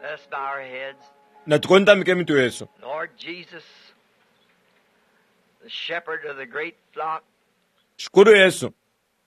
Let us bow our heads. Natukontamike imitwe yesu. Lord Jesus, the shepherd of the great flock, Shikulu Yesu,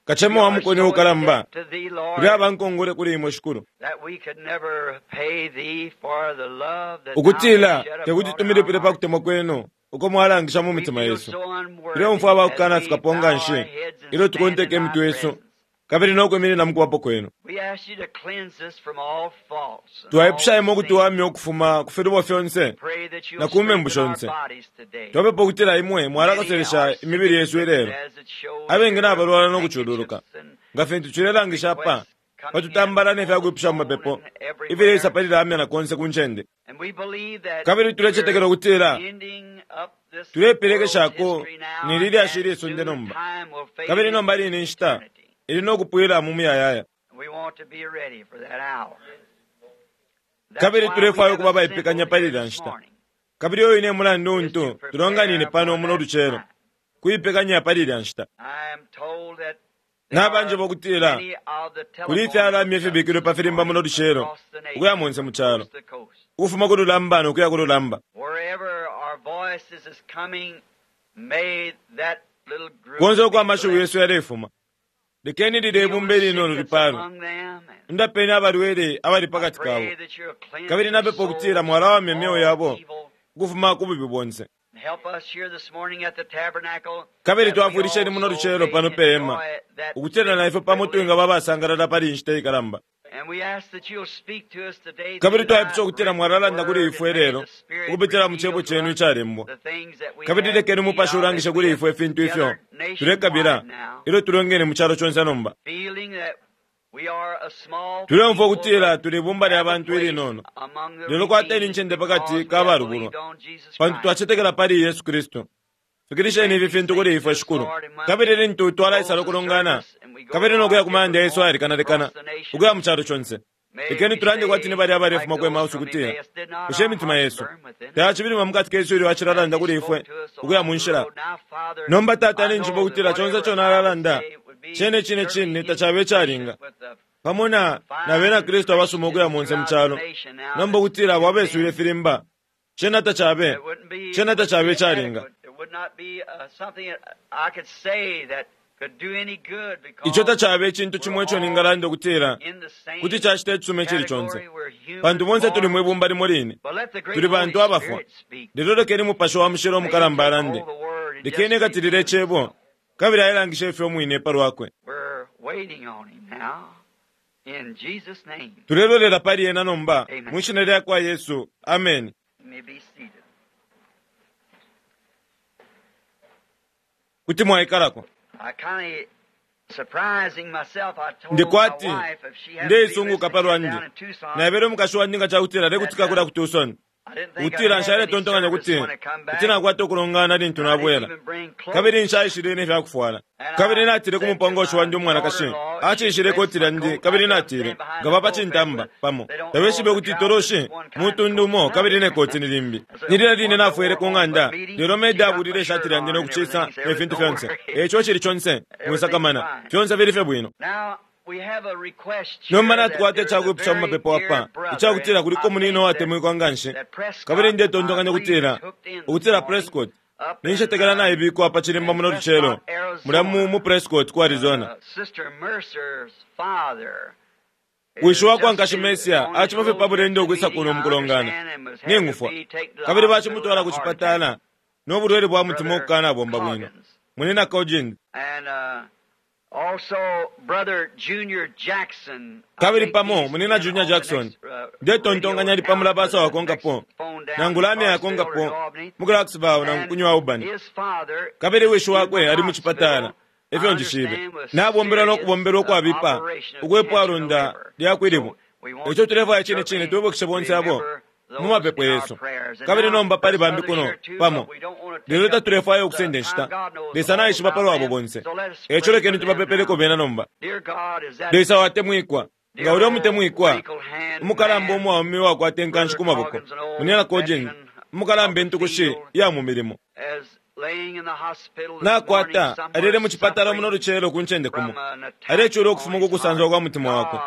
kachema we wa are mukoni so ukalamba, in debt to thee, Lord, kuli abankongole kuli imwe Shikulu. that we could never pay thee for the love that thou Ukutila hast shed tekuti abroad in our tumilipile pa hearts. kutemwa kwenu uko mwalangisha mu We mitima feel yesu. so unworthy Tuleumfwa as abakukana we fikapo bow nga our nshi heads and ilyo stand in tukonteka thy imitwe yesu presence. kabili no kwiminina mu kubapo kwenu. We ask you to cleanse us from all faults and all Twaipusha imwe sin. ukutuwamya ukufuma ku filubo fyonse Pray that you'll na ku membu strengthen our shonse. bodies today. Twapepa ukutila imwe Many are mwalakaselesha sick imibili yesu ilelo. as it shows Abengi here nabalwala with no kucululuka. handkerchiefs and Nga fintu cilelangisha apa, requests coming in patutambala ne on fya the kwipusha mu phone mapepo, and ifileisa everywhere. pali lamya na konse ku ncende. And we believe that Kabili tulecetekela we're ukutila ending up this world's tulepelekeshako history now, ni lilyashi and ilisonde soon nomba. time will fade Kabili nomba into line inshita eternity. ili no kupwila mu muyayaya. We want to be ready for that hour. That's Kabili why we tulefwaya have ukuba assembled abaipekanya pali here ilya this nshita. morning, Kabili uyu ine mulandu is to untu prepare tulonganine pano for muno that lucelo time. kuipekanya pali ilya nshita. I am told that there Nabanjeba are ukutila many of the kuli telephone ifyalamya hookups ifibikilwe pa this filimba muno morning lucelo across the ukuya nation, monse from mu calo, coast to coast. ukufuma ku lulamba no kuya ku lulamba. Wherever our voices is coming, may that little group Konse uko be amashiwi blessed. yesu yalefuma. Lekeni lile Heal ibumba the ilinono sick that's lipalwe. among them, and Ndapeni abalwele abali I pakati kabo. pray that you'll cleanse Kabili their napepa ukutila souls from mwalawamya imyeo all yabo evil. ukufuma ku bubi bonse. And help us here this morning at the tabernacle Kabili that we twafwilisheni muno also lucelo may pano pe hema enjoy that ukutila great na ifwe pamo privilege. twingaba abasangalala pali inshita ikalamba. And we ask that you'll speak to us today Kabili through thy twaipusha ukutila written mwalalanda kuli word, ifwe and may lelo the Spirit ukupitila mu reveal cebo to cenu us icalembwa. the things that we Kabili have lekeni need Mupashi of as ulangishe we kuli have ifwe ifintu ifyo gathered nationwide tulekabila now, ilyo tulongene mu calo conse nomba. feeling that we are a small Tuleumfwa people ukutila but tuli ibumba lya have a bantu place ilinono, among the lelo kwateni redeemed incende pakati because we ka have balubulwa, believed on Jesus pantu Christ. twacetekela pali Yesu Kristu. Fikilisheni Grant ifi these fintu kuli things to ifwe us, Shikulu. Lord, and when Kabili we lintu twalaisala close the ukulongana, service and we go kabili to no our kuya ku mayanda different yesu homes ayalekanalekana, across the nation, ukuya mu calo conse. may Lekeni we tulande kwati ni say, balya like abalefuma ku those Emausi from ukutila, Emmaus, did not bushe our imitima hearts yesu burn within us tayacibilima mukati kesu ilyo as acilalanda he kuli spoke ifwe to us ukuya along mu the nshila? road? Now, Father, Nomba Tata I ninjiba know that ukutila conse whatever ico I would nalalanda say would be cene cine certainly cine tacabe icalinga insufficient with the pamo na na bena fine Kristu abasuma ukuya Christians monse mu throughout the calo. nation now Nomba that's ukutila abo tuned abeswile in. filimba cena tacabe It wouldn't be, it cena wouldn't tacabe be icalinga. adequate. It would not be something that I could say that could do any good Ico because tacabe icintu we're cimo ico all ningalanda ukutila in the kuti same cacita icisuma icili conse, category. We're human pantu bonse tuli born. mwi bumba limo line, But let the great tuli Holy bantu abafwa. Spirit speak. Lelo lekeni Mupashi wa Mushilo May He umukalamba take alande, hold of the word and lekeni just ekatilile reveal icebo Himself. kabili ailangishe ifyo umwine pa lwakwe. We're waiting on Him now. In Jesus' name. Tulelolela pali ena nomba Amen. mwi shina lya kwa Yesu. Ameni. You may be seated. Kuti mwaikalako. I kind of surprising myself. I told Ndi my kwati wife if she happened to be ndeisunguka listening pa here lwandi down in Tucson naebele umukashi wandi nga cakutila that lekutika kulya ku Tucson I didn't think I'd ukutila have any nshaletontonkanya service kuti when I come kuti back. nakwata ukulongana lintu I didn't nabwela even bring kabili clothes. nshaishile ne fyakufwala. And Kabili I natile ku said to mupongoshi my wandi umwanakashi daughter-in-law, she acinshile pressed ikoti my lyandi coat. I kabili said, I'm natile standing behind the ngaba pa pulpit, cintamba but pamo they don't know tabeshibe the kuti trousers toloshi is one kind of mutundu coat umo kabili another. ne koti ni limbi. I said, Ni lilya line one that nafwele wore ku home ng'anda but meeting, lelo she maid got my abulile ishati shirt lyandi on no and kucisa everything. He said, ne fintu don't fyonse. worry. Eco cili conse Everything's mwisakamana fine. fyonse fili fye bwino. Now, we have a request Nomba here that natukwata there's a icakwipusha mu very mapepo dear apa brother, icakutila and kuliko I munino think that, watemwikwa nga nshi that kabili Prescott, I ndetontonkanya believe, is ukutila hooked in this ukutila morning Prescott up in, ninshetekela naibikwa pa cilimba in muno lucelo Prescott, mulya mu Arizona. Prescott ku Arizona. Sister Mercer's father is Wishi wakwa just nkashi in, Mesia on his acima fye road pa here bulendo to ukwisa meeting, kuno I mukulongana understand, and was had to ningufwa be taken to the kabili hospital with bacimutwala a ku heart attack. cipatala no bulwele bwa mutima Brother ukukanabomba bwino Coggins. munina Coggins. And also Brother Junior Jackson, I Kabili think pamo he's munina in Junior on the Jackson next radio ndetontonkanya ali down pamula for basa the next wakonkapo phone down in nangu lamya Clarksville or yakonkapo Albany. mu Clarksville nangu And ku New Albany. his father Kabili is wishi in the wakwe ali mu cipatala hospital, I efyo njishibe understand, with nabombelwa no serious kubombelwa ukwabipa operation of ukwepwa cancer in the lunda liver. lya So kwilibu. we want Eco to tulefwaya cine cine certainly twibukishe bonse abo remember mu those mapepo in our yesu. prayers. And Kabili now nomba pali there's bambi others kuno here too, but pamo we don't want to lelo take up tatulefwaya the ukusenda time. inshita. God knows Lesa all naishiba pa about lwabo them. bonse. So let us Eco pray for lekeni them tubapepeleko now. bena nomba. Dear God, is that Lesa watemwikwa nga dear ulya old umutemwikwa wrinkled hand umukalamba man, umwaume uwakwata inkanshi Brother ku maboko Coggins, an old munina Coggins veteran of umukalamba the intukushi field, iya mu milimo. as Nakwata alele mu cipatala muno lucelo ku ncende kumo, alecula ukufuma ku kusanzwa kwa mutima wakwe.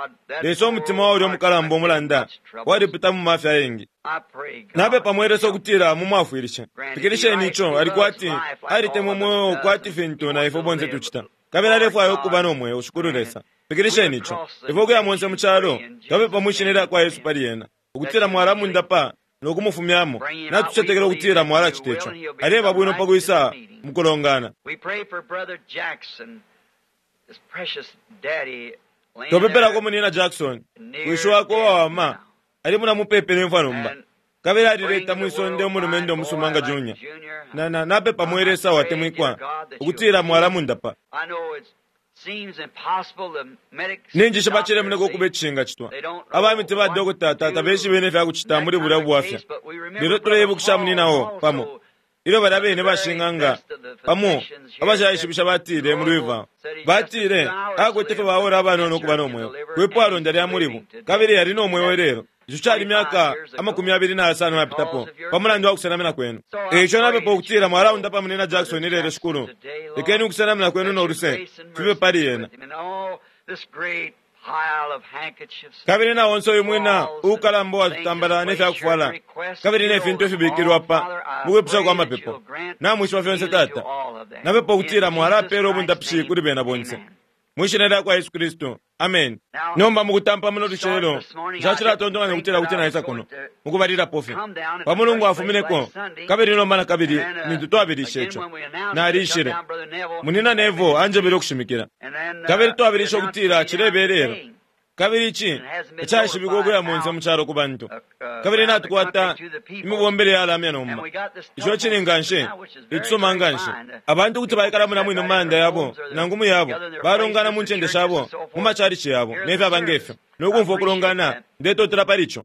Lesa, umutima wa ulya umukalamba umulanda walipita mu mafya ayengi. Napepa mwe Lesa ukutila mumwafwilishe. Fikilisheni ico ali kwati alitemwa umweo kwati fintu na ifwe bonse tucita. Kabili alefwaya ukuba no mweo, Shikulu Lesa. Fikilisheni ico. Ifwe ukuya monse mu calo, twapepa mwi shina lya kwa Yesu pali ena, ukutila mwalamundapa no kumufumyamo. Natucetekela ukutila mwalacita ico. Aleba bwino pa kwisa mukulongana. Twapepelako Munina Jackson, wishi wakwe uwawama, ali muna mupepi ne mfwa nomba. Kabili alileta mwi sonde umulumendo umusuma nga Junior. Na, na, napepa mwe Lesa watemwikwa, ukutila mwalamundapa. Ninjishiba cilemoneka ukuba icishingacitwa. Aba miti ba dokota tata beshibe ne fya kucita muli bulya bwafya. Lelo tuleibukisha munina o pamo. Ilyo balya bene bashing'anga pamo abashaishibisha batile muli Louisville. Batile akwete fye baora abanono ukuba no mweo. Kwipwalonda lya mulibu. Kabili yali no mweo ilelo. Ico cali myaka 25 yapitapo pa mulandu wa kusenamina kwenu. E ico napepa ukutila mwalaundapa munina Jackson ilelo, Shikulu. Lekeni ukusenamina kwenu no luse fibe pali ena. Kabili na onse uyu mwina uukalamba uwatutambala ne fya kufwala kabili ne fintu ifibikilwa pa mukwipusha kwa mapepo. Namwishiba fyonse Tata. Napepa ukutila mwalapela ubundapishi kuli bena bonse. Mwi shina lya kwa Yesu Kristu. Amen. Nomba mukutampa muno lucelo, nshacilatontonkanya ukutila kuti naisa kuno mukubalilapo fye pa mulungu afumineko, kabili nomba na kabili lintu twabilishe ico nalishile. Munina Nevo anjebele ukushimikila, kabili twabilishe ukutila cilebelelo, kabili ici icaishibikwa ukuya monse mu calo ku bantu, kabili natukwata imibombele yalamya nomba. Ico cili nganshi icisuma nganshi. Abantu kuti baikala muna mwine mu mayanda yabo nangu mu yabo, balongana mu ncende shabo, mu macalici yabo ne fyaba ngefyo, no kumfwa ukulongana. Ndetotela pali ico.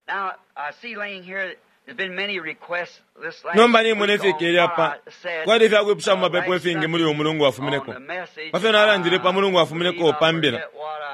Nomba nimona ifikele apa, kwali ifyakwipusha mu mapepo ifingi muli uyu mulungu wafumineko pa fyo nalandile pa mulungu wafumineko pa mbila.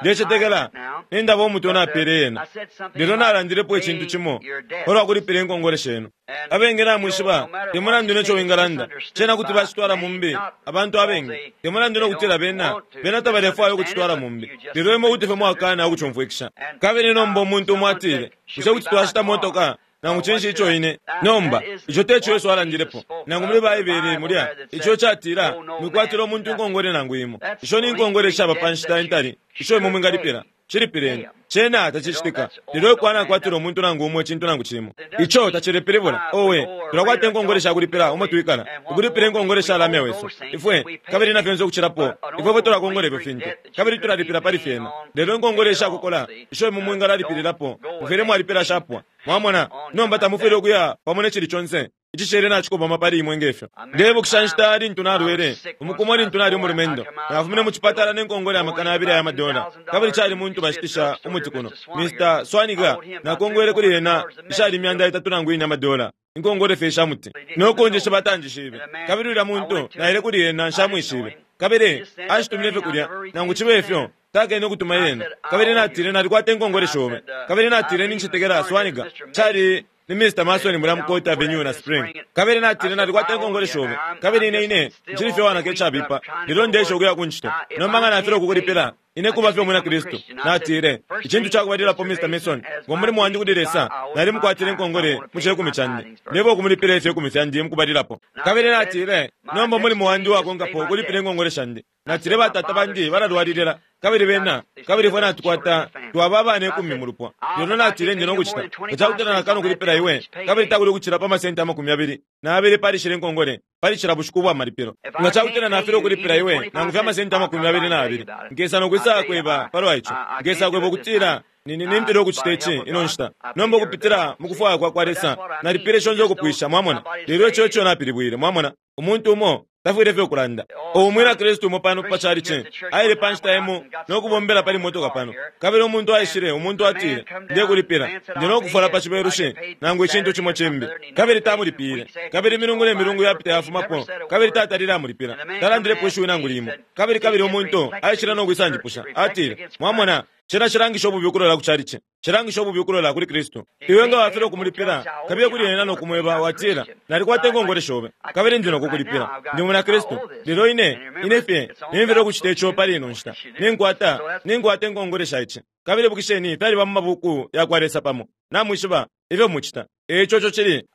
Ndecetekela nindaba umutwe napele yena, lelo nalandilepo icintu cimo palwa kulipila inkongole shenu. Abengi namwishiba, te mulandu neco wingalanda, cena kuti bacitwala mumbi. Abantu abengi, te mulandu nokutila bena bena tabalefwaya ukucitwala mumbi, lelo imwe kuti fye mwakana ukucumfwikisha. Kabili nomba umuntu umo atile, bushe kuti twashita motoka nangu cinshi ico ine? Nomba ico teco Yesu alandilepo nangu muli Baibele mulya ico catila, mwikwatila umuntu inkongole nangu imo. Isho ni nkongole ishaba pa nshita intali isho imwe mwingalipila. Cilipileni. Cena tacicitika. Lelo ikwana akwatila umuntu nangu umo icintu nangu cimo, ico tacilepilibula. Owe, tulakwata inkongole shakulipila umo twikala, ukulipila inkongole shalamya wesu ifwe, kabili na fyonse ukucilapo. Ifwe fwe tulakongola ifyo fintu kabili tulalipila pali fyena. Lelo inkongole ishakukola isho imwe mwingalalipililapo, mufwile mwalipila shapwa. Mwamona? Nomba tamufwile ukuya pamo ne cili conse icishele nacikobama pali imwe ngefyo. Ndebukisha nshita lintu nalwele umukumo lintu nali umulumendo. Nafumine mu cipatala ne nkongole ya 2,000 ya madola, kabili cali muntu bashitisha umuti kuno, Mr. Swaniga. Nakongwele kuli ena ishali 300 nangu 4 amadola, inkongole fye isha muti, no kunjisha batanjishibe. Kabili ulya muntu naile kuli ena, nshamwishibe, kabili ashitumine fye kulya. Nangu cibe ifyo takene ukutuma yena. Kabili natile, nalikwata inkongole shobe. Kabili natile, nincetekela Swaniga cali ni Mr. Mason mulya mu Court Avenue na Spring. Kabili natile, nalikwata inkongole shobe, kabili ine ine ncili fye wanaka icabipa, lelo ndesha ukuya ku ncito. Nomba nga nafilwa ukukulipila, ine kuba fye umwina Kristu. Natile, icintu cakubalilapo, Mr. Mason, ngo mulimo wandi kuli Lesa, nalimukwatile inkongole mu cekumi candi, nebo ukumulipila ifyekumi fyandi mukubalilapo. Kabili natile, nomba umulimo wandi uwakonkapo ukulipila inkongole shandi. Natile, batata bandi balalwalilila, kabili bena kabili ifwe natukwata twaba abana 10 mu lupwa. Lelo natile, ndi nokucita nga cakutila nakana ukulipila iwe, kabili takuli ukucila pa masenti 22 pali shila inkongole pali cila bushiku ubwa malipilo. Nga cakutila nafilwa ukulipila iwe nangu fye amasenti 22, nkesa nokwisa kweba palwa ico. Nkesa kweba ukutila nimpila ukucita ici ino nshita. Nomba ukupitila mu kufwaya kwa kwa Lesa nalipile shonse ukupwisha, mwamona. Lelo ico ico napilibwile, mwamona. Umuntu umo tafwile fye ukulanda. Umwina Kristu umo pano pa chalichi aile pa nshita imo no kubombela pali motoka pano, kabili umuntu aishile, umuntu atile, ndekulipila, ndi no kufola pa cibelushi nangu icintu cimo cimbi, kabili tamulipile. Kabili imilungu ne milungu yapita yafumapo, kabili tatalile amulipila, talandilepo ishiwi nangu limo. Kabili kabili umuntu aishile no kwisanjipusha, atile, mwamona. Cena cilangisha ububi ukulola ku chalichi. Cilangisha ububi ukulola kuli Kristu. Iwe nga wafilwa ukumulipila, kabiye kuli ena no kumweba, watila, Nalikwata inkongole shobe, kabili ndi no kukulipila. Ndi mwina Kristu. Lelo ine, ine fye, nimfilwa ukucita ico pali ino nshita. Ninkwata, ninkwata inkongole sha ici. Kabili ibukisheni, fyaliba mu mabuku yakwa Lesa pamo. Namwishiba ifyo mucita. Eico ico cili.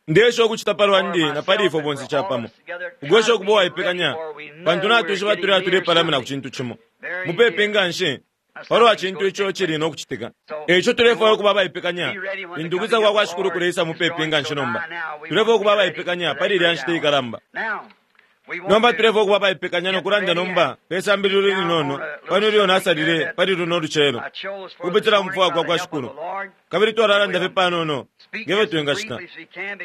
Ndeesha ukucita pa lwandi na pali ifwe bonse capamo, ukwesha ukuba uwaipekanya, pantu natwishiba tuli tulepalamina ku cintu cimo mupepi nga nshi palwa cintu ico cili no kucitika. Eico tulefwaya ukuba abaipekanya lintu ukwisa kwa kwa Shikulu kuleisa mupepi nga nshi nomba. Tulefwaya ukuba abaipekanya pali ilya nshita ikalamba. Nomba tulefwaya ukuba abaipekanya no kulanda nomba pe sambililo ilinono pano ilyo nasalile pali luno lucelo ukupitila mu kufwaya kwa kwa Shikulu. Kabili twalalanda fye panono nge fyo twingacita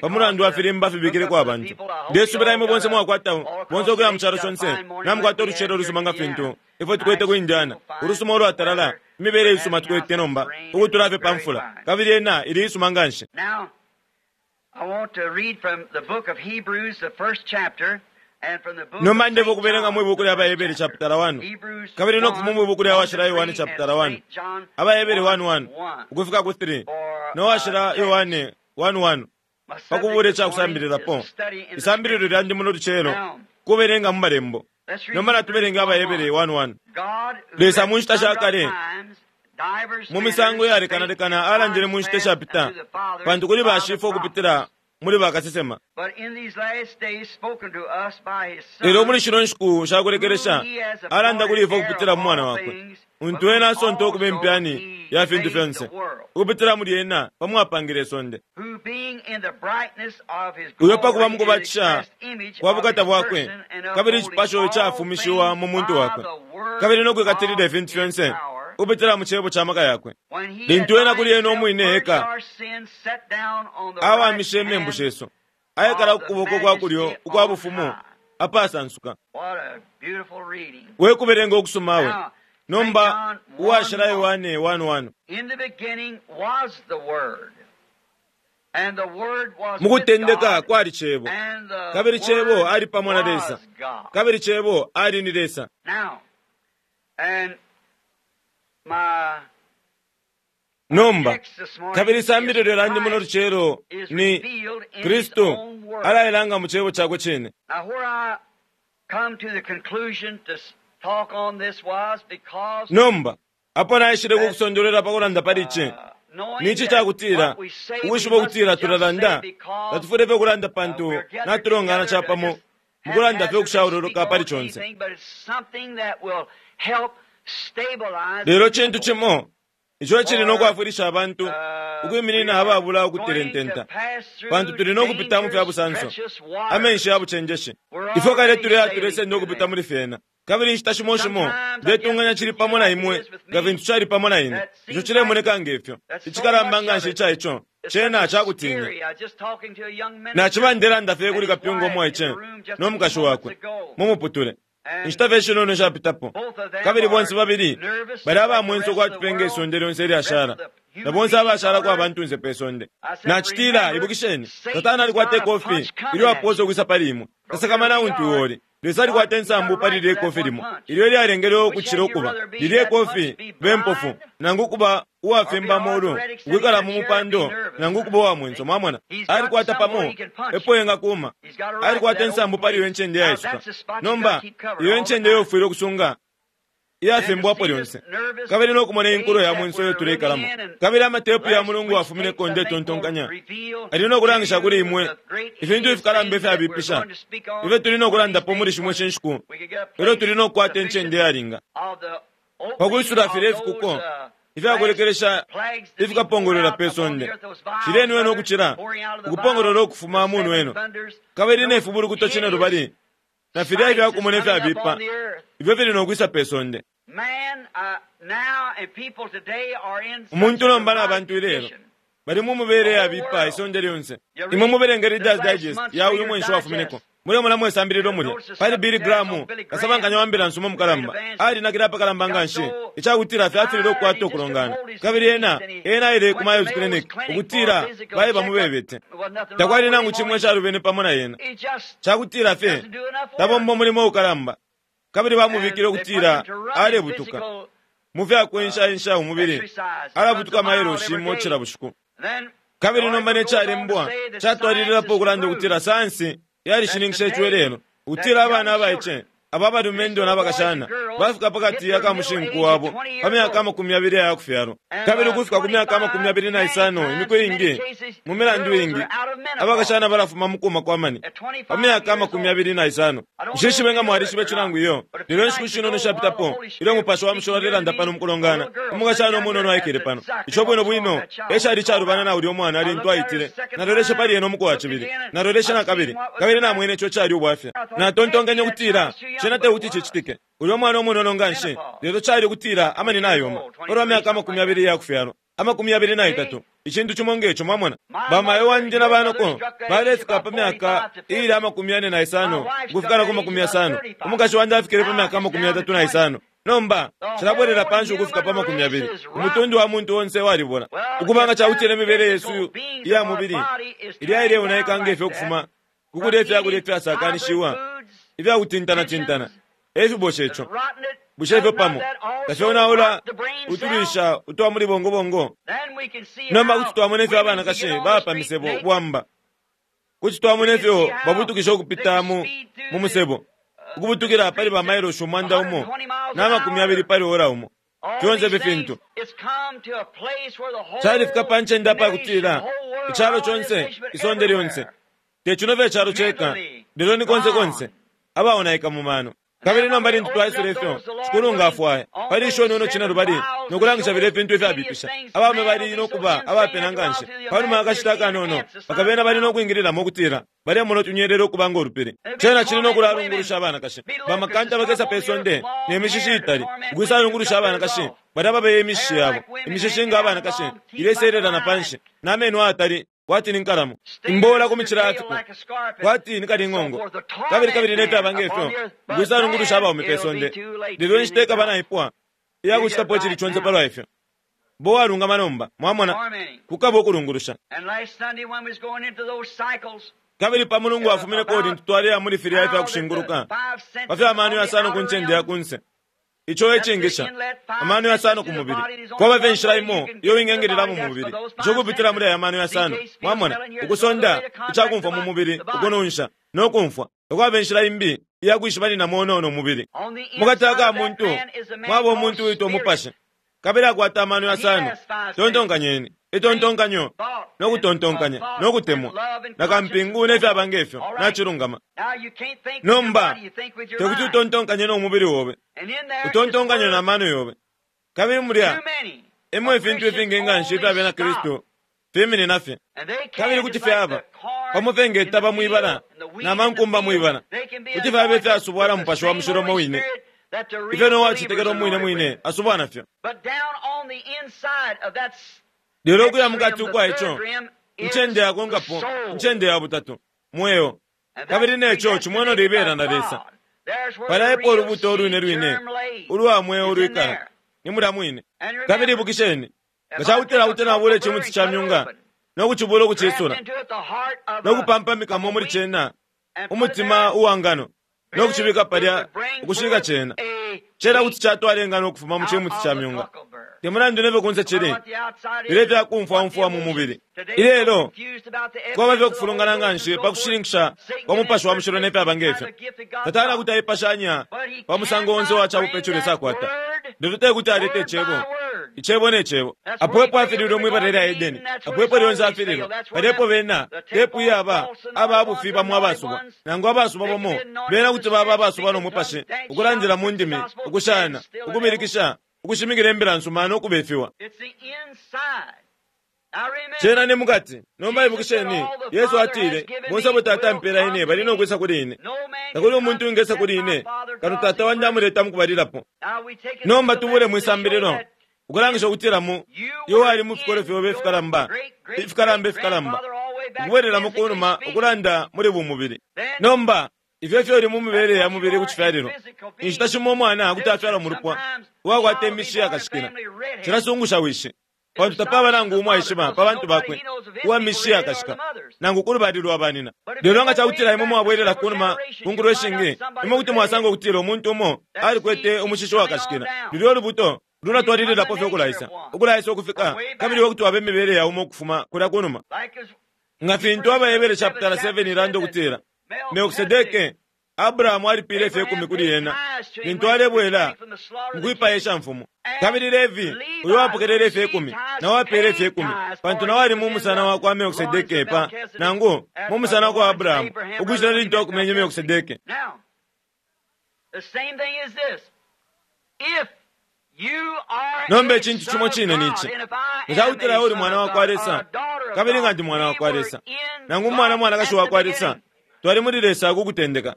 pa mulandu wa filimba fibikileko abantu. Ndesubila imwe bonse mwakwata, bonse ukuya mu calo conse, namukwata ulucelo ulusuma nga fintu ifwe tukwete ku Indiana, ulusuma ulwatalala, imibele isuma tukwete nomba ukutula fye pa mfula, kabili yena ili isuma nga nshi. Now, I want to read from the book of Hebrews, the first chapter, and from the book Nomba of ndefwaya St. ukubelenga John, mwi buku lya the first Bahebere chapter. chapter 1 Hebrews kabili no kufuma 1, mwi buku lya 1 to Washila Yohane 3, and chapter 1 St. John Abahebere 1, 1:1 1. ukufika ku 3 For no Washila text. Yohane 1:1 My pa subject kubula this ica morning is kusambililapo. a study in the Isambililo Scriptures. lyandi muno lucelo Now, kubelenga mu malembo. let's read Nomba Hebrews natubelenga 1 Abahebere 1. 1:1. God, who Lesa at mu nshita sha sundry kale times, divers mu misango manners, spake iyalekanalekana in alandile times mu nshita past ishapita unto the fathers pantu kuli by the bashifwe ukupitila prophets. muli bakasesema. But in these last days spoken to us by his Lelo Son, muli shino nshiku sha whom kulekelesha he has alanda kuli appointed ifwe heir ukupitila of mu mwana all wakwe, things, untu by whom ena asonta ukuba also impyani he ya fintu made the fyonse, world, ukupitila muli ena pamwapangile isonde. who being in the brightness of his Uyo pa kuba glory mu and kubatisha expressed image kwa of bukata his bwakwe, person, and kabili upholding icipasho all icafumishiwa things mu muntu by wakwe, the word kabili no kwikatilila of ifintu his fyonse power, ukupitila mu cebo ca maka yakwe. when he had Lintu ena by kuli ena himself umwine purged eka our sins, sat down on the right awamishe imembu hand shesu, aikala of ku the kuboko kwa kulyo majesty ukwa on bufumu high. apasansuka. What a beautiful reading. We kubelenga ukusuma we. Now, St. Nomba John 1 uwashila 1. Yohane 1:1. In the beginning was the Word, and the Word was Mu with kutendeka God, kwali Cebo, and the kabili Cebo Word ali pamo na Lesa, was God. kabili Cebo ali ni Lesa. Now, and my Nomba text this morning kabili is isambililo lyandi muno Christ lucelo is ni revealed in his Kristu own Word. alailanga mu cebo cakwe cine. Now, where I come to the conclusion to talk on this was because Nomba apo naishile that kukusondolera pa kulanda pali ici knowing nici that cakutila what we say we ukwishiba ukutila mustn't just say tulalanda because tatufwile fye kulanda pantu we're gathered natulongana together to capamo just mukulanda fye haphazardly speak ukushaululuka pali on conse. anything, but it's something that will help stabilize the Lelo cintu people. cimo ico cili no For kwafwilisha abantu we ukwiminina are ababula going to ukutelententa pass pantu through tuli no kupita mu fya dangerous, busanso treacherous amenshi waters. ya bucenjeshi. We're Ifwe kale already tuli sailing atulesenda through ukupita them. muli fyena kabili inshita shimo shimo Sometimes I guess ndetunganya it's cili with you pamo na like it imwe is with nga me. fintu cali pamo na ine. That Ico seems like cilemoneka ngefyo that so icikalamba much nga of nshi it ica ico is such cena a cakutinya. scary. I was just talking to a young Naciba minister ndelanda fye and kuli his kapyunga wife in umwaice the room just no a few mukashi moments wakwe ago. mumuputule And inshita fye shinono shapitapo both of them kabili bonse are babili nervous bali like the abamwenso rest of the kwatupenga world, isonde lyonse rest of ilyashala the na human bonse beings abashala on kwa earth. bantunse pe sonde. I said, Nacitila remember, ibukisheni satana Satan's got alikwata a ikofi punch coming ilyo at aposa you. ukwisa pali imwe From here tasakamana we untu are. uoli Lesa God, alikwata he got insambu a pali right lilye for that kofi one limo punch. ilyo lyalengele Which ukucila had you ukuba rather be, lilye that punch kofi be be mpofu blind nangu ukuba or be uwafimba molu arthritic sitting in ukwikala a mu chair and be mupando nervous? nangu ukuba uwa mwenso See? mwamona He's got alikwata somewhere pamo he can punch epo you. engakuma He's got a right to alikwata that insambu open pali iyo place. ncende Now yaisuka that's the spot you got to nomba keep covered iyo all the ncende time. yofwile ukusunga And to iyafimbwapo see this lyonse nervous kabili no kumona inkulo age ya that mwenso iyo we're living tuleikalamo in and kabili amatepu ya last mulungu week's wafumineko tapes, I think, will ndetontonkanya reveal ali no to kulangisha kuli you imwe the great ifintu hideous ifikalamba things that we're ifyabipisha going to speak on ifyo tuli no one of these kulandapo muli days shimwe when shenshiku we could get a ilyo place tuli no kukwata sufficient incende yalinga of the opening pakuisula of filya those ifikuko last ifyakulekelesha plagues to be poured ifikapongolola out pe upon the sonde earth, those vials, shileni wene brother, ukucila pouring out of the ukupongolola vials, ukufuma the mu seven nweno thunders, kabili ne those fibulukuto cine hideous lubali na filya sights that's ifyakumona coming up ifyabipa on the earth. ifyo fili no kwisa pe sonde. Man, now and people today are in such Umuntu a nomba na demonic bantu ilelo condition. bali mu The mubele whole yabipa world. isonde lyonse. You Imwe read mubelenga this Reader's last Digest month's ya uyu Reader's mwenshi wafumineko Digest. mulemona mwesambililo You'll mulya notice the pali Billy subject on Graham Billy Graham, kasabankanya wa mbila nsuma the great mukalamba evangelist. alinakile apakalamba nga Got nshi so icakutila fye afilile tired he ukukwata just couldn't ukulongana hold his kabili knees ena and he ena aile ku went to Mayo's Mayo's Clinic Clinic for a ukutila physical baye checkup. bamubebete There wasn't nothing wrong takwali with nangu him, cimwe only calubene pamo na yena he just cakutila fye doesn't do enough work. tabomba umulimo ukalamba kabili And bamubikile they put him ukutila to run his alebutuka physical mu fya kwenshaensha umubili, alabutuka mailoshi imo cila bushiku. Kabili nomba ne calembwa catwalililapo ukulanda ukutila sayansi yalishininkisha ico ilelo, ukutila abana abaice aba balumendo na bakashana bafika pakati ya kamushinku wabo pa myaka 20 aya kufyalwa, kabili ukufika ku myaka 25 imiku iingi, mu milandu iingi, abakashana balafuma mu kuma kwa mani pa myaka 25. Nshishibe nga mwalishiba ico nangu iyo, lelo inshiku shinono shapitapo ilyo Umupashi wa Mushilo alelanda pano mukulongana, umukashana umunono aikele pano. Ico bwino bwino ecali icalubana na ulya umwana lintu aitile. Naloleshe pali ena umuku wa cibili, naloleshe na kabili, kabili namwene ico cali ubwafya. Natontonkenye ukutila cena tekuti cicitike. Ulya mwana umunono nganshi, lelo cali ukutila amani nayoma palwa myaka 20 iya kufyalwa, 23, icintu cimo ngeco, mwamona. Bamayo wandi na banoko balefika pa myaka iili 45 ukufika na ku 50. Umukashi wandi afikile pa myaka 35. Nomba cilabwelela panshi ukufika pa 20. Umutundu wa muntu onse walibola. Ukuba nga cakutila imibele yesu iya mubili ilya ileonaika ngefyo ukufuma ku kulya ifyakulya ifyasakanishiwa ifyakutintanatintana, e fibosha ico. Bushe ifyo pamo tafyonaula utulwisha utwa muli bongobongo? Nomba kuti twamona ifyo abanakashi baba pa misebo bwamba. Kuti twamona ifyo babutukisha ukupita mu musebo, ukubutukila pali ba mailoshi 120 na 20 pali ora umo. Fyonse ifi fintu califika pa ncende apakutila icalo conse, isonde lyonse, te cino fye calo ceka, lelo ni konse konse abaonaika mu mano. Kabili nomba lintu twaisula ifyo Shikulu nga afwaya, pali isho nono cine lubali no kulangisha filya ifintu ifyabipisha, abaume bali no kuba abapena nganshi. Panuma akashita akanono, bakabena bali no kwingililamo ukutila balemona utunyelele ukuba ngo lupili. Cena cili no kulalungulusha abanakashi. Bamakanta bakesa pe sonde ne mishishi itali, ukwisalungulusha abanakashi balya babeye imishishi yabo, imishishi nga abanakashi ileselela na panshi, na meno ayatali kwati ni nkalamo, imbola ku micila ya fiko kwati ni kaling'ongo, kabili kabili ne fyaba ngefyo, ukwisalungulusha abaume pe sonde. Lelo inshita ikaba naipwa iya kucitapo icili conse palwa ifyo. Bo walungama nomba, mwamona, kukaba ukulungulusha. Kabili pa mulungu wafumineko lintu twaleya muli filya ifya kushinguluka pa fya mano yasano ku ncende ya kunse, ico ecingisha amano yasano ku mubili. Kwaba fye inshila imo iyo wingengelelamo mu mubili, ico kupitila muli aya mano yasano, mwamona, ukusonda icakumfwa mu mubili, ukununsha no kumfwa. Takwaba inshila imbi iya kwishibaninamo no mubili. Mukati aka muntu mwaba umuntu uitwa umupashi, kabili akwata amano yasano. Tontonkanyeni itontonkanyo no kutontonkanya no kutemwa na kampingu ne fyaba ngefyo nacilungama. Nomba tekuti utontonkanye no mubili obe, utontonkanye na mano yobe. Kabili mulya emo ifintu ifingi nganshi ifya bena Kristu fiminina fye, kabili kuti fyaba pamo fye ngetaba mwibala na mankumba mwibala, kuti fyaba ifyasubwa na Mupashi wa Mushilo umo wine, ifyo no wacitekela umwine mwine asubwa nafyo. Lelo ukuya mukati ukwa ico, incende yakonkapo, incende ya butatu, mweo. Kabili neco cimweno libela na Lesa. Palya epo ulubuto ulwine lwine ulwa mweo ulwikala, ni mulya mwine. Kabili ibukisheni, nga cakutila kuti nabula icimuti ca myunga no kucibula ukucisula, no kupampamikamo muli cena umutima uwa ngano, no kucibika palya ukushika cena, cena kuti catwala ingano ukufuma mu cimuti ca myunga. Te mulandu nefyo kunse cili, lelo ifyakumfwamfwa mu mubili. Ilelo kwaba fye ukufulungana nganshi pa kushininkisha kwa Mupashi wa Mushilo ne fyaba ngefyo. Satana kuti aipashanya pa musango onse uwa cabupe ico Lesa akwata, lelo te kuti alete icebo, icebo ne cebo. Apo epo afililwe mwibala lya Edeni, apo epo lyonse afililwe, palya epo bena tepu iyaba aba bufi bamo abasubwa, nangu abasubwa bamo bena kuti baba abasubwa no Mupashi, ukulandila mu ndimi, ukushana, ukubilikisha, ukushimikila imbila nsuma no kubefiwa. Cena ni mukati. Nomba ibukisheni, Yesu atile, bonse abo Tata ampela ine bali no kwisa kuli ine. Takuli umuntu uwingesa kuli ine, kano Tata wandi amuleta mukubalilapo. Nomba tubule mwisambililo, ukulangisha ukutila mu iwe wali mu fikolo fyobe ifikalamba, ifikalamba ifikalamba, ukubwelelamo kunuma ukulanda muli bumubili. Nomba ifyo ifyo uli mu mibele ya mubili ku cifyalilo. Inshita shimo umwana kuti afyalwa mu lupwa uwakwata imishi yakashikila, cilasungusha wishi, pantu tapaba nangu umo aishiba pa bantu bakwe uwa mishi yakashika, nangu ku lubali lwa banina. Lelo nga cakutila imwe mwabwelela kunuma ku nkulo ishingi, imwe kuti mwasanga ukutila umuntu umo alikwete umushishi wakashikila. Lulyo lubuto Lulatwalililapo fye ukulaisa, ukulaisa ukufika, kabili iwe kuti waba imibele ya umo ukufuma kulya kunuma. Nga fintu AbaHebere chaputala 7 ilanda ukutila, Melkisedeke, Abrahamu alipile ifye kumi kuli ena lintu alebwela mukwipaya ishamfumu. Kabili Levi, uyo wapokelele ifye kumi, nao apele ifye kumi, pantu nao ali mu musana wa kwa Melkisedeke pa, nangu, mu musana wa kwa Abrahamu, ukucila lintu akumenye Melkisedeke. Nomba icintu cimo cine ni ici. Nga ca kutila uli mwana wa kwa Lesa, kabili nga ndi mwana wa kwa Lesa, nangu umwana mwanakashi wa kwa Lesa, twali muli Lesa ku kutendeka.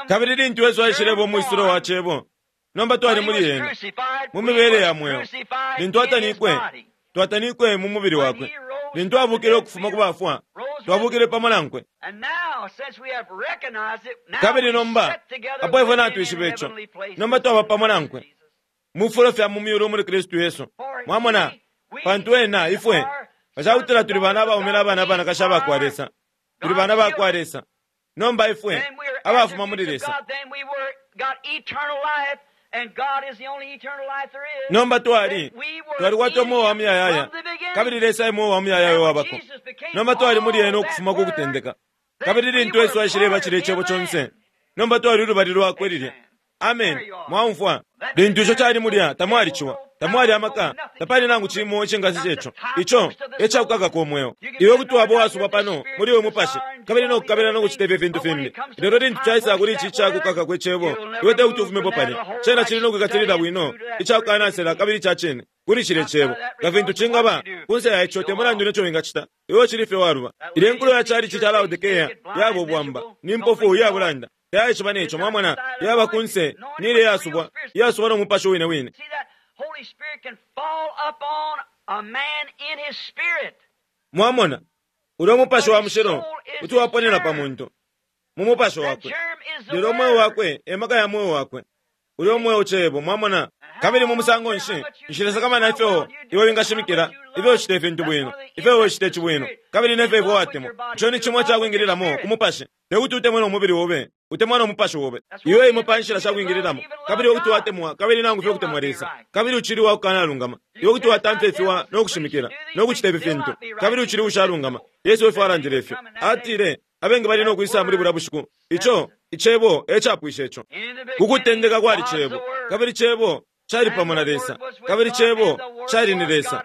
Kabili lintu Yesu aishileba umwisulo wa Cebo, nomba twali muli ena, mu mibele ya mweo. Lintu atanikwe, twatanikwe mu mubili wakwe. Lintu abukile ukufuma ku bafwa, twabukile pamo nankwe. Kabili nomba, apo ifwe natwishiba ico, nomba twaba pamo nankwe mu fifulo fya mu myulu muli Kristu Yesu. Mwamona, pantu ena, ifwe, nga ca kutila tuli bana abaume na bana abanakashi aba kwa Lesa, tuli bana ba kwa Lesa. Nomba ifwe, abafuma muli Lesa. Nomba twali, twalikwata umweo wa muyayaya, kabili Lesa e mweo wa muyayaya uwabako. Nomba twali muli ena ukufuma ku kutendeka. Kabili lintu Yesu aishileba cilya Icebo conse, nomba twali ulubali lwakwe lilya. Amen. Mwaumfwa? Lintu ico cali mulya, tamwali ciwa, tamwali amaka, tapali nangu cimo icingasesha ico. Ico e cakukakako umweo. Iwe kuti waba uwasubwa pano muli uyu mupashi, kabili no kukabila no kucita ifyo fintu fimbi. Lelo lintu caisa kuli ici icakukaka kwe cebo, iwe te kuti ufumepo palya. Cena cili no kwikatilila bwino, icakukanasela kabili ica cine kuli cilye cebo. Nga fintu cingaba, kunse ya ico te mulandu ne co wingacita, iwe ucili fye waluba. Ilya nkulo ya calici ca Laodikea yaba ubwamba, ni mpofu iya bulanda. Tayaishiba ne co, mwamona, yaba kunse, ni ilya iyasubwa, iyasubwa no mupashi wine wine. Mwamona, ulya Mupashi wa Mushilo kuti waponena pa muntu, mu mupashi wakwe. Lelo umweo wakwe e maka ya mweo wakwe. Ulya umweo Cebo, mwamona. Kabili mu musango nshi, nshilesakamana ifyo iwe wingashimikila, ifyo ucita ifintu bwino, ifyo iwe ucita ici bwino, kabili ne fyo iwe watemwa. Ico ni cimo icakwingililamo ku mupashi. Te kuti utemwe no mubili obe, utemwa no mupashi obe. Iyo imo pa nshila shakwingililamo. Kabili iwe kuti watemwa, kabili nangu fye ukutemwa Lesa, kabili ucili uwakukanalungama. Iwe kuti watamfya ifiwa no kushimikila, no kucita ifi fintu, kabili ucili uushalungama. Yesu efyo alandile ifyo. Atile, abengi bali no kwisa muli bulya bushiku. Ico, Icebo e capwisha ico. Ku kutendeka kwali Cebo, kabili Cebo cali pamo na Lesa, kabili Cebo cali ni Lesa.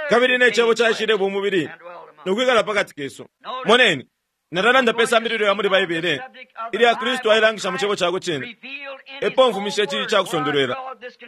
Kabili ne Cebo caishileba umubili no kwikala pa kati kesu. Moneni, nalalanda pe sambililo ya muli Baibele ilya Kristu ailangisha mu Cebo cakwe cine. Epo mfumishe ici ica kusondolwela.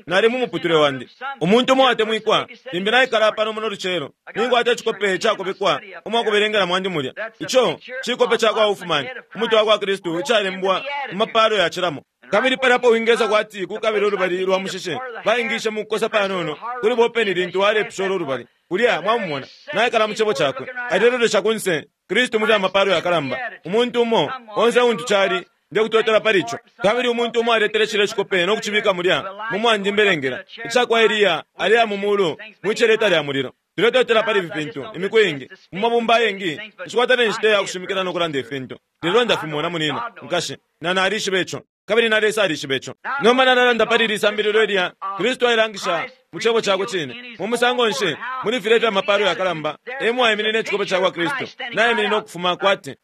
Nali mu muputule wandi. Umuntu umo uwatemwikwa, limbi naikala pano muno lucelo, ninkwata icikope icakobekwa umwa kubelengela mwandi mulya. Ico cikope ca kwa Hofmann, umutwe wa kwa Kristu, icalembwa mu mapalo yacilamo. Kabili palya apo wingesa kwati kukabila ulubali lwa mushishe, baingishe mu kukosa panono kuli bopeni lintu walepusha ulo lubali. Kulya, mwamumona, naikala mu Cebo cakwe, alelolesha kunse, Kristu muli amapalo yakalamba. Umuntu umo, onse untu cali, ndekutotela pali ico. Kabili umuntu umo aletele cilya cikope no kucibika mulya, mu mwandi mbelengela, ica kwa Eliya aleya mu mulu, mwi celeta lya mulilo. Tuletotela pali ifi fintu, imiku iingi, mu mabumba ayengi, nshikwata ne nshita ya kushimikila no kulanda ifintu. Lelo ndafimona, munina, nkashi, na nalishiba ico. Kabili na Lesa alishiba ico. Nomba nalalanda pali ili sambililo ilya Kristu ailangisha mu Cebo cakwe cine. Mu musango nshi, muli filya ifya mapalo yakalamba, e mwaiminine icikope ca kwa Kristu, naiminine ukufuma kwati.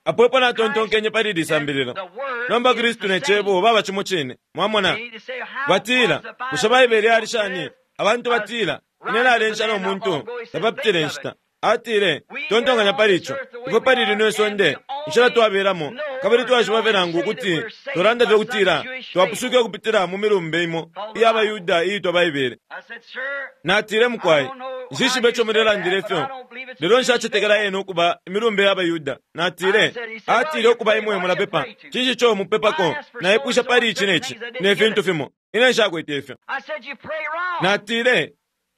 Apo epo natontonkenye pali ili sambililo. Nomba Kristu ne Cebo baba cimo cine. Mwamona? Batila, bushe Baibele yali shani? Abantu batila, ine nalensha no muntu, tapapitile inshita. Atile, tontonkanya pali ico. Ifwe pali lino isonde, inshila twabelamo, kabili twashiba fye nangu ukuti tolanda fye ukutila twapusuke ukupitila mu milumbe imo iya baYuda iitwa Baibele. Natile, mukwai, nshishibe ico mulelandila ifyo, lelo nshacetekela yena ukuba imilumbe ya baYuda. Natile, atile ukuba imwe mulapepa. Cinshi ico mupepako? Naipwisha pali ici ne ci, ne fintu fimo. Ine nshakwete ifyo. Natile,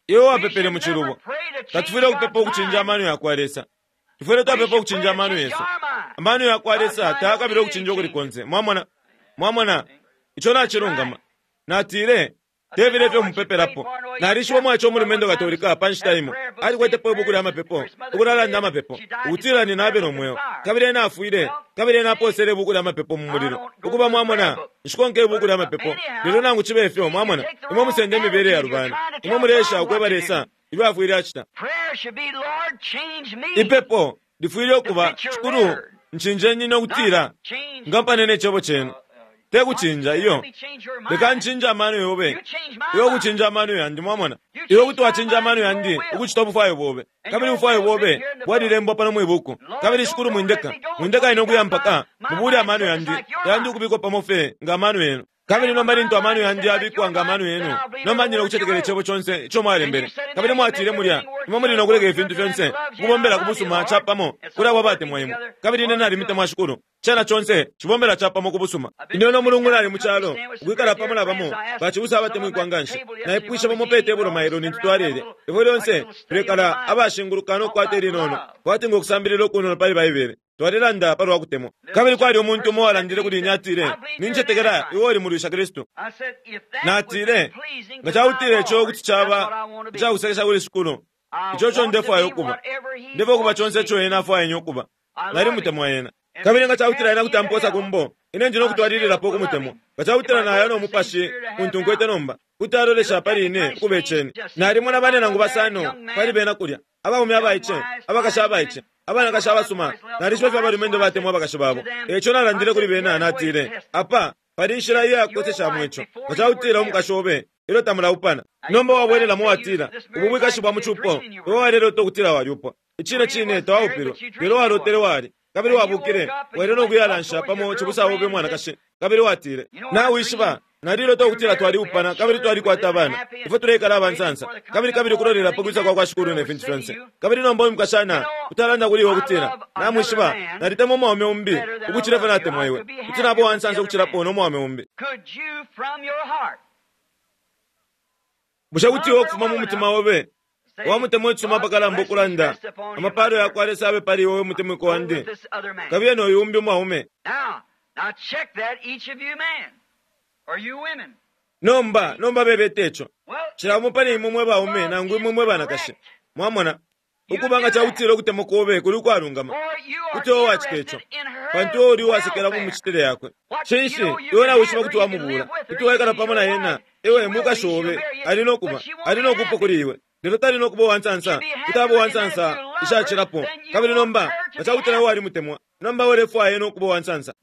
iwe wapepele mu cilubo. Tatufwile ukupepa ukucinja amano ya kwa Lesa. Tufwile twapepa ukucinja amano yesu. Amano ya kwa Lesa tayakabila ukucinja ukuli konse. Mwamona? Mwamona? Ico nacilungama. Natile, te filya ifyo mupepelapo. Nalishiba umwaice umulumendo Katolika pa nshita imo. Alikwetepo ibuku lya mapepo, ukulalanda amapepo, ukutila nina abe no mweo. Kabili ena afwile, kabili ena aposele ibuku lya mapepo mu mulilo. Ukuba, mwamona, nshikonka ibuku lya mapepo. Lelo nangu cibe fyo, mwamona, imwe musende imibele ya lubana. Imwe muleesha ukweba Lesa ifyo afwile acita. Ipepo lifwile ukuba, Shikulu, ncinjeni no kutila ngampane ne cebo cenu. Te kucinja iyo. Leka ncinje amano yobe. Iwe ukucinja amano yandi, mwamona. Iwe kuti wacinja amano yandi ukucita ubufwayo bobe. Kabili ubufwayo bobe bwalilembwa pano mwibuku. Kabili Shikulu mwindeka. Mwindeka ine ukuya mpaka mubule amano yandi. Yandi ukubikwa pamo fye nga amano yenu. Kabili nomba lintu amano yandi yabikwa nga amano yenu, nomba ndi nokucetekela icebo conse ico mwalembele. Kabili mwatile mulya, imwe muli nokuleka ifintu fyonse ukubombela ku busuma capamo kuli abo abatemwa imwe. Kabili ine nalimitemwa Shikulu. Cena conse cibombela capamo ku busuma. Ine no mulungu nali mu calo, ukwikala pamo na bamo bacibusa abatemwikwa nganshi. Naipwishe bamo pe tebulo mailo lintu twalele. Ifwe lyonse tulekala abashinguluka no kukwata ilinono, kwati ngo kusambilila ukunono pali Baibele. Twalelanda palwa kutemwa. Kabili kwali umuntu umo uwalandile kuli ine atile, Nincetekela iwe uli mulwisha Kristu. Natile, nga cakutila ico kuti caba icakusekesha kuli Shikulu, ico co ndefwaya ukuba. Ndefwaya ukuba conse ico Ena afwaya ine ukuba. Nalimutemwa Ena. Kabili nga cakutila Ena kuti amposa ku mbo, ine ndi no kutwalililapo ukumutemwa. Nga cakutila naya no mupashi untu nkwete nomba, kuti alolesha pali ine ukuba iceni. Nalimona bane nangu basano pali bena kulya, abaume abaice, abakashi abaice, abanakashi abasuma. Nalishiba ifyo abalumendo batemwa abakashi babo. Eico nalandile kuli bena, natile, apa pali inshila iya kukoseshamo ico. Nga cakutila umukashi obe ilyo tamulaupana, nomba wabwelelamo watila, ubu bwikashi bwa mucupo, iwe walelota ukutila walyupwa. Icine cine tawaupilwe, lelo walotele wali. Kabili wabukile, waile no kuyalansha pamo cibusa obe mwanakashi. Kabili watile, nawishiba, nalilota ukutila twaliupana kabili twalikwata abana. Ifwe tuleikala abansansa. Kabili kabili kulolela pa kwisa kwa kwa Shikulu ne fintu fyonse. Kabili nomba uyu mukashana utalanda kuli iwe ukutila, namwishiba, nalitemwa umwaume umbi ukucila ifyo natemwa iwe. Kuti naba uwansansa ukucilapo no mwaume umbi. Bushe kuti iwe ukufuma mu mutima obe wamutemwa icisuma apakalamba ukulanda, amapalo ya kwa Lesa abe pali iwe we mutemwiko wandi, kabiye no uyu umbi umwaume? Nomba, nomba bebete ico. Cila umo pali imwe mwe baume nangu imwe mwe banakashi. Mwamona, ukuba nga cakutila ukutemwa kobe kuli ukwalungama, kuti iwe wacita ico, pantu iwe uli uwasekela mu micitile yakwe. Cinshi, iwe nawishiba kuti wamubula, kuti waikala pamo na ena, iwe mukashi obe, ali nokuba, ali nokupwa kuli iwe. Lelo tali nokuba uwansansa, kuti aba uwansansa ishacilapo. Kabili nomba, nga cakutila iwe walimutemwa, nomba iwe ulefwaya ena ukuba uwansansa.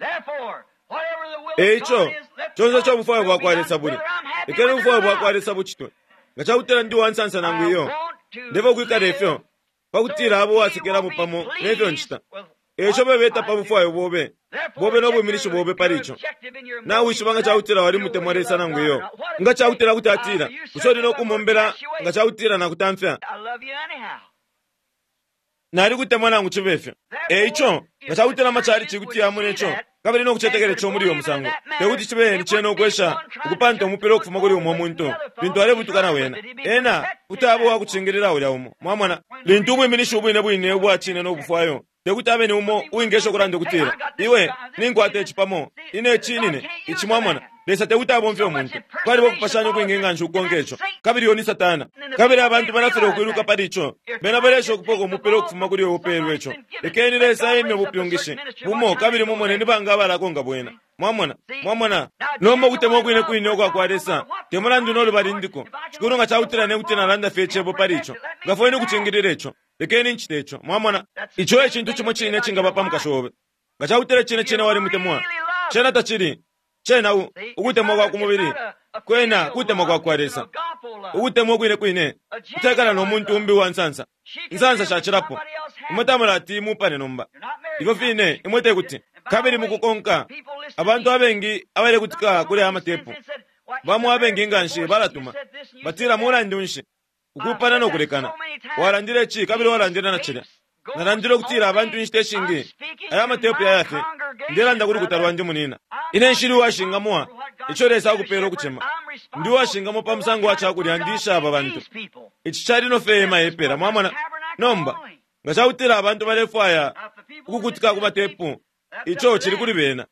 Eico, conse ico ubufwayo bwa kwa Lesa buli, lekeni ubufwayo bwa kwa Lesa bucitwe. Nga cakutila ndi uwansansa nangu iyo, ndefwaya ukwikala ifyo, pakutila abo uwasekelamo pamo nefyo ncita. Eico bebeta pa bufwayo bobe, bobe no bwiminishi bobe pali ico. Nawishiba nga cakutila walimutemwa Lesa nangu iyo. Nga cakutila kuti atila, bushe uli nokumombela nga cakutila nakutamfya? Nalikutemwa nangu cibe ifyo. Eico, nga cakutila amachalichi kuti yamona ico, kabili no kucetekela ico muli uyo musango, tekuti cibe ni cena ukwesha ukupanta umupila ukufuma kuli umo muntu lintu alebutuka na wena. Ena kuti aba uwakucingilila ulya umo. Mwamona, lintu ubwiminishi ubwine bwine ubwa cine no bufwayo, tekuti abe ni umo uwingesha ukulanda ukutila, iwe, ninkwata ici pamo, ine ici nine, ici mwamona. Lesa tekuti abomfye umuntu. Kwaliba ukupashanya ukwingi nganshi ukukonka ico. Kabili uyo ni Satana. Kabili abantu balafilwa ukwiluka pali ico. Bena balesha ukupoka umupila ukufuma kuli uyo upeelwe ico. Lekeni Lesa aimye ubupyungishi bumo kabili mumone ni banga abalakonka bwena. Mwamona? Mwamona? Nomba ukutemwa ukwine kwine ukwa kwa Lesa, te mulandu no lubali ndiko. Shikulu nga cakutila ne kuti nalanda fye icebo pali ico. Ngafweni ukucingilila ico. Lekeni ncite ico. Mwamona? Ico e cintu cimo cine icingaba pa mukashi obe. Nga cakutila cine cine walimutemwa, cena tacili. Cena ukutemwa kwa ku mubili, kwena kutemwa kwa kwa Lesa. Ukutemwa ukwine kwine kutekana no muntu umbi uwa nsansa. Insansa shacilapo. Imwe tamulati mupane nomba. Ifyo fine imwe tekuti. Kabili mukukonka, abantu abengi abalekutika kuli aya matepu, bamo abengi nganshi balatuma. Batila mulandu nshi ukupana no kulekana. Walandile ici kabili walandile na cilya. Nalandile ukutila abantu inshita ishingi aya matepu yaya fye. Ndelanda kuli lukuta lwandi munina. Ine nshili uwashingamwa ico Lesa akupela ukucema. Ndi uwashingamwa pa musango wa cakulya ndisha aba bantu. Ici cali no fye ema epela, mwamona. Nomba, nga cakutila abantu balefwaya ukukutika ku matepu, ico cili kuli bena.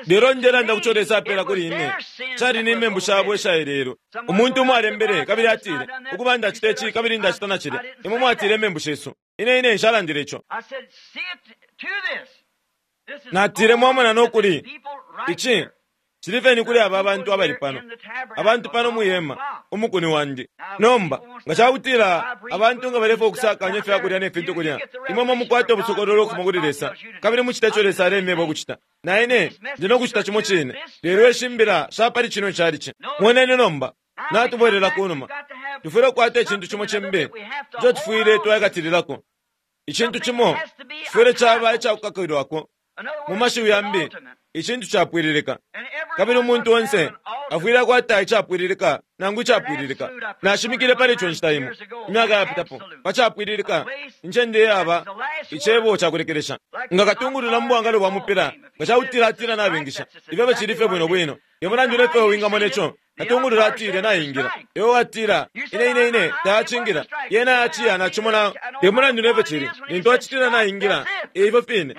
Lelo ndelanda kuco Lesa apela kuli ine, cali ni membu shabo ishaelelwe. Umuntu umo alembele kabili atile, ukuba ndacita ici kabili ndacita na cilya. Imwe mwatile imembu shesu. Ine ine nshalandile ico. Natile, mwamona nokuli ici cili fye ni kuli aba bantu abali pano, abantu pano mwihema, umukuni wandi. Nomba nga ca kutila abantu nga balefwaya ukusakanya ifya kulya ne fintu kulya, imwe mwe mukwate ubusokololo ukufuma kuli Lesa, kabili mucite ico Lesa alemyeba ukucita. Na ine ndi no kucita cimo cine. Lelo ishi mbila sha pali cino calici. Moneni nomba, natubwelela ku numa. Tufwile ukukwata icintu cimo cimbi ico tufwile twaikatililako. Icintu cimo cifwile caba ica kukakilwako. Mu mashiwi yambi, icintu capwililika. Kabili umuntu onse afwile akwata icapwililika nangu icapwililika. Nashimikile pali ico nshita imo, imyaka yapitapo, pa capwililika, incende iyaba icebo ca kulekelesha. Nga katungulula mu bwangalo bwa mupila, nga ca kutila atila nabengisha, ifyo cili fye bwino bwino. Te mulandu ne fyo wingamona ico, katungulula atile naingila. Iwe watila, Ine, ine, ine, tayacingila. Yena yaciya, nacimona. Te mulandu ne fyo cili, lintu acitila naingila, e ifyo fine.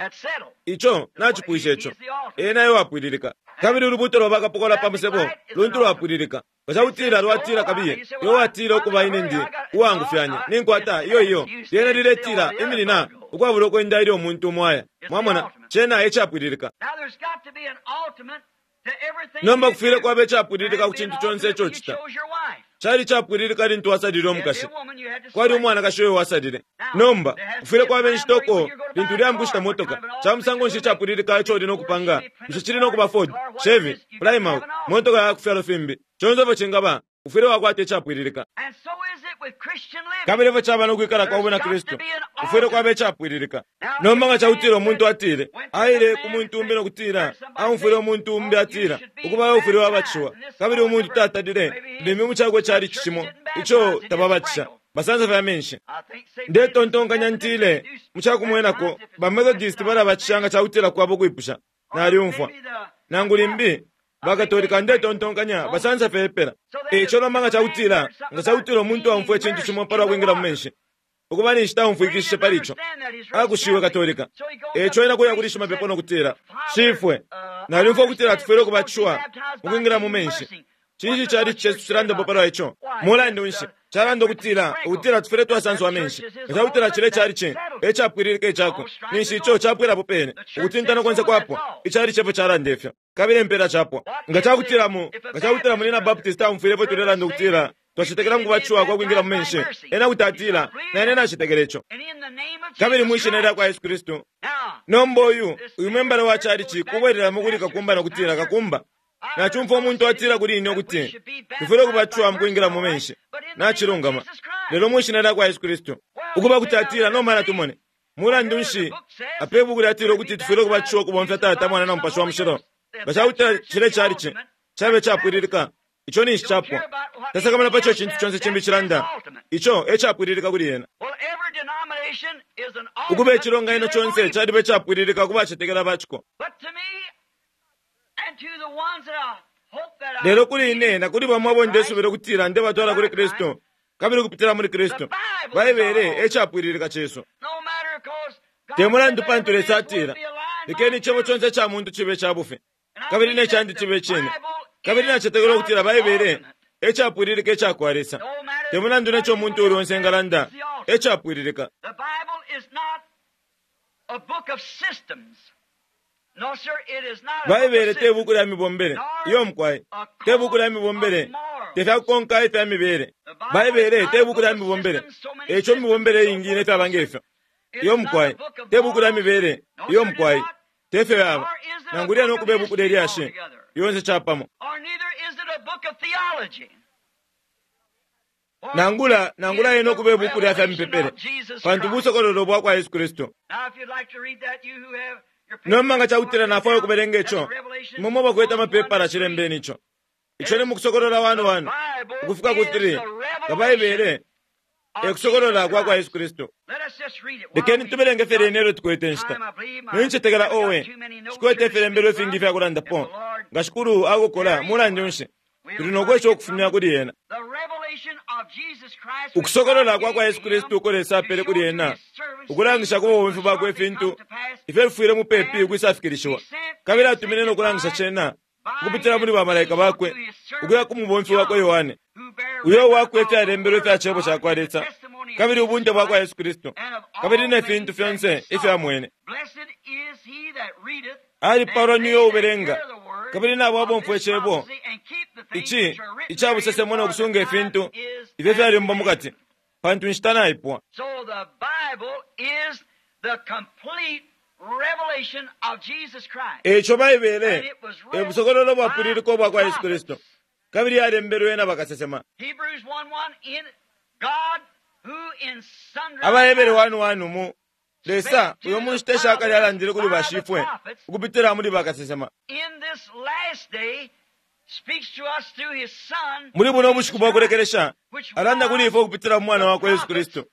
Ico nacipwisha ico. Ena e wapwililika. Kabili ulubuuto lwa bakapokola pa musebo luntu lwapwililika. Nga ca kutila lwatila kabiye, iwe watila ukuba ine ndi uwaangufyanya, ninkwata, iyo, iyo. Lyena liletila, iminina, ukwabula ukwenda ilyo umuntu umo aya. Mwamona, cena e capwililika. Nomba kufwile kwaba icapwililika ku cintu conse ico ucita. Cali icapwililika lintu wasalile umukashi. Kwali umwanakashi uyo wasalile. Nomba, kufwile kwaba inshita uko lintu uleya mukushita motoka. Ca musango nshi icapwililika ico uli no kupanga? Bushe cili no kuba Ford, Chevy, Plymouth, motoka ya ku fyalo fimbi? Conse ifyo cingaba, ufwile wakwata icapwililika. Kabili efyo caba no kwikala kwa Bwina Kristu, kufwile kwaba icapwililika. Nomba nga ca kutila umuntu atile, aile ku muntu umbi no kutila, aumfwile umuntu umbi atila, Ukuba ufwile wabatishiwa, kabili umuntu tatalile, limbi mu cakwe calici cimo ico tababatisha, basansa fye amenshi. Ndetontonkanya ntile, mu ca kumwenako, ba Methodist balabatisha nga ca kutila kwaba ukwipusha. Nalyumfwa. Nangu limbi, baKatolika ndetontonkanya basansa fye epela. E ico nomba nga ca kutila, nga ca kutila umuntu aumfwa icintu cimo pa lwa kwingila mu menshi, ukuba ninshi taumfwikishishe pali ico, akushiwe Katolika. E ico ena kuya kuli shimapepo no kutila, Shifwe, nalyumfwa ukutila tufwile ukubatishiwa mu kwingila mu menshi. Cinshi icalici cesu cilandapo pa lwa ico? Mulandu nshi, calanda ukutila, ukutila tufwile twasanswa amenshi. Nga ca kutila cilya icalici e capwililika icakwe, ninshi ico capwila apo pene. Ukutintana konse kwapwa. Icalici e fyo calanda ifyo. Kabili impela capwa. Nga ca kutila mu, nga ca kutila munyina Baptist taumfwile ifyo tulelanda ukutila twacetekela mu kubatishiwa kwa kwingila mu menshi, ena kuti atila, Na ine nacetekela ico. Kabili mwi Shina lya kwa Yesu Kristu. Nomba uyu, uyu membala wa calici kubwelelamo kuli kakumba no kutila, Kakumba, Nacumfwa umuntu atila kuli ine ukuti tufwile ukubatishiwa mu kwingila mu menshi. Nacilungama. Lelo mwi Shina lya kwa Yesu Kristu. Ukuba kuti atila, Nomba natumone. Mulandu nshi, apa ibuku lyatila ukuti tufwile ukubatishiwa ukubomfya Tata, Mwana, na Mupashi wa Mushilo. Nga ca kutila cilya calici cabe icapwililika, ico ninshi capwa. Tasakamana pa co icintu conse cimbi cilanda. Ico e capwililika kuli ena. Ukuba icilonganino conse caliba icapwililika ku bacetekela ba ciko. Lelo kuli ine na kuli bamo abo ndesubila ukutila ndebatwala kuli Kristu, kabili ukupitila muli Kristu, Baibele e capwililika cesu. Te mulandu pantu Lesa atila, Lekeni icebo conse ica muntu cibe ica bufi, kabili ne candi cibe icine. Kabili nacetekela ukutila Baibele e capwililika ica kwa Lesa. Te mulandu ne co umuntu uuli onse engalanda, e capwililika. Baibele te buuku lya mibombele. Iyo mukwai. Te buuku lya mibombele. Te fya kukonka ifya mibele. Baibele te buuku lya mibombele. E ico imibombele iingi ne fyaba nge fyo. Iyo mukwai. Te buuku lya mibele. Iyo mukwai. Te fyo yaba. Nangu lyena ukuba ibuuku lye lyashi. Yonse capamo. Nangula, nangula yena ukuba ibuuku lya fya mipepele, pantu busokololo bwa kwa Yesu Kristu. Nomba nga ca kutila nafwaya ukubelenga ico, imwe mwe bakwete amapepala cilembeni ico. Ico ni mu Kusokolola 1, 1 ukufika ku 3, nga Baibele e kusokolola kwa kwa Yesu Kristu. Lekeni tubelenge fye lyene ilyo tukwete inshita. Nincetekela, owe, nshikwete ifilembelo ifingi ifya kulandapo. Nga Shikulu akokola, mulandu nshi, tuli no kwesha ukufumya kuli ena. Ukusokolola kwa kwa Yesu Kristu uko Lesa apele kuli ena, ukulangisha ku babomfi bakwe ifintu ifyo fifwile mupepi ukwisafikilishiwa, kabili atumine no kulangisha cena ukupitila muli bamalaika bakwe ukuya ku mubomfi wakwe Yohane, uyo uwakwete ifyalembelwe ifya Cebo ca kwa Lesa. kabili ubunte bwa kwa Yesu Kristu, kabili ne fintu fyonse ifyo amwene. Alipaalwa ni uyo ubelenga, kabili nabo abomfwa icebo ici ica busesemo no kusunga ifintu ifyo fyalembwa mu kati, pantu inshita naipwa. E ico Baibele e busokololo bwapwililika ubwa kwa Yesu Kristu, kabili yalembelwe na bakasesema. AbaHebere 1:1 mu Lesa uyo mu nshita isha kale alandile kuli bashifwe ukupitila muli bakasesema. Muli buno bushiku bwa kulekelesha alanda kuli ifwe ukupitila mu Mwana wakwe Yesu Kristu,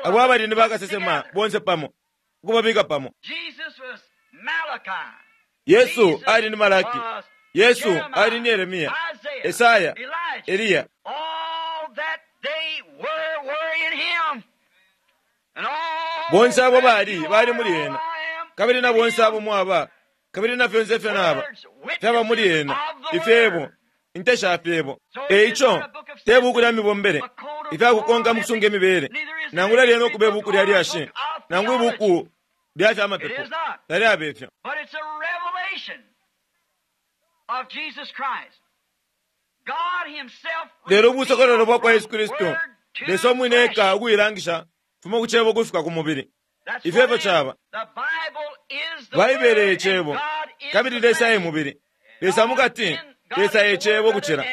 abo abali ni bakasesema bonse pamo, ukubabika pamo. Yesu ali ni Malaki, Yesu ali ni Yeremia, Esaya, Eliya. Bonse abo bali bali muli ena, kabili na bonse abo mwaba, kabili na fyonse ifyo naba fyaba muli ena, ifyebo, inte sha fyebo. E ico te buku lya mibombele ifyakukonka mu kusunga imibele, nangula lyena ukuba ibuku lya lyashi, nangu ibuku lya fya mapepo, talyaba ifyo. Lelo ubusokololo bwa kwa Yesu Kristu, Lesa umwine eka ukuilangisha fuma ku cebo kufika ku mubili. Ifyo efyo caba. Baibele e cebo, kabili Lesa e mubili. Lesa mukati, Lesa e cebo kucila.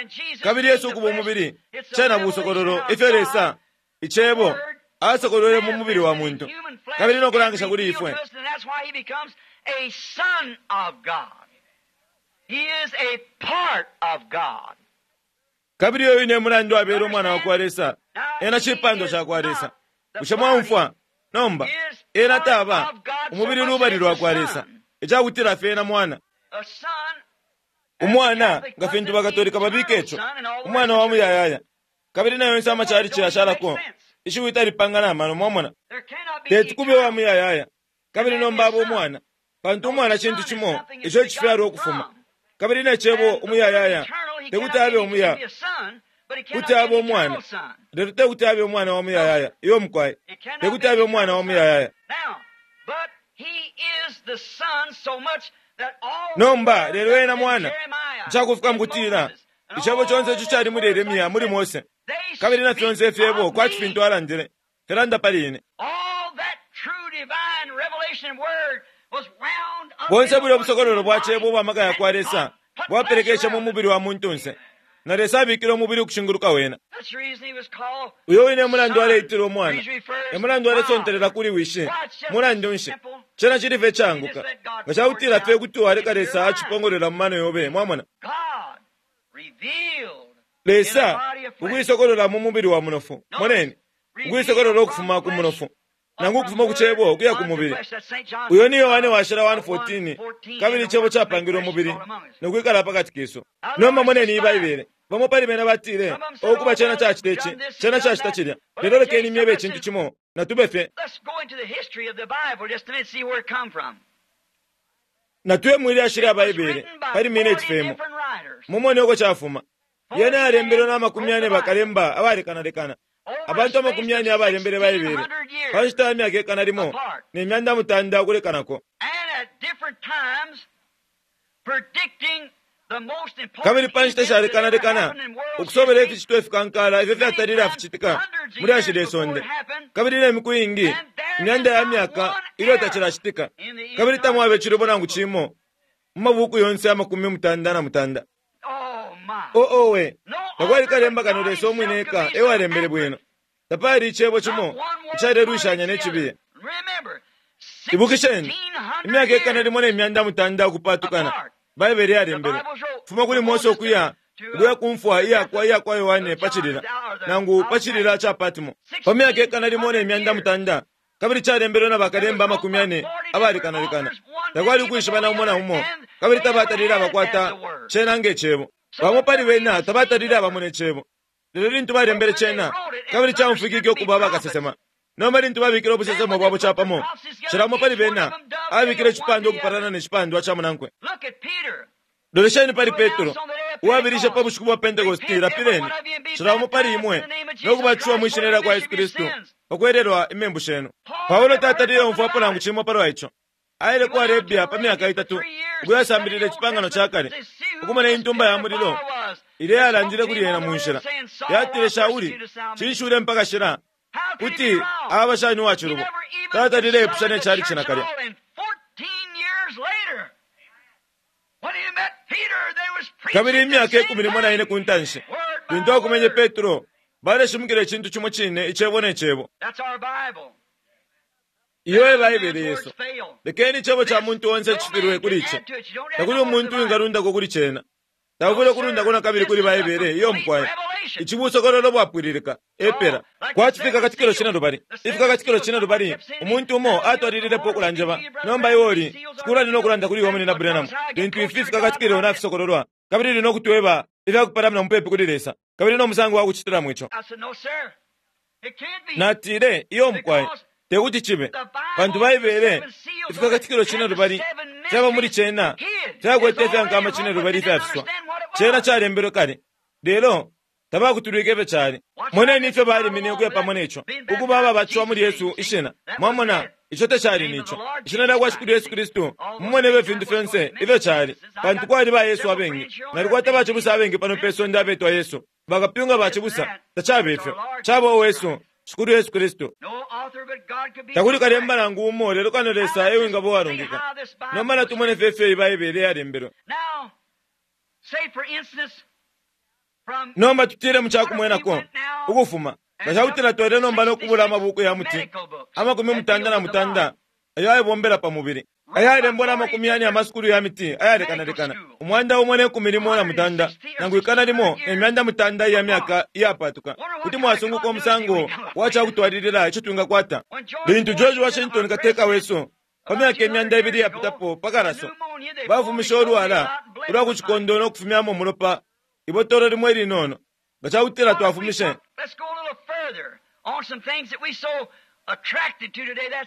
Kabili Yesu ukuba umubili, cena busokololo ifyo Lesa, icebo, asokolwele mu mubili wa muntu, kabili no kulangisha kuli ifwe. Kabili uyo wine mulandu abele umwana wa kwa Lesa, ena cipando ca kwa Lesa. Bushe mwaumfwa? Nomba, ena taba umubili lubali lwa kwa Lesa, icakutila fye ena mwana. Umwana, nga fintu bakatolika babika ico, umwana wa muyayaya. Kabili na yonse amachalichi yashalako, ishiwi talipanga na mano, mwamona. Teti kube wa muyayaya, kabili nomba aba umwana, pantu umwana cintu cimo ico icifyalwa ukufuma. Kabili ne cebo umuyayaya, tekuti abe umuya, kuti abe umwana, lelo tekuti abe umwana wa muyayaya. Iyo mukwai, tekuti abe umwana wa muyayaya. Nomba lelo ena mwana, icakufika mukutila icebo conse ico cali muli Yeremia, muli Mose, kabili na fyonse ifyebo kwati fintu alandile filanda pali ine. Bonse bulya ubusokololo bwa cebo ubwa maka ya kwa Lesa bwapelekeshe mu mubili wa muntunse, na Lesa abikile umubili ukushinguluka wena. Uyo wine mulandu aleitila umwana, e mulandu alesontelela kuli wishi. Mulandu nshi? Cena cili fye icaanguka nga cakutila fye kuti waleka Lesa acipongolola mu mano yobe, mwamona. Lesa ukuisokolola mu mubili wa munofu. Moneni, ukuisokolola ukufuma ku munofu, nangu ukufuma ku cebo ukuya ku mubili. Uyo ni Yohane washila 1:14, kabili icebo capangilwe umubili no kwikala pakati kesu. Nomba moneni iyi Baibele. Bamo pali bena batile, ukuba cena cacita ici, cena cacita cilya. Lelo lekeni myebe icintu cimo, natube fye. Natuye mwi lyashi lya Baibele pali mineti fye imo, mumone uko cafuma. Yena yalembelwe na 40 bakalemba abalekanalekana, abantu 40 abalembele Baibele pa nshita ya myaka 1900 ukulekanako. Kabili pa nshita shalekanalekana ukusobela ificitwa ifikankala ifyo fyatalile aficitika mu lyashi lye sonde, kabili ne miku iingi imyanda ya myaka ilyo tacilacitika, kabili tamwaba icilubo nangu cimo mu mabuuku yonse 99. Oh owe, takwali kalemba kano Lesa umwine eka e walembele bwino. Tapali icebo cimo icalelwishanya ne cibiye. Ibukisheni, imyaka 1900 ukupatukana, Baibele yalembele fuma kuli Mose ukuya ukuya ku mfwa iyakwa iyakwa Yohane pa cilila, nangu pa cilila ca Patmo, pa myaka 1900, kabili calembelwe na bakalemba 40 abalekanalekana. Takwali ukwishibana umo na umo, kabili tabatalile abakwata cena nge cebo. Bamo pali bena tabatalile abamona icebo. Lelo lintu balembele cena, kabili caumfwikike ukuba bakasesema. Nomba lintu babikile ubusesemo bwabo capamo, cila umo pali bena abikile icipandwa ukupalana ne cipandwa ca munankwe. Lolesheni pali Petro, uwabilishe pa bushiku bwa Pentekoste, lapileni, cila umo pali imwe, no kubatishiwa mwi shina lya kwa Yesu Kristu pakwelelwa imembu shenu. Paulo tatalile umfwapo nangu cimo palwa ico. Aile ku Arabia pa myaka itatu ukuyasambilila icipangano ca kale, ukumona intumba ya mulilo ilya yalandile kuli ena mu nshila. Yatile, Shauli, cinshi ulempakashila? Kuti aba shani uwa cilubo? Tatalile ipusha ne cali cinakalya. Kabili imyaka 14 ku ntanshi, lintu akumenye Petro, baleshimikila icintu cimo cine, icebo ne cebo. Iyo e Baibele yesu. Lekeni icebo ca muntu onse cifilwe kuli ico. Takuli umuntu wingalundako kuli cena. Takuli kulundako na kabili kuli Baibele iyo mukwai. Ici busokololo bwapwililika epela. Kwati fikakatikilo cine lubali. Ifikakatikilo cine lubali, umuntu umo atwalililepo ukulanjeba. Nomba iwe uli, shikulu ali no kulanda kuli iwe Munyina Branham. Lintu ifi fikakatikilo nafisokololwa, kabili lino kutweba ifya kupalamina mupepi kuli Lesa, kabili no musango wa kucitilamo ico. Natile, iyo mukwai, tekuti cibe, pantu Baibele ifikakatikilo cine lubali fyaba muli cena fyakwete ifyankama cine lubali ifyafiswa. Cena calembelwe kale, lelo tabakutulwike ifyo cali. Moneni ifyo balimine ukuya pamo neco, ukuba ababatishiwa muli Yesu ishina. Mwamona, ico tacali nico ishina lya kwa Shikulu Yesu Kristu. Mumone ifyo fintu fyonse ifyo cali, pantu kwali ba Yesu abengi. Nalikwata bacibusa abengi pano pe sonde abetwa Yesu, bakapyunga bacibusa. Tacaba ifyo, caba uwesu Shikulu Yesu Kristu. Takuli kalemba nangu umo lelo kano Lesa ewingaba uwalungika. Nomba natumone fye ifyo Baibele yalembelwe. Nomba tutile mu cakumwenako ukufuma nga cakutila twele nomba nokubula amabuku ya muti 89 ayo ayebombela pa mubili, ayalembwa na 40 amasukulu ya miti ayalekanalekana, 118 nangu 1,900 iya myaka iyapatuka. Kuti mwasunguka umusango wa cakutwalilila ico twingakwata. Lintu George Washington kateka wesu pa myaka 200 iyapitapo pa kalaso bafumishe ulwala ulwa ku cikondo no kufumyamo umulopa ibotolo limo ilinono, nga cakutila twafumishe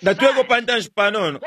nga tweko pa ntanshi panono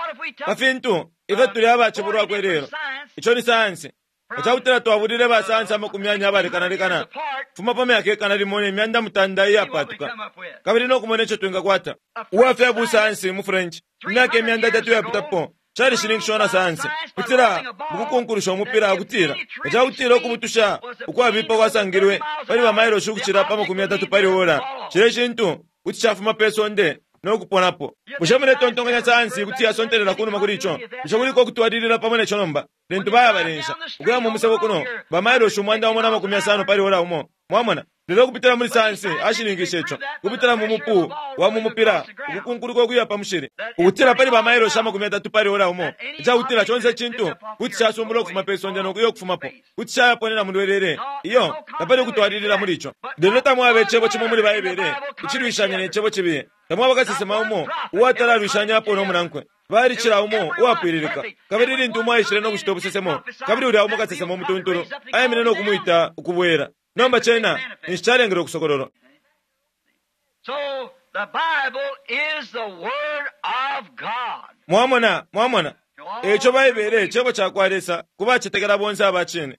pa fintu ifyo tuli abacebulwako ilelo, ico ni sayansi. Nga cakutila twabulile basayansi 40 abalekanalekana fuma pa myaka 1,900 iyapatuka, kabili no kumona ico twingakwata. Uwa fya busayansi mu French imyaka 300 iyapitapo calishininkishiwa na sayansi kutila mukukunkulusha umupila, akutila nga cakutila ukubutusha ukwabipa kwasangilwe pali bamailoshi ukucila pa 30 pali ora, cile cintu kuti cafuma pe sonde no kuponapo. Bushe muletontonkanya sayansi kuti yasontelela kunuma kuli ico? Bushe kuliko ukutwalilila pamo neco nomba? Lintu bayabalensha ukuya mu musebo kuno bamailoshi 150 pali ora umo, mwamona. Lelo kupitila muli sayansi ashininkishe ico, kupitila mu mupu wa mu mupila ukukunkuluka ukuya pa mushili, ukutila pali bamailoshi 30 pali ora umo, icakutila conse icintu kuti casumbula ukufuma pe sonde no kuya ukufumapo, kuti cayaponena mu lwelele. Iyo tapali ukutwalilila muli ico. Lelo tamwaba icebo cimo muli Baibele icilwishanya ne cebo cibiye. Tamwaba kasesema umo uwatalalwishanyapo no munankwe. Balicila umo uwapwililika. Kabili lintu umo aishile no kucita ubusesemo, kabili ulya umo kasesema umutuntulu aimine no kumwita ukubwela. Nomba cena ninshi calengele ukusokololwa. Mwamona, mwamona, eco Baibele cebo ca kwa Lesa ku bacetekela bonse aba cine.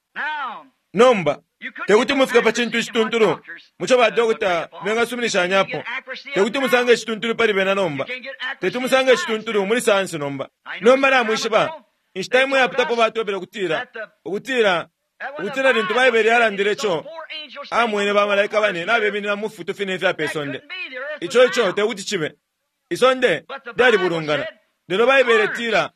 Nomba tekuti mufike pa cintu icituntulu muco badokota bengasuminishanyapo. Tekuti musange icituntulu pali bena nomba. Tekuti musange icituntulu muli sayansi nomba. Nomba namwishiba, inshita imwe yapitapo batwebele ukutila ukutila ukutila lintu Baibele yalandile ico, amwene bamalaika bane nabeminina mu fifutu fine ifya pe sonde. Ico ico tekuti cibe. Isonde lyalibulungana. Lelo Baibele itila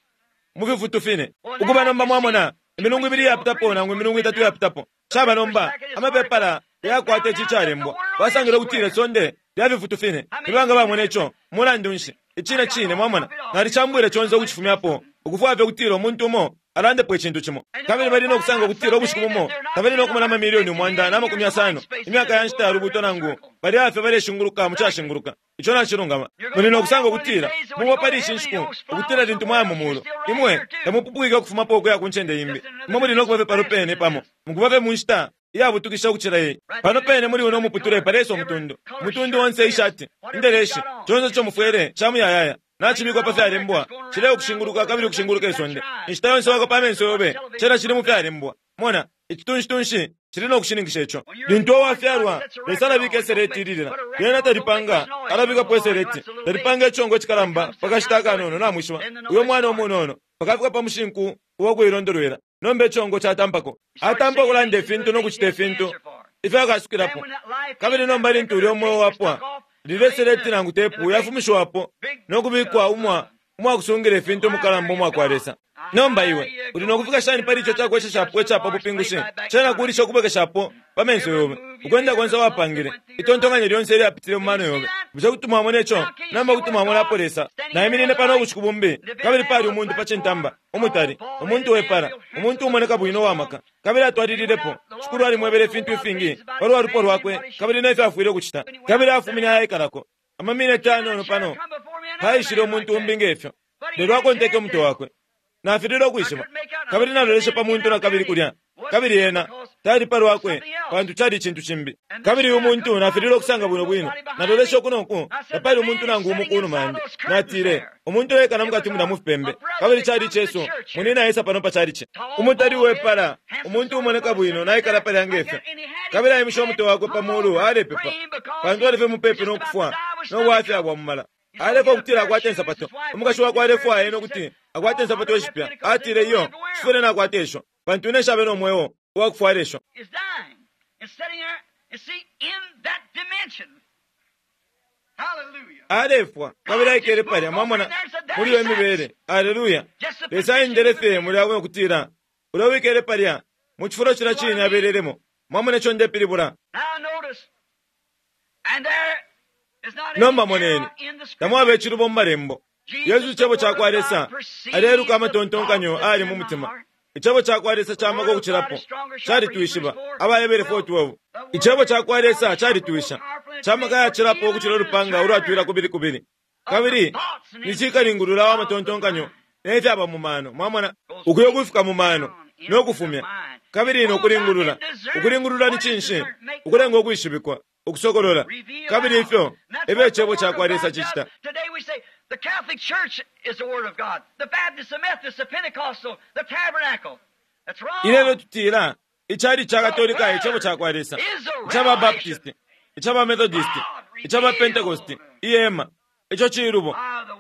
mu fifutu fine. Ukuba nomba mwamona, imilungu ibili yapitapo nangu imilungu itatu yapitapo, caba nomba amapepala yakwata ici calembwa. Basangile ukutila isonde lya fifutu fine. Nibanga bamona ico? Mulandu nshi? Icine cine, mwamona, nalicambwile conse ukucifumyapo, ukufwaya fye ukutila umuntu umo alandepo icintu cimo. Kabili bali no kusanga ukutila ubushiku bumo tabali no kumona amamilioni 150 imyaka ya nshita ya lubuuto, nangu bali afye baleshinguluka mu cashinguluka. Ico nacilungama. Muli no kusanga ukutila mubo pali ishi nshiku, ukutila lintu mwaya mu mulu, imwe tamupupwike ukufumapo ukuya ku ncende imbi. Imwe muli no kuba fye pano pene pamo, mukuba fye mu nshita iyabutukisha ukucila iyi. Pano pene muli uno muputule palesa umutundu, umutundu onse, ishati, indeleshi, conse ico mufwele ca muyayaya nacibikwa pa fyalembwa, cile ukushinguluka kabili ukushinguluka isonde. Inshita yonse wakopa amenso yobe, cena cili mu fyalembwa. Mona, icitunshi tunshi Cili no kushininkisha ico. Lintu uwafyalwa, Lesa alabika iseleti ililila. Lyena talipanga, alabikapo iseleti. Talipanga icongo icikalamba pa kashita akanono, namwishiba. Uyo mwana umunono, pakafika pa mushinku uwa kuilondolwela. Nomba icongo catampako. Atampa ukulanda ifintu no kucita ifintu ifyo akasukilapo. Kabili nomba lintu ulyo mweo wapwa, lilye seleti nangu tepu yafumishiwapo no kubikwa umwa umwakusungila ifintu umukalamba umwa kwa Lesa. Nomba iwe uli no kufika shani pali ico cakwesheshapo ica pa bupingushi? Cena kulisha ukubwekeshapo pa menso yobe ukwenda konse wapangile, itontonkanyo lyonse ilyapitile mu mano yobe. Bushe kuti mwamona ico? Nomba kuti mwamonapo Lesa. Naiminine pano ubushiku bumbi, kabili pali umuntu pa cintamba, umutali, umuntu wepala, umuntu umoneka bwino uwa maka. Kabili atwalililepo. Shikulu alimwebele ifintu ifingi palwa lupwa lwakwe kabili ne fyo afwile ukucita. Kabili afumine ayaikalako. Amamineti ayanono pano paishile umuntu umbi nge fyo, lelo akonteke umutwe wakwe. Nafililwe ukwishiba. Kabili naloleshe pa muntu na kabili kulya, kabili ena tali pa lwakwe, pantu cali icintu cimbi. Kabili uyu muntu nafililwe ukusanga bwino bwino. Naloleshe uku no ku, tapali umuntu nangu umo ku numa yandi. Natile, umuntu ekala mukati mulya mu fipembe. Kabili cali icesu, munina aisa pano pa calici. Umutali uwepala, umuntu umoneka bwino, naikala palya nge fyo. Kabili aimishe umutwe wakwe pa mulu, alepepa, pantu ali fye mupepi no kufwa no bwafya bwa mumala. Alefwaya ukutila akwate insapato. Umukashi wakwe alefwaya ena ukuti akwate insapato ishipya. Atile, Iyo, nshifwile nakwata isho, pantu ine nshabe no mweo uwa kufwala isho. Is dying and sitting there and see in that dimension. Hallelujah. Alefwa, kabili aikele palya, mwamona, muli iyo mibele. Aleluya. Lesa aendele fye mulya ukutila, ulya wikele palya, mu cifulo cilya cine abelelemo. Mwamona ico ndepilibula? Now notice, and there is not any Nomba moneni, error in the scripture. tamwaba icilubo mu malembo. Yesu icebo ca kwa Lesa aleluka amatontonkanyo ali mu mutima. Icebo ca kwa Lesa ca maka ukucilapo calitwishiba. Abahebere 4:12. Icebo ca kwa Lesa calitwisha, ca maka yacilapo ukucila ulupanga ulwatwila kubili kubili, kabili ni cikalingulula wa matontonkanyo ne fyaba mu mano. Mwamona, ukuyo kufika mu mano no kufumya kabili no kulingulula. Ukulingulula ni cinshi? Ukulenga ukwishibikwa, ukusokolola. Kabili ifyo efyo icebo ca kwa Lesa cicita. Today we say the Catholic Church is the Word of God, the Baptist, the Methodist, the Pentecostal, the Tabernacle. That's wrong. Ilelo tutila icali ca Katolika icebo ca kwa Lesa, icaba Baptist, icaba Methodist, icaba Pentecost, ihema. Ico cilubo.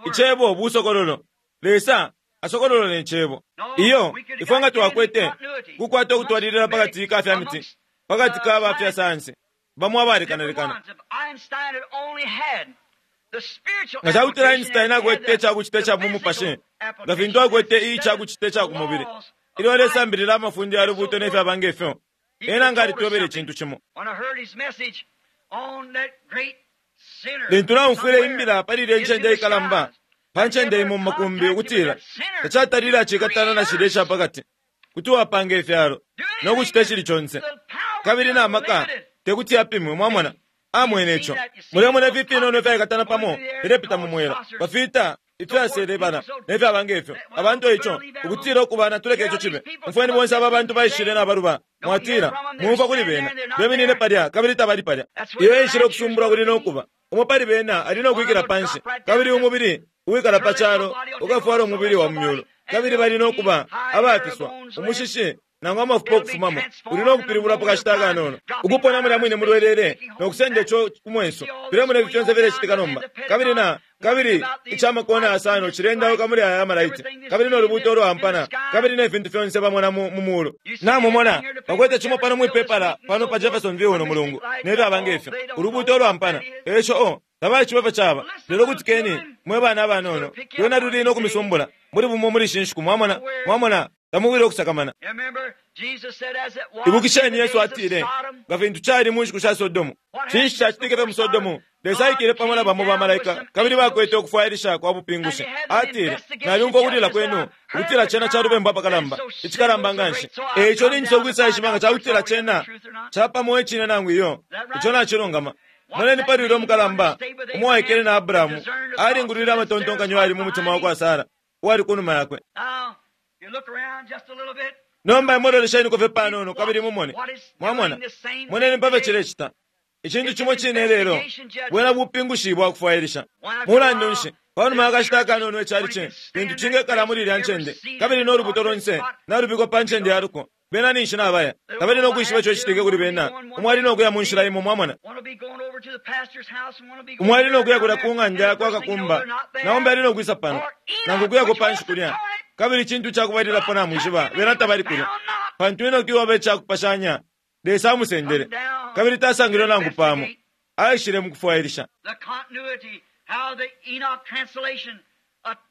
Icebo busokololo. Lesa asokolola ne cebo. Iyo ifwe nga twakwete kukwata ukutwalilila pakati ka fya miti, pakati ka ba fya sayansi, bamo abalekanalekana. Different ones. If Einstein had only had the spiritual Nga ca kutila application Einstein and had akwete the- icakucita the ica mu mupashi, physical nga fintu application akwete instead icakucita ica of ku mubili, laws of ilyo life, alesambilila amafundo ya lubuuto ne fyaba nge fyo, ena nga alitwebele icintu cimo. When I heard his message on that great sinner Lintu naumfwile somewhere imbila pali ilya into ncende the ikalamba, skies, pa ncende imo mu makumbi, ukutila tacatalile acikatana na shilya ica pakati, kuti wapanga ifyalo no kucita icili conse, kabili na maka tekuti yapimwe. Mwamona, amwene ico. Mulemona ifi ifinono ifyaikatana pamo filepita mu mwela, bafita ifyaselebana ne fyaba nge fyo. Abantu ico ukutila ukubana tuleke ico cibe. Umfweni bonse aba bantu baishile na baluba, mwatila mumfwa kuli bena, beminine palya kabili tabali palya. Iyo enshila ukusumbula kuli no kuba umo pali bena ali no kwikila panshi, kabili umubili uwikala pa calo ukafwala umubili wa mu myulu, kabili bali no kuba abafiswa umushishi nangu amafupa ukufumamo. Uli no kupilibula pa kashita akanono, ukupona mulya mwine mulwelele no kusenda ico ku mwenso. Filemona ifi fyonse filecitika nomba. Kabili na kabili icamakona asano cilendauka muli aya amalaiti, kabili no lubuuto ulwampana, kabili ne fintu fyonse bamona mu mu mulu. Namumona bakwete cimo pano mwipepala pano pa Jeffersonville uno mulungu, ne fyaba nge fyo ulubuuto ulwampana. Eco o tabaishiba ifyo caba. Lelo kutikeni mwe bana abanono, lwena luli no kumisumbula muli bumo muli ishi nshiku. Mwamona, mwamona, tamubwile ukusakamana. You remember Jesus said as it was Ibukisheni in the Yesu days of atile, Sodom, nga fintu cali mu nshiku sha Sodomu. Cinshi cacitike fye mu Sodomu? Lesa aikele pamo na bamo bamalaika, kabili bakwete ukufwailisha kwa bupingushi. Atile, nalyumfwa ukulila kwenu, ukutila cena ca lubembu apakalamba, icikalamba nganshi. E ico ningisa ukwisaishiba nga cakutila cena capamo icine nangu iyo. Ico nacilungama. Moneni pali ulya umukalamba, umo waikele na Abrahamu, alingulwile amatontonkanyo ali mu mutima wa kwa Sara, uwali ku numa yakwe. Now, you look around just a little bit. Nomba imwelolesheniko fye panono kabili mumone. Mwamona, moneni pafyo cilecita. Icintu cimo cine lelo, bwena bupingushi bwa kufwailisha. Mulandu nshi, panuma yakashita akanono icali ci, lintu cingekala muli ilya ncende, kabili no lubuto lonse nalubikwa pa ncende ya luko. Bena ninshi nabaya. Tabali no kwishiba ico citike kuli bena. Umo ali no kuya mu nshila imo, mwamona. Umo ali no kuya kulya ku ng'anda ya kwa kakumba, na umbi ali no kwisa pano, nangu kuyako panshi kulya. Kabili icintu cakubalilapo namwishiba, bena tabali kulya. Pantu Enoki uwaba icakupashanya, Lesa amusendele, kabili tasangilwe nangu pamo. Aishile mukufwailisha.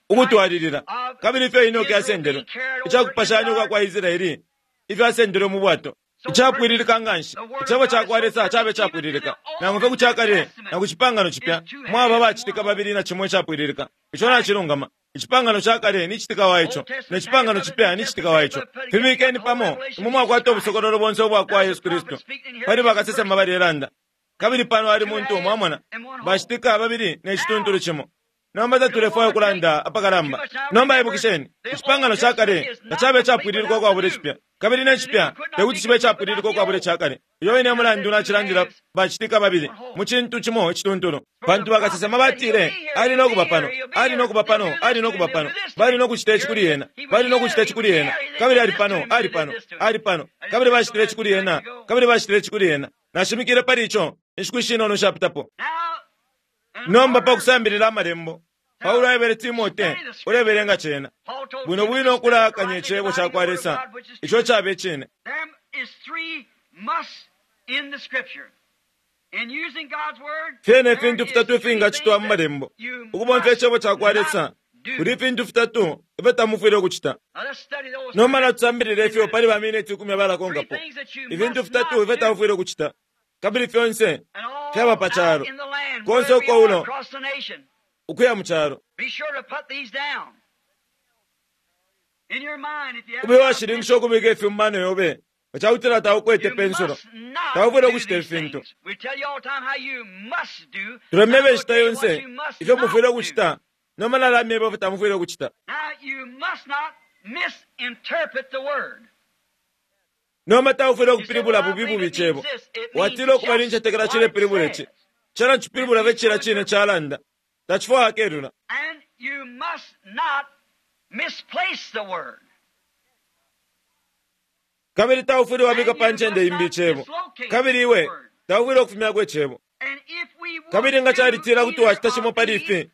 Ukutwalilila. Kabili ifyo Enoki asendelwe, icakupashanya ukwa kwa Israeli, ifyo asendelwe mu bwato. Icapwililika nganshi. Icebo cakwa Lesa cabe capwililika. Nangu fye ku cakale na ku cipangano cipya, mwaba bacitika babili na cimo icapwililika. Ico nacilungama. Icipangano ca kale ni citika wa ico, ne cipangano cipya ni citika wa ico. Fibikeni pamo, imwe mwakwata ubusokololo bonse ubwa kwa Yesu Kristu. Pali bakasesema balelanda. Kabili pano ali muntu, mwamona, bacitika babili ne cituntulu cimo. Nomba tatulefwaya ukulanda apakalamba. Nomba ibukisheni, icipangano ca kale tacabe capwililika ukwabula icipya, kabili ne cipya tekuti cibe capwililika ukwabula icakale. Iyo ine mulandu nacilandila bacitika babili mu cintu cimo icituntulu. Pantu bakasesema batile, ali no kuba pano, ali no kuba pano, ali no kuba pano. Bali no kucita ici kuli ena, bali no kucita ici kuli ena. Kabili ali pano, ali pano, ali pano. Kabili bacitile ici kuli ena, kabili bacitile ici kuli ena. Nashimikile pali ico inshiku ishinono shapitapo. Nomba pa kusambilila amalembo, Paulo aebele Timote ulebelenga cena bwino bwino ukulakanya icebo ca kwa Lesa ico cabe cine. Fyena ifintu fitatu ifingacitwa mu malembo ukubomfya icebo ca kwa Lesa. Kuli ifintu fitatu ifyo tamufwile ukucita. Nomba natusambilile ifyo pali ba mineti 10 abalakonkapo. Ifintu fitatu ifyo tamufwile ukucita, kabili fyonse fyaba pa calo konse uko ulo ukuya mu calo. Ube washilinkisha ukubika ifi mu mano yobe nga cakutila taukwete pensulo. Taufwile ukucita ifintu. Tulemeba inshita yonse ifyo mufwile ukucita, nomba nalamyeba ifyo tamufwile ukucita. Nomba taufwile ukupilibula bubi bubi icebo. Watila ukuba nincetekela cilepilibula ici. Cena cipilibula fye cila cine calanda. Tacifwaya kelula. Kabili taufwile wabika pa ncende imbi icebo. Kabili iwe taufwile ukufumyako icebo. Kabili nga calitila kuti wacita cimo pali ifi,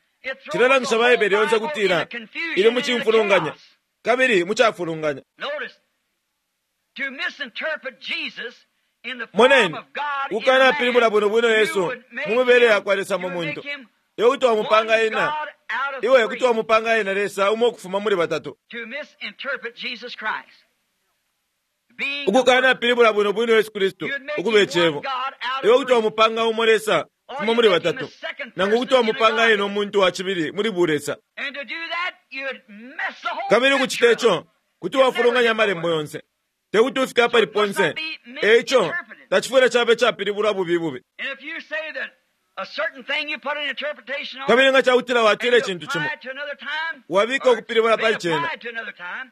cilelangisha Baibele yonse kutila ili mu cimfulunganya kabili mu cafulunganya. Moneni, ukanapilibula bwino bwino Yesu mu mibele yakwa Lesa mu muntu. Iwe kuti wamupanga ena, iwe kuti wamupanga ena Lesa umo ukufuma muli batatu. Ukukanapilibula bwino bwino Yesu Kristu ukuba icebo, iwe kuti wamupanga umo Lesa ukufuma muli batatu, nangu kuti wamupanga ena umuntu wa cibili muli bulesa. Kabili ukucita ico kuti wafulunganya amalembo yonse. Tekuti ufike apali ponse. Eico tacifwile cabe capilibulwa bubi bubi. Kabili nga cakutila watila icintu cimo, wabika ukupilibula pali cena,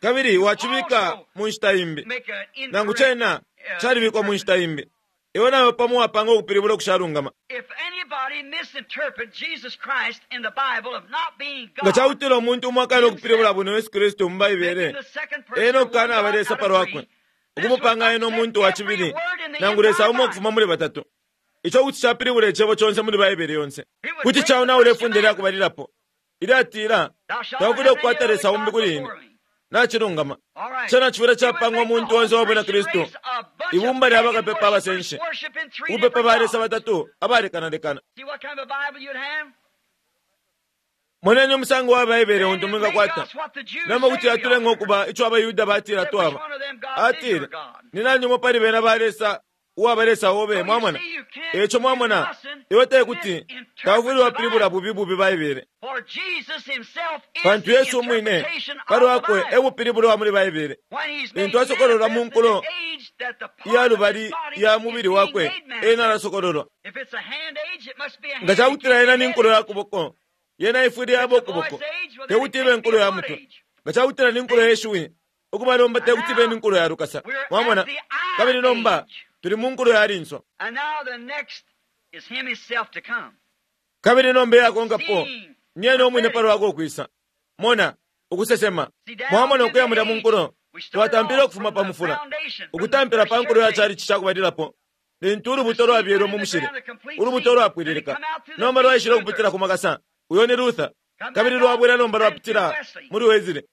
kabili wacibika mu nshita imbi, nangu cena calibikwa mu nshita imbi, iwe nawe pamo wapanga ukupilibula ukushalungama. Nga cakutila umuntu umo akana ukupilibula bwino Yesu Kristu mu Baibele, ena okukana aba Lesa palwakwe, ukumupanga ena umuntu wa cibili, nangu Lesa umo ukufuma muli batatu. Ico kuti capilibula icebo conse muli Baibele yonse. Kuti caonaula ifunde lya kubalilapo ilyatila, taufwile ukukwata Lesa umbi kuli ine. Nacilungama. Cena cifwile capangwa umuntu onse wa bwina Kristu, ibumba lya bakapepa abasenshi, ukupepa ba Lesa batatu abalekanalekana. Moneni umusango wa Baibele untu mwingakwata. Nomba kuti yatulenga ukuba ico abaYuda batila twaba. Atile, ni nani umo pali bena ba Lesa uwaba Lesa obe, mwamona? Eco mwamona, iwe tekuti taufwile wapilibula bubi bubi Baibele. Pantu Yesu umwine palwakwe e bupilibulo wa muli Baibele. Lintu asokololwa mu nkulo iya lubali ya mubili wakwe, ena alasokololwa. Nga cakutila ena ni nkulo ya kuboko, yena ifwile yaba ukuboko, tekuti ibe nkulo ya mutwe. Nga cakutila ni nkulo ye shiwi, ukuba nomba tekuti ibe ni nkulo ya lukasa. Mwamona? Kabili nomba tuli mu nkulo ya linso. Kabili nomba iyakonkapo ni ena umwine palwakwe ukwisa. Mona, ukusesema. Mwamona ukuya mulya mu nkulo. Twatampile ukufuma pa mufula, ukutampila pa nkulo ya chalichi cakubalilapo, lintu ulubuto lwabyelwe mu mushili, ulubuto lwapwililika. Nomba lwaishile ukupitila ku makasa, uyo ni Luther, kabili lwabwela nomba lwapitila muli Wesley.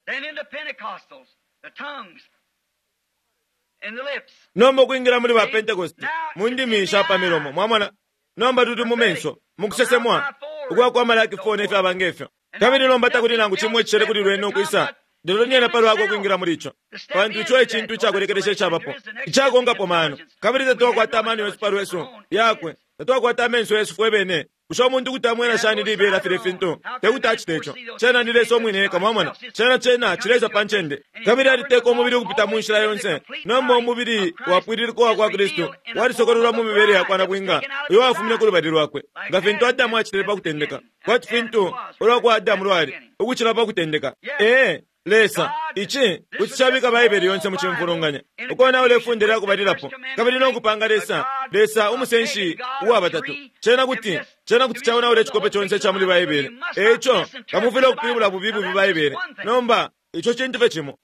Nomba ukwingila muli ba Pentecost, mu ndimi sha pa milomo, mwamona. Nomba tuli mu menso, mukusesemwa ukwa kwa Malaki 4 ne fyaba ngefyo. Kabili nomba takuli nangu cimo icishele kuli lwene ukwisa, lelo nyena palwakwe ukwingila muli ico, pantu ico e cintu icakulekelesha icabapo, icakonkapo mano. Kabili tatwakwata amano yesu palwesu yakwe, tatwakwata amenso yesu fwe bene. Bushe umuntu kuti amwena shani libela filya fintu? Tekuti acite ico. Cena ni Lesa umwine eka, mwamona. Cena cena cileisa pa ncende. Kabili aliteka umubili ukupita mu nshila yonse. Nomba umubili wapwililika uwa kwa Kristu walisokololwa mu mibele ya kwa nabwinga uyo wafumine ku lubali lwakwe, nga fintu Adamu acitile pa kutendeka, kwati fintu ulwa kwa Adamu lwali ukucila pa kutendeka. Ee, Lesa, ici kuti cabika Baibele yonse mu cimfulunganya, ukonaula ifunde lya kubalilapo, kabili no kupanga Lesa, Lesa umusenshi uwa batatu. Cena kuti, cena kuti caonaula icikope conse ica muli Baibele. E ico, tamufwile ukupilibula bubi bubi Baibele. Nomba, ico cintu fye cimo.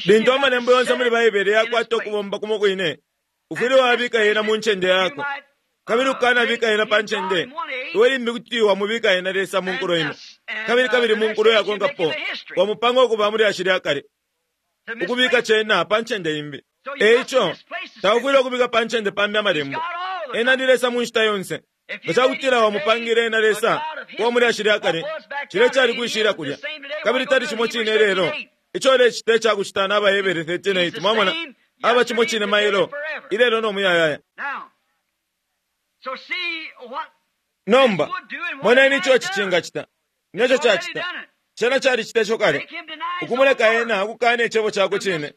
Lintu amalembo yonse muli Baibele yakwata ukubomba kumo kwine, ufwile wabika yena mu ncende yako. Kabili ukanabika yena pa ncende, iwe limbi kuti wamubika yena Lesa mu nkulo imo, kabili kabili mu nkulo yakonkapo wamupanga ukuba mu lyashi lya kale, ukubika cena pa ncende imbi. E ico, taufwile ukubika pa ncende pambi amalembo. Ena ni Lesa mu nshita yonse. Nga ca kutila wamupangile ena Lesa uwa mu lyashi lya kale, cilya cali kwishila kulya, kabili tali cimo cine ilelo. Ico ulecita icakucita na AbaHebere 13:8, mwamona, aba cimo cine mailo, ilelo no muyayaya. Nomba, moneni ico ici cingacita, neco cacita. Cena calicita ico kale, ukumuleka ena ukukana icebo cakwe cine,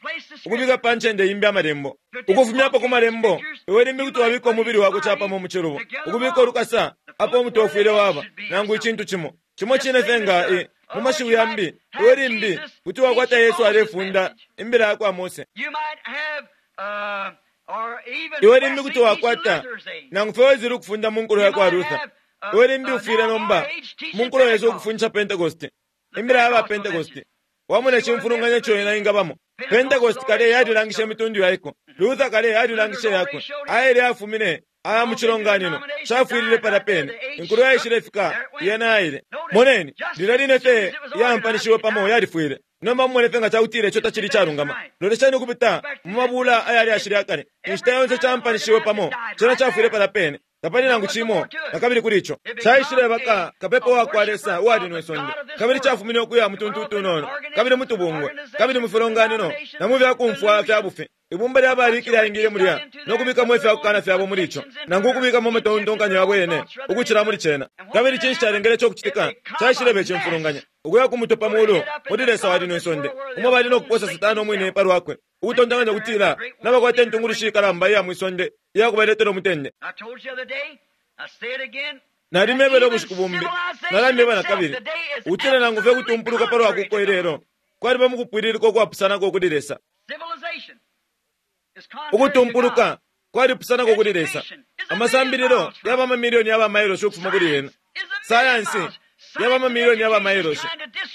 ukubika pa ncende imbi amalembo, ukufumyapo ku malembo. Iwe limbi kuti wabika umubili wakwe capamo mu cilubo, ukubika ulukasa apo umutwe ufwile waba, nangu icintu cimo cimo cine fye nga e. Mu mashiwi yambi, iwe limbi kuti wakwata Yesu alefunda imbila ya kwa Mose. Iwe limbi kuti wakwata nangu fye Wesley ukufunda mu nkulo ya kwa Luther. Iwe limbi ufwile nomba mu nkulo yesu ukufundisha Pentecost, imbila ya ba Pentecost. Wamona icimfulunganya ico yena ingabamo. Pentecost kale yalilangishe imitundu yaiko. Luther kale yalilangishe yakwe. Aile afumine aya mu cilonganino cafwilile palya pene. Inkulo yaishilefika yena yaile. Moneni, lilya line fye yaampanishiwe pamo yalifwile. Nomba mumone fye nga cakutila ico tacili icalungama. Lolesheni ukupita mu mabula aya lyashi lya kale. Inshita yonse caampanishiwe pamo, cena cafwile palya pene. Tapali nangu cimo nakabili kuli ico. Caishileba ka kapepa wa kwa Lesa uwali nwe sonde, kabili cafumine ukuya mu tuntu utunono, kabili mu tubungwe, kabili mu filonganino, na mu fya kumfwa fya bufi. Ibumba lya baliki lyaingile mulya no kubikamo ifya kukana fyabo muli ico, nangu ukubikamo amatontonkanyo yabo yene ukucila muli cena. Kabili cinshi calengele ico kucitika? Caishileba icimfulunganya, ukuya ku mutwe pa mulu muli Lesa wa lino isonde, umo bali no kuposa Satana umwine pa lwakwe, ukutontonkanya ukutila nabakwata intungulushi ikalamba iya mwi sonde iya kubaletela umutende. Nalimebele ubushiku bumbi, nalamyeba na kabili, ukutila nangu fye kutumpuluka pa lwa kuko ilelo kwaliba mu kupwililika ukwapusanako kuli Lesa. Ukutumpuluka kwalipusanako kuli Lesa. Amasambililo yaba amamilioni ya bamailoshi ukufuma kuli yena. Sayansi yaba amamilioni ya bamailoshi.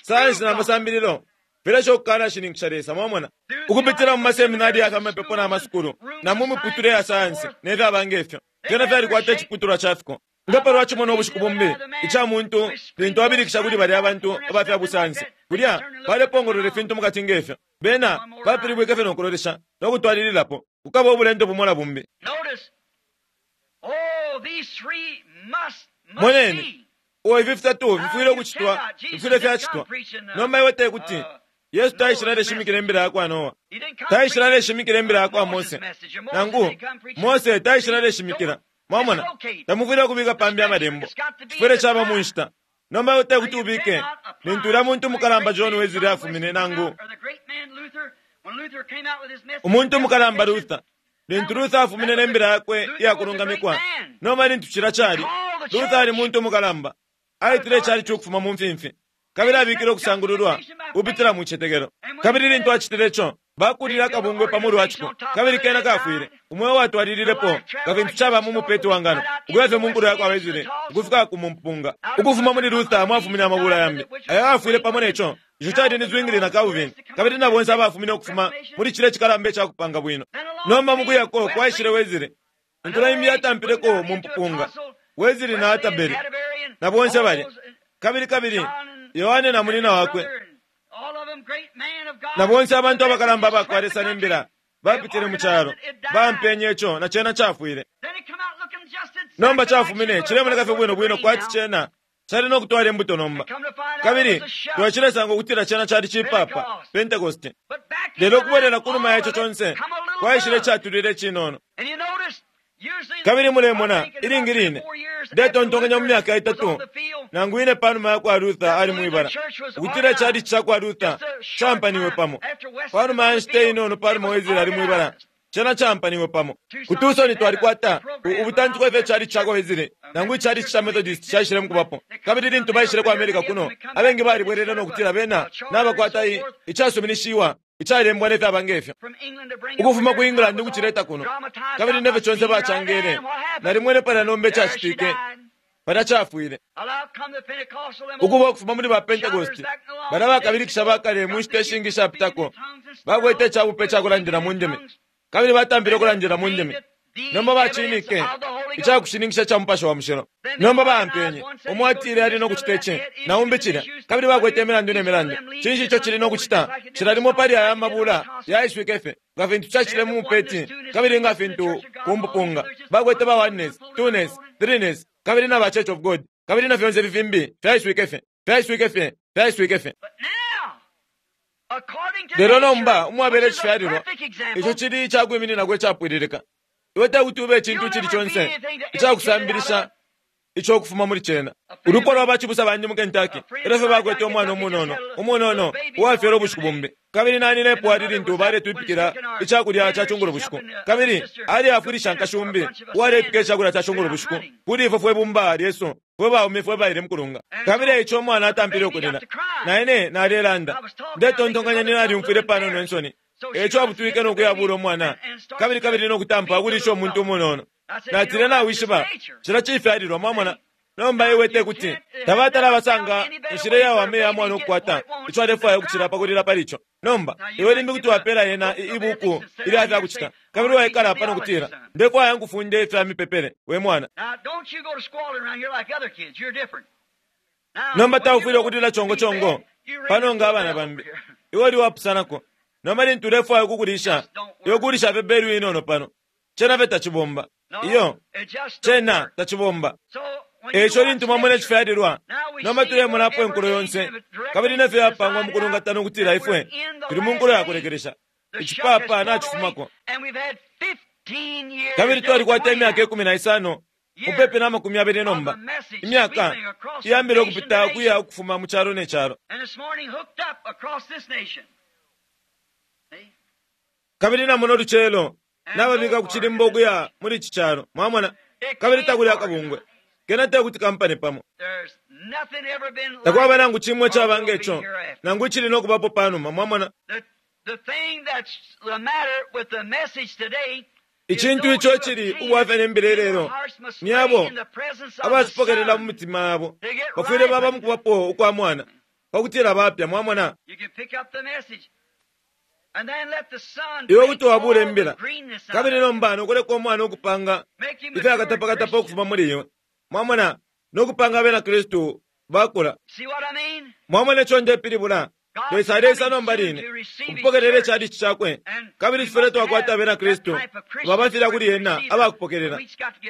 Sayansi na masambililo filesha ukukanashininkisha Lesa, mwamona, ukupitila mu maseminari ya mapepo na masukulu na mu miputule ya sayansi ne fyaba ngefyo. Fyena fyalikwata iciputulwa ca fiko. Nga palwa cimo ubushiku bumbi ica muntu lintu abilikisha kuli balya abantu aba fya busayansi, kulya balepongolola ifintu mukati ngefyo. Bena bapilibwike fye no kulolesha no kutwalililapo. Kukaba ubulendo bumo na bumbi. Moneni, uo ifi fitatu fifwile ukucitwa, fifwile fyacitwa. Nomba iwe te kuti Yesu taishile aleshimikila imbila ya kwa Noa, taishile aleshimikila imbila ya kwa Mose, nangu Mose taishile aleshimikila. Mwamona, tamufwile ukubika pambi amalembo, cifwile caba mu nshita. Nomba iwe te kuti ubike lintu ulya muntu mukalamba John Wesley afumine, nangu umuntu mukalamba Luther, lintu Luther afumine ne mbila yakwe iyakulungamikwa. Nomba lintu cila cali, Luther ali muntu mukalamba, aitile icali cukufuma mu mfimfi, kabili abikile ukusangululwa kupitila mu citetekelo. Kabili lintu acitile ico, Bakulile akabungwe pa mulu wa ciko, kabili kena kafwile. Umweo watwalililepo nga fintu caba mu mupeti wa ngano, ukuya fye mu nkulo ya kwa Wesley ukufika ku mumpunga. Ukufuma muli Luther mwafumine amabula yambi ayo ayafwile pamo ne co. Ico cali ni Zwingli na Calvin, kabili na bonse abafumine ukufuma muli cilya cikalamba ica kupanga bwino. Nomba mu kuyako kwaishile Wesley. Inkulo imbi yatampileko mu mpupunga. Wesley na Atterbury na bonse balya. Kabili kabili Yohane na munina wakwe na bonse abantu abakalamba abakwa Lesa ne mbila bapitile mu calo, bampenye ico na cena cafwile. Nomba cafumine cilemoneka fye bwino bwino kwati cena cali no kutwala imbuto nomba. Kabili twacilesanga ukutila cena cali cipapa Pentecost. Lelo ukubwelela ku numa ya ico conse kwaishile catulile icinono. Kabili mulemona ilingi line ndetontonkanya mu myaka itatu nangu ine pa numa ya kwa Luther ali mwibala, ukutila icali ca kwa Luther campaniwe pamo. Pa numa ya nshita inono pa numa Wesley ali mwibala, cena campaniwe pamo. Ku Tucson twalikwata ubutantiko ifyo icali ca kwa Wesley nangu icali ca Methodist caishile mukubapo. Kabili lintu baishile ku America kuno, abengi balibwelele no kutila bena nabakwata icasuminishiwa icalembwa ne fyaba ngefyo ukufuma ku England ukucileta kuno. Kabili nefyo conse bacangele nalimwene palya nomba icacitike palya cafwile ukuba ukufuma muli ba Pentecost balya bakabilikisha bakale mu nshita ishingi ishapitako bakwete icabupe icakulandila mu ndimi, kabili batampile ukulandila mu ndimi. Nomba bacinike icakushininkisha ca Mupashi wa Mushilo. Nomba baampenye umo atile ali no kucita ici na umbi cilya, kabili bakwete imilandu ne milandu. Cinshi ico cili no kucita? Cila limo pali aya mabula yaiswike fye nga fintu cacile mu mupeti, kabili nga fintu ku mpupunga. Bakwete ba oneness, twoness, threeness, kabili na ba Church of God, kabili na fyonse ifi fimbi fyaiswike fye, fyaiswike fye, fyaiswike fye. Lelo nomba umwabela icifyalilwa, ico cili icakwimininako icapwililika. Iwe tekuti ube icintu icili conse icakusambilisha ico ukufuma muli cena. Ulupwa lwa bacibusa bandi mu Kentucky elyo fye bakwete umwana umunono, umunono uwafyelwe ubushiku bumbi. Kabili naninepo ali lintu baletwipikila icakulya ca cungulo bushiku. Kabili aliafwilisha nkashi umbi uwalepika icakulya ca cungulo bushiku kuli ifwe fwe bumba lyesu fwe baume fwe baile mukulunga. Kabili eico umwana atampile ukulila. Na ine nalelanda. Ndetontonkanya ninalyumfwile panono insoni. Eico abutwike no kuyabula umwana, kabili kabili no kutampa ukulisha umuntu umunono. Natile, nawishiba, cila cifyalilwa, mwamona. Nomba iwe tekuti tabatala basanga inshila iyawama iya mwana ukukwata ico alefwaya ukucila pa kulila pali ico. Nomba iwe limbi kuti wapela yena ibuku ilya fya kucita, kabili waikala apa no kutila, ndefwaya nkufunde ifya mipepele we mwana. Nomba taufwile ukulila chongo chongo pano nga abana bambi. Iwe uli wapusanako. Nomba lintu ulefwaya ukukulisha, iwe kulisha fye belu inono pano. Cena fye tacibomba. Iyo, cena tacibomba. Eico lintu mwamona icifyalilwa, nomba tulemonapo inkulo yonse, kabili nefyo yapangwa mu kulungatana ukutila ifwe tuli mu nkulo ya kulekelesha. Icipapa nacifumako. Kabili twalikwata imyaka 15, mupepi na 20 nomba, imyaka iyambile ukupita ukuya ukufuma mu calo ne calo. Kabili namona ulucelo nababika ku cilimba ukuya muli ici calo, mwamona, kabili takuli akabungwe. Kena tekuti kampane pamo. Takwaba nangu cimwe icaba nge co, nangu icili no kubapo panuma, mwamona. Icintu ico cili ubwafya ne mbila ilelo ni abo abacipokelela mu mitima yabo bafwile baba mu kubapo ukwa mwana pakutila bapya, mwamona. Iwe kuti wabula imbila, kabili nomba nokuleka umwana ukupanga ifyakatapakatapa ukufuma muli iwe, mwamona, nokupanga abena Kristu bakula. Mwamona ico ndepilibula? Lesa aleisa nomba line ukupokelela icalici cakwe, kabili cifwile twakwata abena Kristu babafila kuli ena abakupokelela.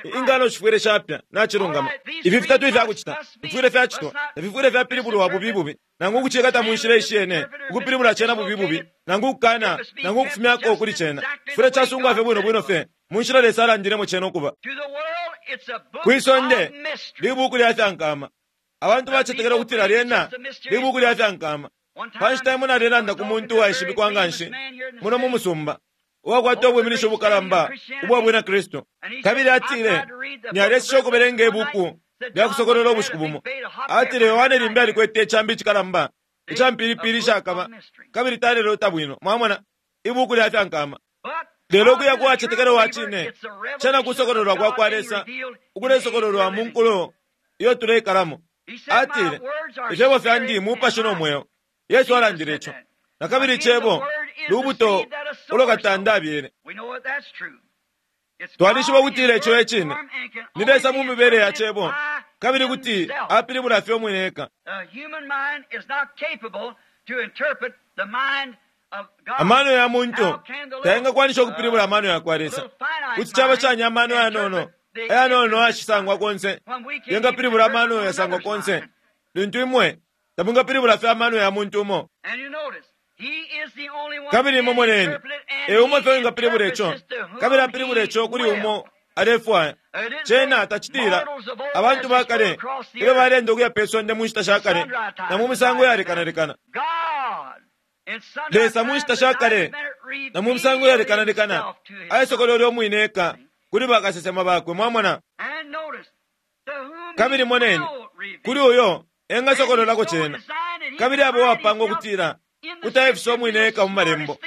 Ingano shifwile shapya nacilungama. Ifi fitatu ifyakucita fifwile fyacitwa, tafifwile fyapilibulwa bubi bubi, nangu ukucikata mu nshila ishiyene, ukupilibula cena bubi bubi, nangu ukukana, nangu ukufumyako kuli cena. Cifwile casungwa fye bwino bwino fye mu nshila Lesa alandilemo cena ukuba. Kwisonde libuku lya fyankama. Abantu bacetekela ukutila lyena libuku lya fyankama. Pa nshita imo nalelanda ku muntu uwaishibikwa nga nshi muno mu musumba, uwakwata ubwiminisho ubukalamba ubwa bwina Kristu, kabili atile naleseshe ukubelenga ibuku lya kusokolola ubushiku bumo. Atile Yohane limbi alikwete icambi icikalamba ica mpilipili ishakaba, kabili talelota bwino, mwamona. Ibuku lya fyankama. Lelo ukuya ku wacetekela wa cine, cena kusokololwa kwa kwa Lesa ukulesokololwa mu nkulo iyo tuleikalamo. Atile, Ifyebo fyandi mupashi no mweo. Yesu alandile ico. Na kabili icebo lubuto ulo katanda abyele. Twalishiba ukutila ico e cine. Ni Lesa mu mibele ya cebo, kabili kuti apilibula fye umwine eka. Amano ya muntu tayengakwanisha ukupilibula amano ya kwa Lesa. Kuti caba shani amano ayanono, ayanono ayashisangwa konse, yengapilibula amano yasangwa konse, lintu imwe tamwingapilibula fye amano ya muntu umo? Kabili imwe moneni, e umo fye wingapilibula ico, kabili apilibula ico kuli umo alefwaya. Cena tacitila abantu ba kale ilyo baleenda ukuya pe sonde mu nshita sha kale na mu misango yalekanalekana. Lesa mu nshita sha kale na mu misango yalekanalekana aisokolwele umwine eka kuli bakasesema bakwe. Mwamona? Kabili moneni, kuli uyo engasokololako cena, kabili abo wapanga ukutila kuti aifisa umwine eka mu malembo.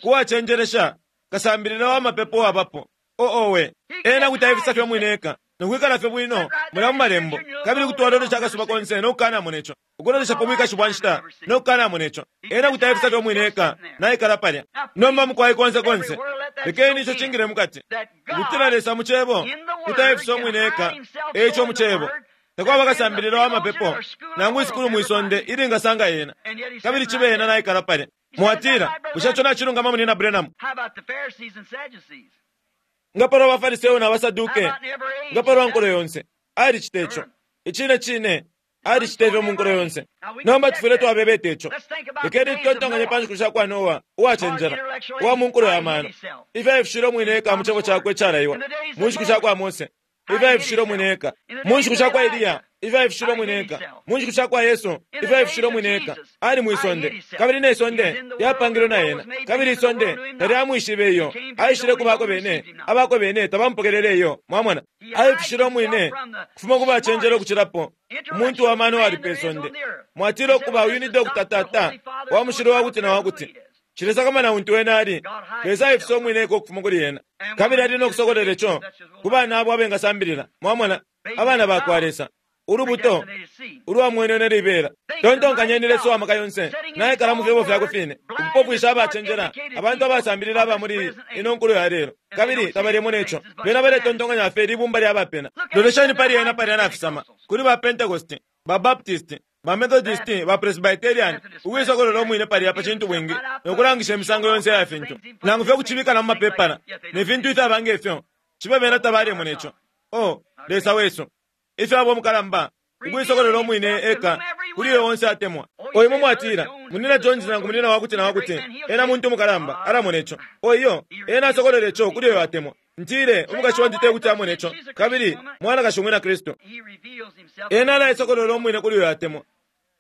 Kuwacenjelesha kasambilila wa mapepo wabapo oowe, ena kuti aifisa fye umwine eka nokwikala fye bwino mulya mu malembo, kabili kuti walolesha akasuba konse no kukanamona ico, ukulolesha pa bwikashi bwa nshita no kukanamona ico. Ena kuti aifisa fye umwine eka naikala palya. Nomba mukwai konse konse, lekeni ico cingile mukati, ukutila Lesa mu cebo kuti aifisa umwine eka. Eico mu cebo takwaba kasambilila wa mapepo nangu isukulu mwisonde ilingasanga yena, kabili cibe yena naikala palya. Mwatila, bushe ico nacilungama, Munina Branham? Nga palwa baFariseo na baSaduke, nga palwa nkulo yonse, alicita ico. Icine cine, alicita ifyo mu nkulo yonse. Nomba tufwile twabebeta ico. Lekeni tutontonkanye pa nshiku sha kwa Noa uwacenjela, uwa mu nkulo ya mano, ifyo aifishile umwine eka mu cebo cakwe icalaiwa, mu nshiku sha kwa Mose, ifyo aifishile umwine eka, mu nshiku sha kwa Eliya, ifyo aifishile umwine eka, mu nshiku sha kwa Yesu, ifyo aifishile umwine eka. Ali mwi sonde, kabili ne sonde lyapangilwe na ena, kabili isonde talyamwishibe iyo. Aishile ku bakwe bene, abakwe bene tabamupokelele iyo. Mwamona, aifishile umwine kufuma ku bacenjela ukucilapo, umuntu wa mano ali pe sonde. Mwatila ukuba uyu ni Dr. Tata wa mushilo wa kuti na wa kuti. Cilesakamana untu wena ali, Lesa aifisa umwine eka ukufuma kuli ena, kabili ali no kusokolele co ku bana abo abengasambilila. Mwamona, abana ba kwa Lesa, ulubuto ulwamwenene libela. Tontonkanyeni Lesa uwa maka yonse naikala mu fyebo fyakwe fine, ukupofwisha abacenjela, abantu abasambilila aba muli ino nkulo ya lelo, kabili tabalemona ico. Bena baletontonkanya fye libumba lya bapena. Lolesheni pali ena palya nafisama, kuli ba Pentecost, ba Baptist, ba Methodist, ba Presbyterian, ukuisokolola umwine palya pa cintu bwingi no kulangisha imisango yonse ya fintu, nangu fye kucibika na mu mapepala ne fintu ifyaba nge fyo, cibe bena tabalemona ico. Oh, Lesa wesu, ifyo abo mukalamba ukuisokolola umwine eka kuli uyo onse atemwa. O imwe mwatila, Munina Jones nangu munina wakuti na wakuti, ena muntu mukalamba, alamona ico. O iyo, ena asokolola ico kuli uyo atemwa. Ntile, umukashi wandi te kuti amone ico, kabili mwanakashi umwina Kristu. Ena alaisokolola umwine kuli uyo atemwa.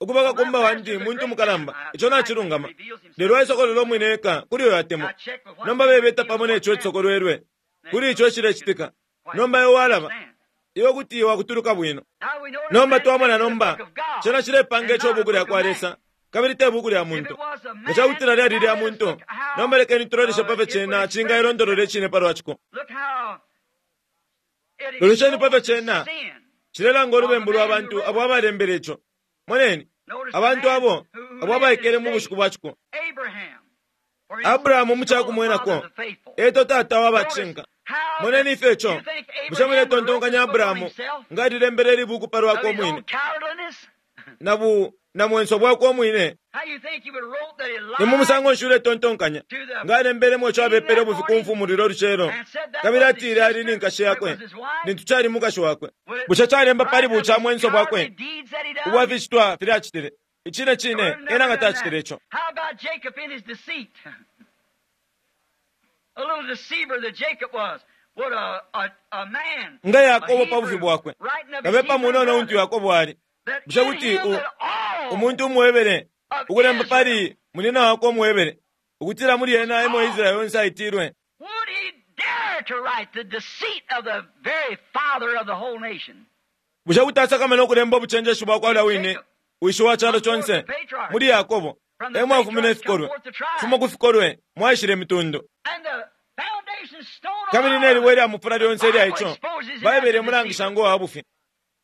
Ukuba kakumba wandi muntu mukalamba, ico nacilungama. Lelo aisokolola umwine eka kuli uyo atemwa. Nomba bebeta pamo neco icisokolwelwe, kuli ico icilecitika. Nomba iwe walaba, iwe kuti wakutuluka bwino. Nomba twamona nomba, cena cilepanga ico buku lya kwa Lesa, kabili te buku lya muntu. Nga ca kutila lyali lya muntu, nomba lekeni tuloleshe pa fyo cena cingailondolola icine palwa ciko. Lolesheni pa fyo cena cilelanga ulubembu lwa bantu abo abalembele ico. Moneni, abantu abo abo abaikele mu bushiku bwa ciko. Abrahamu mu ca kumwenako, eto tata wa bacinka. Moneni ifyo ico. Bushe muletontonkanya Abrahamu nga alilembele ili buku pa lwakwe umwine na bu na mwenso bwakwe umwine? Ni mu musango nshi uletontonkanya nga alembelemo ico abepele ubufi ku mfumu lulyo lucelo, kabili atile ali ni nkashi yakwe lintu cali mukashi wakwe? Bushe calemba pali buca mwenso bwakwe ubwa ficitwa filya acitile? Icine cine, ena nga tacitile ico. How about Jacob in his deceit? A little deceiver that Jacob was. What a, a, a man. Nga Yakobo pa bufi bwakwe, kabepa munono untu Yakobo ali. Bushe kuti umuntu umuhebere ukulemba pali munina wakwe umuhebere ukutila muli ena emo Israeli yonse aitilwe? Would he dare to write the deceit of the very father of the whole nation? Bushe kuti asakamana ukulemba ubucenjeshi bwa kwa ulya wine wishi wa calo conse muli Yakobo, E mwafumine ifikolwe. Kufuma ku fikolwe mwaishile imitundu. Kabili ne libwe lya mufula lyonse ilya ico, Baibele imulangisha ngo wa bufi.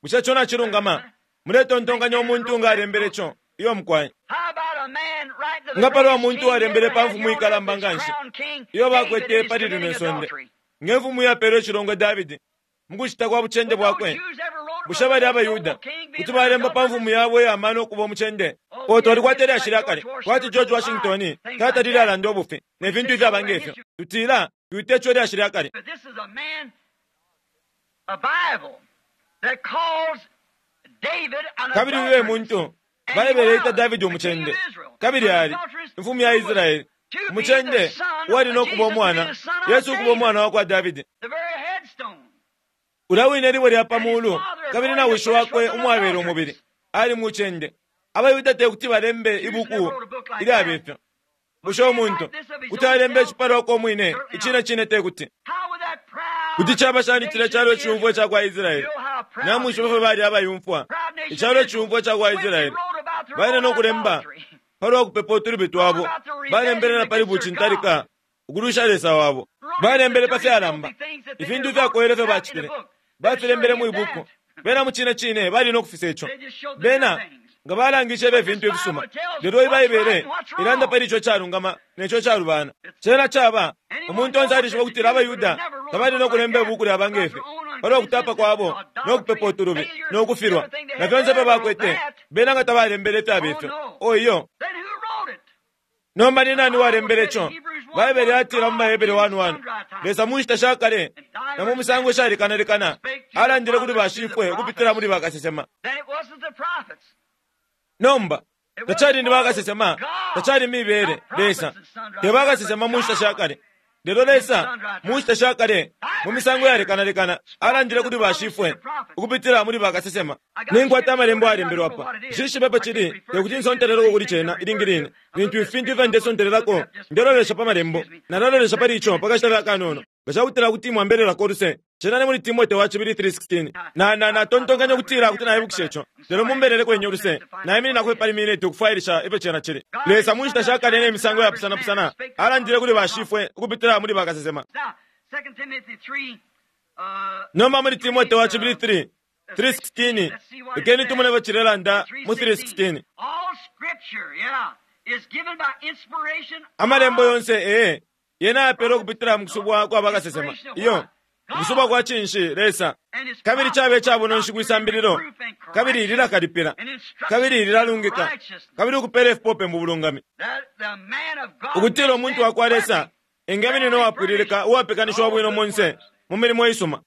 Bushe ico nacilungama? Muletontonkanya umuntu nga alembele ico? Iyo mukwai. Nga palwa muntu uwalembele pa mfumu ikalamba nganshi iyo bakwete pali lino isonde, nge mfumu iyapelwe icilongwe Davidi mu kucita kwa bucende bwakwe, bushe balya abaYuda kuti balemba pa mfumu yabo iya mano ukuba umucende? Oh, twalikwata ilyashi lya kale, kwati George Washington tatalile alanda ubufi, ne fintu ifyaba nge fyo. Tutila, twite ico ilyashi lya kale. Kabili uyu e muntu Baibele ita Davidi umucende, kabili ali imfumu ya Israele, umucende uwali no kuba umwana, Yesu ukuba umwana wa kwa Davidi. Ulya wine libwe lya pa muulu, kabili na wishi wakwe umwabela umubili, ali mucende. AbaYuda te kuti balembe ibuku ilyabe fyo. Bushe umuntu kuti alemba icipalwako umwine? Icine cine te kuti. Kuti caba shani cilya calo iciyumfwa ica kwa Israele? Namwishiba ifyo bali abayumfwa, icalo iciyumfwa ica kwa Israele. Baile no kulemba pa lwa kupepa utulubi twabo, balembele na pali bucintalika ukulwisha Lesa wabo. Balembele pa fyalamba, ifintu ifyakoyele ifyo bacitile, bafilembele mwi buku. Bena mu cine cine bali no kufisa ico. Bena nga balangishe fye ifintu ifisuma. Lelo Ibaibele ilanda pali ico calungama ne co calubana. Cena caba, umuntu onse alishiba ukutila abaYuda tabali no kulemba ibuku lyaba nge fi palwa kutapa kwabo no kupepa utulubi no kufilwa na fyonse ifyo bakwete. Bena nga tabalembele ifyaba ifyo. Oh, iyo. Nomba ni nani walembele ico? Baibele yatila mu baHebere 1:1, Lesa mu nshita sha kale na mu misango ishalekanalekana alandile kuli bashifwe ukupitila muli bakasesema. Nomba, tacali ni bakasesema, tacali mibele, Lesa, te bakasesema mu nshita sha kale. Lelo Lesa, mu nshita sha kale, mu misango yalekanalekana, alandile kuli bashifwe ukupitila muli bakasesema. Ninkwata amalembo ayalembelwe apa. Nshishibe apo cili, te kuti nsonteleleko kuli cena ilingi line. Lintu ifintu ifyo ndesontelelako, ndelolesha pa malembo. Nalalolesha pali ico pa kashita fye akanono. Nga ca kutila kuti mwambelelako uluse, cena ni muli Timote wa cibili 3:16. Na, na, natontonkanya ukutila kuti naibukisha ico. Lelo mumbeleleko inye uluse. Naimininako fye pali miniti ukufwailisha ifyo cena cili. Lesa mu nshita sha kale ne misango yapusanapusana alandile kuli bashifwe ukupitila muli bakasesema. Nomba muli Timote wa cibili 3, 3:16, lekeni tumone ifyo cilelanda mu 3:16. Amalembo yonse, ee, yena ayapeelwe ukupitila mu kusubwa kwa bakasesema. Iyo, ukusubwa kwa cinshi? Lesa. Kabili cabe ca bunonshi kwi sambililo, kabili lilakalipila, kabili lilalungika, kabili ukupeela ifipope mu bulungami. Ukutila umuntu wa kwa Lesa engeminina uwapwililika, uwapekanishiwa bwino monse mu milimo isuma.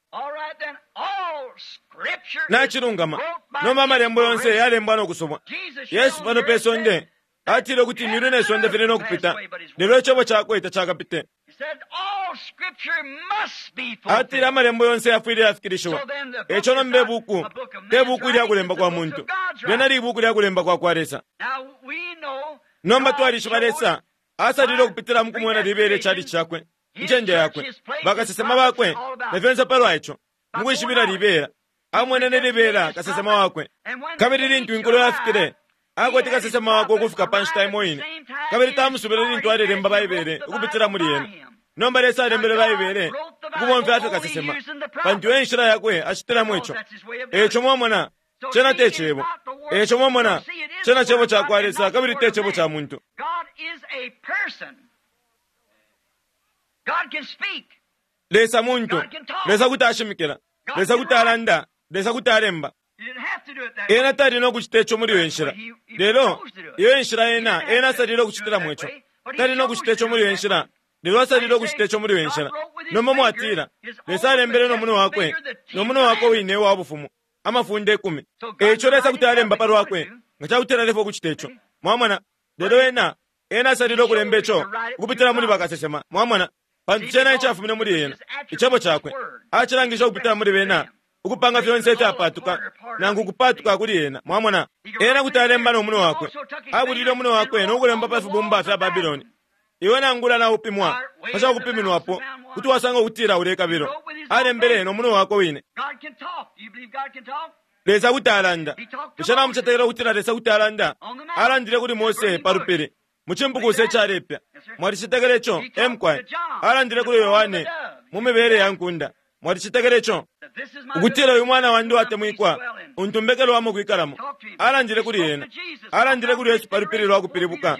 Nacilungama. Nomba amalembo yonse yalembwa no kusubwa. Yesu pano pe sonde atile ukuti imyulu ne sonde fili no kupita, lelo icebo cakwe tacakapite. Atile amalembo yonse yafwile yafikilishiwa. E co nomba ibuku te buku ilya kulemba kwa muntu, lyena libuku lya kulemba kwa kwa Lesa. Nomba twalishiba Lesa asalile ukupitila mu kumwena libela icalici cakwe, incende yakwe, bakasesema bakwe, na fyonse palwa ico, mu kwishibila libela. Amwenene libela kasesema wakwe. Kabili lintu inkulo yafikile, akwete kasesema wakwe ukufika pa nshita imo ine, kabili tamusubile lintu alelemba Baibele ukupitila muli ena. Nomba Lesa alembele Baibele ukubomfya fye kasesema, pantu e nshila yakwe acitilamo ico. E co mwamona, cena te Cebo. E co mwamona, cena Cebo ca kwa Lesa kabili te cebo ca muntu. Lesa muntu. Lesa kuti ashimikila. Lesa kuti alanda. Lesa kuti alemba. Ena tali no kucita ico muli iyo nshila. Lelo, iyo enshila ena, ena asalile ukucitilamo ico. Tali no kucita ico muli iyo nshila. Lelo asalile ukucita ico muli iyo nshila. Nomba mwatila, Lesa alembele no munwe wakwe, no munwe wakwe wine uwa bufumu, amafunde ikumi. E ico Lesa kuti alemba pa lwakwe, nga ca kutila alefwaya ukucita ico. Mwamona? Lelo ena, ena asalile ukulemba ico ukupitila muli bakasesema. Mwamona? Pantu cena icafumine muli ena, Icebo cakwe, acilangisha ukupitila muli bena, ukupanga fyonse ifyapaatuka, nangu ukupaatuka kuli ena. Mwamona? Ena kuti alemba no munwe wakwe. Abulile umunwe wakwe no kulemba pa fibumba fya Babiloni. Iwe nangula naupimwa pa ca kupiminwapo, kuti wasanga ukutila ulekabilo. Alembele no munwe wakwe wine. Lesa kuti alanda. Bushe namucetekela ukutila Lesa kuti alanda? Alandile kuli Mose pa lupili mu cimpukusa icalepya. Mwalicetekela ico? E mukwai. Alandile kuli Yohane mu mibele ya nkunda. Mwalicetekela ico? Ukutila uyu mwana wandi watemwikwa, untu mbekelwamo kwikalamo. Alandile kuli ena. Alandile kuli Yesu pa lupili lwa kupilibuka,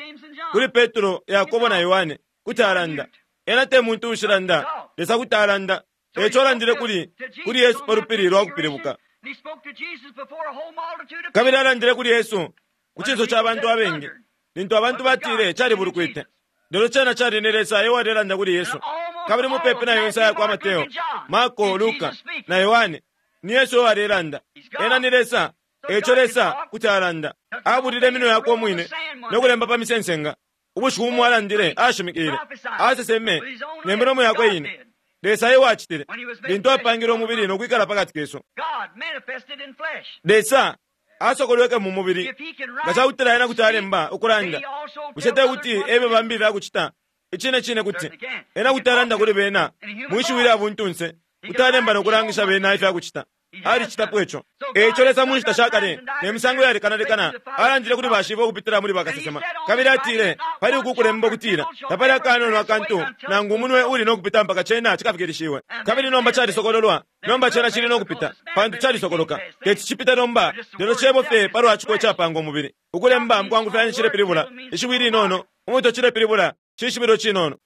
kuli Petro, Yakobo na Yohane, kuti alanda. Ena te muntu uushilanda, Lesa kuti alanda. Eco alandile kuli, kuli Yesu pa lupili lwa kupilibuka. Kabili alandile kuli Yesu ku cinso ca bantu abengi, lintu abantu batile calibulukwite. Lelo cena cali ni Lesa e walelanda kuli Yesu. Kabili mupepi na yonse aya kwa Mateo, Marko, Luka, na Yohane, ni Yesu e walelanda. Ena ni Lesa, eco Lesa kuti alanda. Abulile iminwe yakwe umwine no kulemba pa misensenga. Ubushiku bumo alandile, ashimikile, aseseme ne milomo yakwe ine. Lesa e wacitile, lintu apangile umubili no kwikala pa kati kesu. Lesa asokolweke mu mubili. Nga ca kutila ena kuti alemba, ukulanda, bushe te kuti ebe bambi ifya kucita? Icine cine kuti. Ena kuti alanda kuli bena mwi shiwi lya buntunse, kuti alemba no kulangisha bena ifya kucita. Alicitapo ico. E ico Lesa mu nshita sha kale ne misango iyalekanalekana alandile kuli bashibo ukupitila muli bakasesema. Kabili atile pali uku kulemba ukutila, Tapali akanono akantu nangu umunwe uuli no kupita mpaka cena cikafikilishiwe. Kabili nomba calisokololwa. Nomba cena cili no kupita, pantu calisokoloka. Teti cipite nomba, lelo cebo fye palwa ciko icapanga umubili. Ukulemba mu kwangufyanya cilepilibula ishiwi linono, umutwe cilepilibula cishibilo cinono.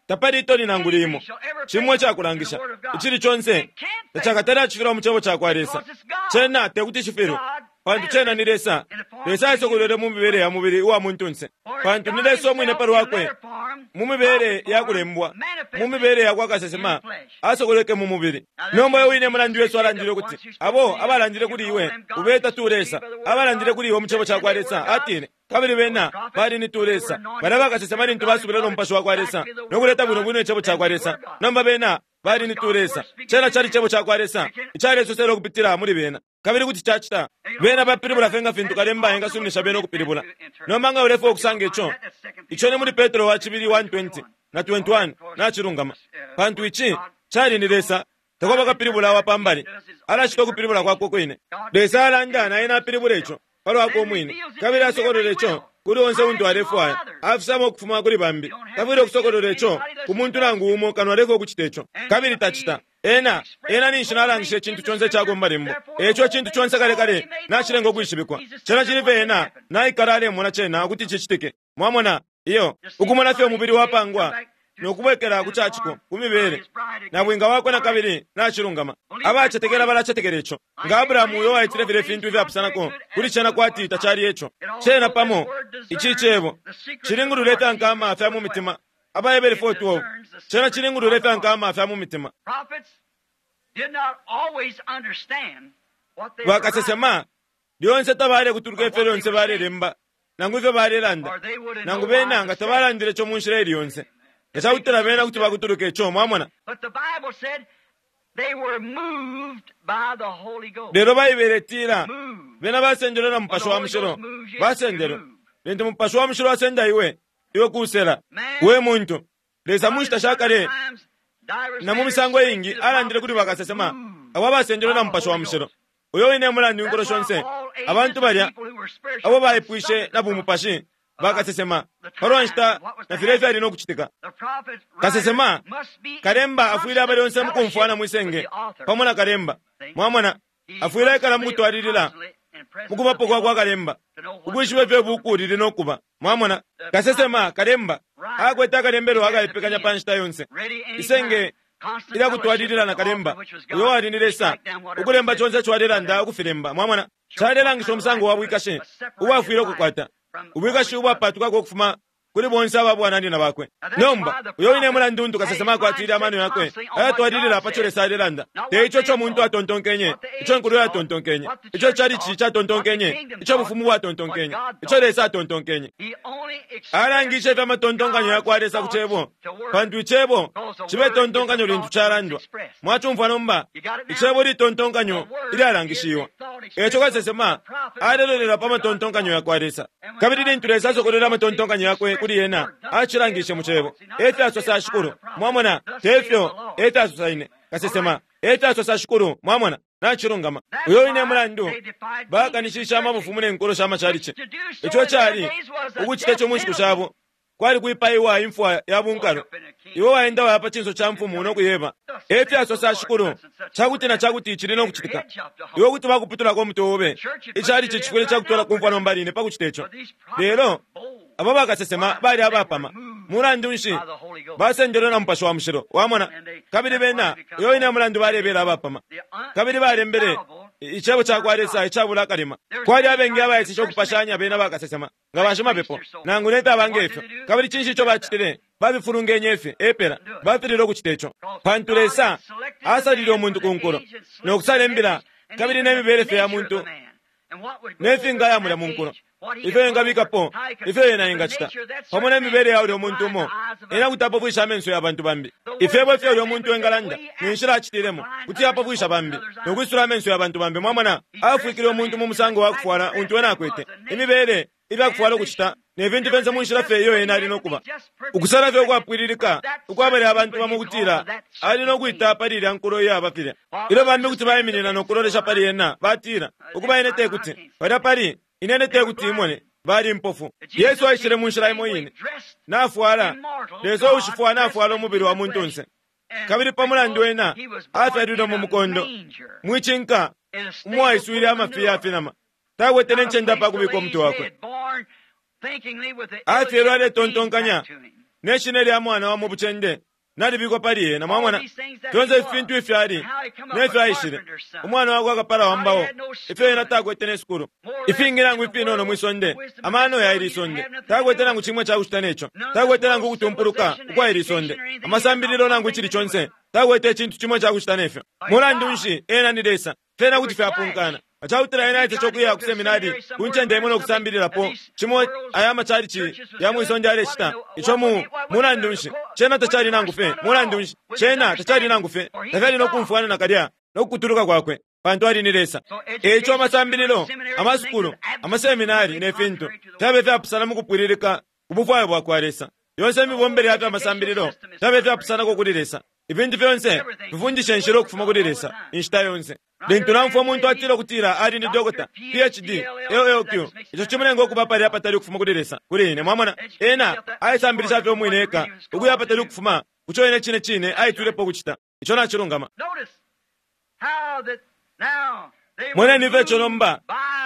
Tapali itoni nangu limo, cimo icakulangisha, icili conse tacakatale acifilwa mu Cebo cakwa Lesa. Cena tekuti cifilwe, pantu cena ni Lesa. Lesa aisokolwele mu mibele ya mubili uwa muntunse, pantu ni Lesa umwine pa lwakwe, mu mibele ya kulembwa, mu mibele ya kwa kasesema, asokolweke mu mubili. Nomba uyo wine mulandu Yesu alandile ukuti, Abo abalandile kuli iwe, ubeta tu lesa, abalandile kuli iwe mu Cebo cakwa Lesa, atile, Kabili bena bali ni tulesa. Balya bakasesema lintu basubile no Mupashi wakwa Lesa no kuleta bwino bwino Icebo cakwa Lesa. Nomba bena bali ni tulesa. Cena cali Cebo cakwa Lesa icalesosela ukupitila muli bena. Kabili kuti cacita. Bena bapilibula fye nga fintu kalemba engasuminisha bena ukupilibula. Nomba nga ulefwaya ukusanga ico, ico ni muli Petro wa cibili 1:20 na 21. Nacilungama. Pantu ici cali ni Lesa. Takwaba kapilibula wa pa mbali. Alacita ukupilibula kwakwe kwine. Lesa alanda na ena apilibula ico pa lwakwe umwine, kabili asokolola ico kuli onse untu alefwaya. Afisama ukufuma kuli bambi. Tafwile ukusokolola ico ku muntu nangu umo kano aleka ukucita ico. Kabili tacita. Ena, ena ninshi nalangisha icintu conse icakwe mu Malembo. Eico icintu conse kale kale nacilenga ukwishibikwa. Cena cili fye ena naikala alemona cena ukuti cicitike. Mwamona? Iyo. Ukumona fye umubili wapangwa no kubwekela ku ca ciko, ku mibele, nabwinga wakwe na kabili nacilungama. Abacetekela balacetekela ico. Nga Abrahamu uyo waitile filye fintu ifyapusanako kuli cena kwati tacali eco. Cena pamo, ici Cebo, cilingulula ifya nkama fya mu mitima. AbaHebere 4:12, Cena cilingulula ifya nkama fya mu mitima. Bakasesema lyonse tabalekutuluka ifyo lyonse balelemba nangu ifyo balelanda, nangu bena nga tabalandile ico mu nshila ili yonse. Nga ca kutila bena kuti bakutuluka ico, mwamona. Lelo Baibele itila, Bena basendelwe na Mupashi wa Mushilo. Basendelwe. Lintu Mupashi wa Mushilo asenda iwe, iwe kusela. We muntu, Lesa mu nshita sha kale na mu misango iingi alandile kuli bakasesema abo abasendelwe na Mupashi wa Mushilo. Uyo wine e mulandu inkulo shonse abantu balya abo baipwishe na bumupashi bakasesema pa lwa nshita na filya ifyali no kucitika. Kasesema, kalemba afwile aba lyonse mu kumfwana mwi senge pamo na kalemba. Mwamona, afwile aikala mu kutwalilila mu kubapo kwa kwa kalemba, ukwishiba ifyo ibuuku lili no kuba. Mwamona, kasesema, kalemba akwete akalembelo akaipekanya pa nshita yonse. Isenge ilya kutwalilila na kalemba, uyo wali ni Lesa, ukulemba conse ico alelanda ukufilemba. Mwamona, calelangisha umusango wa bwikashi ubo afwile ukukwata, ubwikashi ubwapatukako ukufuma kuli bonse aba bwananyina bakwe. Nomba, uyo wine e mulandu untu kasesema akwatile amano yakwe ayatwalilila pa co Lesa alelanda, te ico ico umuntu atontonkenye, ico inkulo yatontonkenye, ico icalici catontonkenye, ico ubufumu bwatontonkenye, ico Lesa atontonkenye. Alangishe ifyo amatontonkanyo ya kwa Lesa ku Cebo, pantu Icebo cibe tontonkanyo lintu calandwa. Mwacumfwa nomba? Icebo litontonkanyo ilyalangishiwa. E co kasesema alelolela pa matontonkanyo ya kwa Lesa. Kabili lintu Lesa asokolwele amatontonkanyo yakwe kuli ena, acilangishe mu Cebo. E fyasosa Shikulu. Mwamona? Te fyo, e fyasosa ine, kasesema. E fyasosa shikulu, mwamona, nacilungama. Uyo wine mulandu bakanishisha amabufumu ne nkulo sha macalici. Ico cali ukucita ico mu nshiku shabo kwali kwipaiwa imfwa ya bunkalwe. Iwe waenda waya pa cinso ca mfumu no kuyeba, e fyasosa shikulu, cakuti na cakuti cili no kucitika. Iwe kuti bakuputulako umutwe obe. Icalici cifwile cakutwala ku mfwa nomba line pa kucita ico. Lelo abo bakasesema bali abapama. Mulandu nshi basendelwe na Mupashi wa Mushilo, wamona? Kabili bena, uyo wine mulandu balebela abapama. Kabili balembele icebo ca kwa Lesa icabula akalema. Kwali abengi abaeseshe ukupashanya bena bakasesema nga bashimapepo nangu ne fyaba nge fyo. Kabili cinshi ico bacitile? Babifulungenye fye epela, bafililwe ukucita ico. Pantu Lesa asalile umuntu ku nkulo no kusala imbila kabili ne mibele fye ya muntu ne fingaya mulya mu nkulo, ifyo engabikapo, ifyo ena engacita, pamo ne mibele ya ulya umuntu umo, ena kuti apofwisha amenso ya bantu bambi. Ifyebo ifyo ulya umuntu engalanda, ne nshila acitilemo, kuti yapofwisha bambi, no kwisula amenso ya bantu bambi. Mwamona, afwikile umuntu mu musango wa kufwala untu ena akwete, imibele, ifya kufwala ukucita, ne fintu fyonse mu nshila fye iyo ena ali no kuba. Ukusala fye ukwapwililika ukwabele abantu bamo ukutila ali no kwita pali ilya nkulo iyaba filya. Ilyo bambi kuti baiminina no kulolesha pali ena, batila, Ukuba ine te kuti, palya pali, ine te kuti imone, bali impofu. Yesu aishile mu nshila imo ine. Nafwala, Lesa uushifwa nafwala umubili wa muntunse. Kabili pa mulandu ena afyalilwe mu mukondo, mwicinka umwaiswile amafi ya finama, takwete ne ncende apa kubika umutwe wakwe. Afyelwe aletontonkanya ne shina lya mwana wa mu bucende nalibikwa pali ena. Mwamona fyonse ifi fintu ifyo ali ne fyo aishile, umwana wakwe akapala wa mbao, ifyo ena takwete ne sukulu, ifingi nangu ifinono mwi sonde, amano ya ili sonde, takwete nangu cimwe ca kucita neco, takwete nangu ukutumpuluka ukwa ili sonde, amasambililo nangu icili conse, takwete icintu cimwe ca kucita nefyo. Mulandu nshi, ena ni Lesa, fyena kuti fyapunkana. Acakutila ena aitece ukuya ku seminari ku ncende imo no kusambililapo cimo aya macalici ya mwi sonde alecita ico mu mulandu nshi cena tacali nangu fye. Mulandu nshi cena tacali nangu fye, tafyali no kumfwana nakalya no kukutuluka kwakwe, pantu ali ni Lesa. E ico amasambililo, amasukulu, amaseminari ne fintu fyabe fyapusana mu kupwililika ku bufwayo bwa kwa Lesa. Yonse imibombele ya fya masambililo fyabe fyapusanako kuli Lesa. Ifintu fyonse fifundisha inshila ukufuma kuli Lesa inshita yonse. Lintu naumfwa umuntu atila ukutila ali ni dokota, PhD, LLQ, ico cimulenga ukuba palya apatali ukufuma kuli Lesa, kuli ine. Mwamona, ena aisambilisha fye umwine eka ukuya apatali ukufuma kuco ene cine cine aitwilepo ukucita. Ico nacilungama. Moneni ifyo ico nomba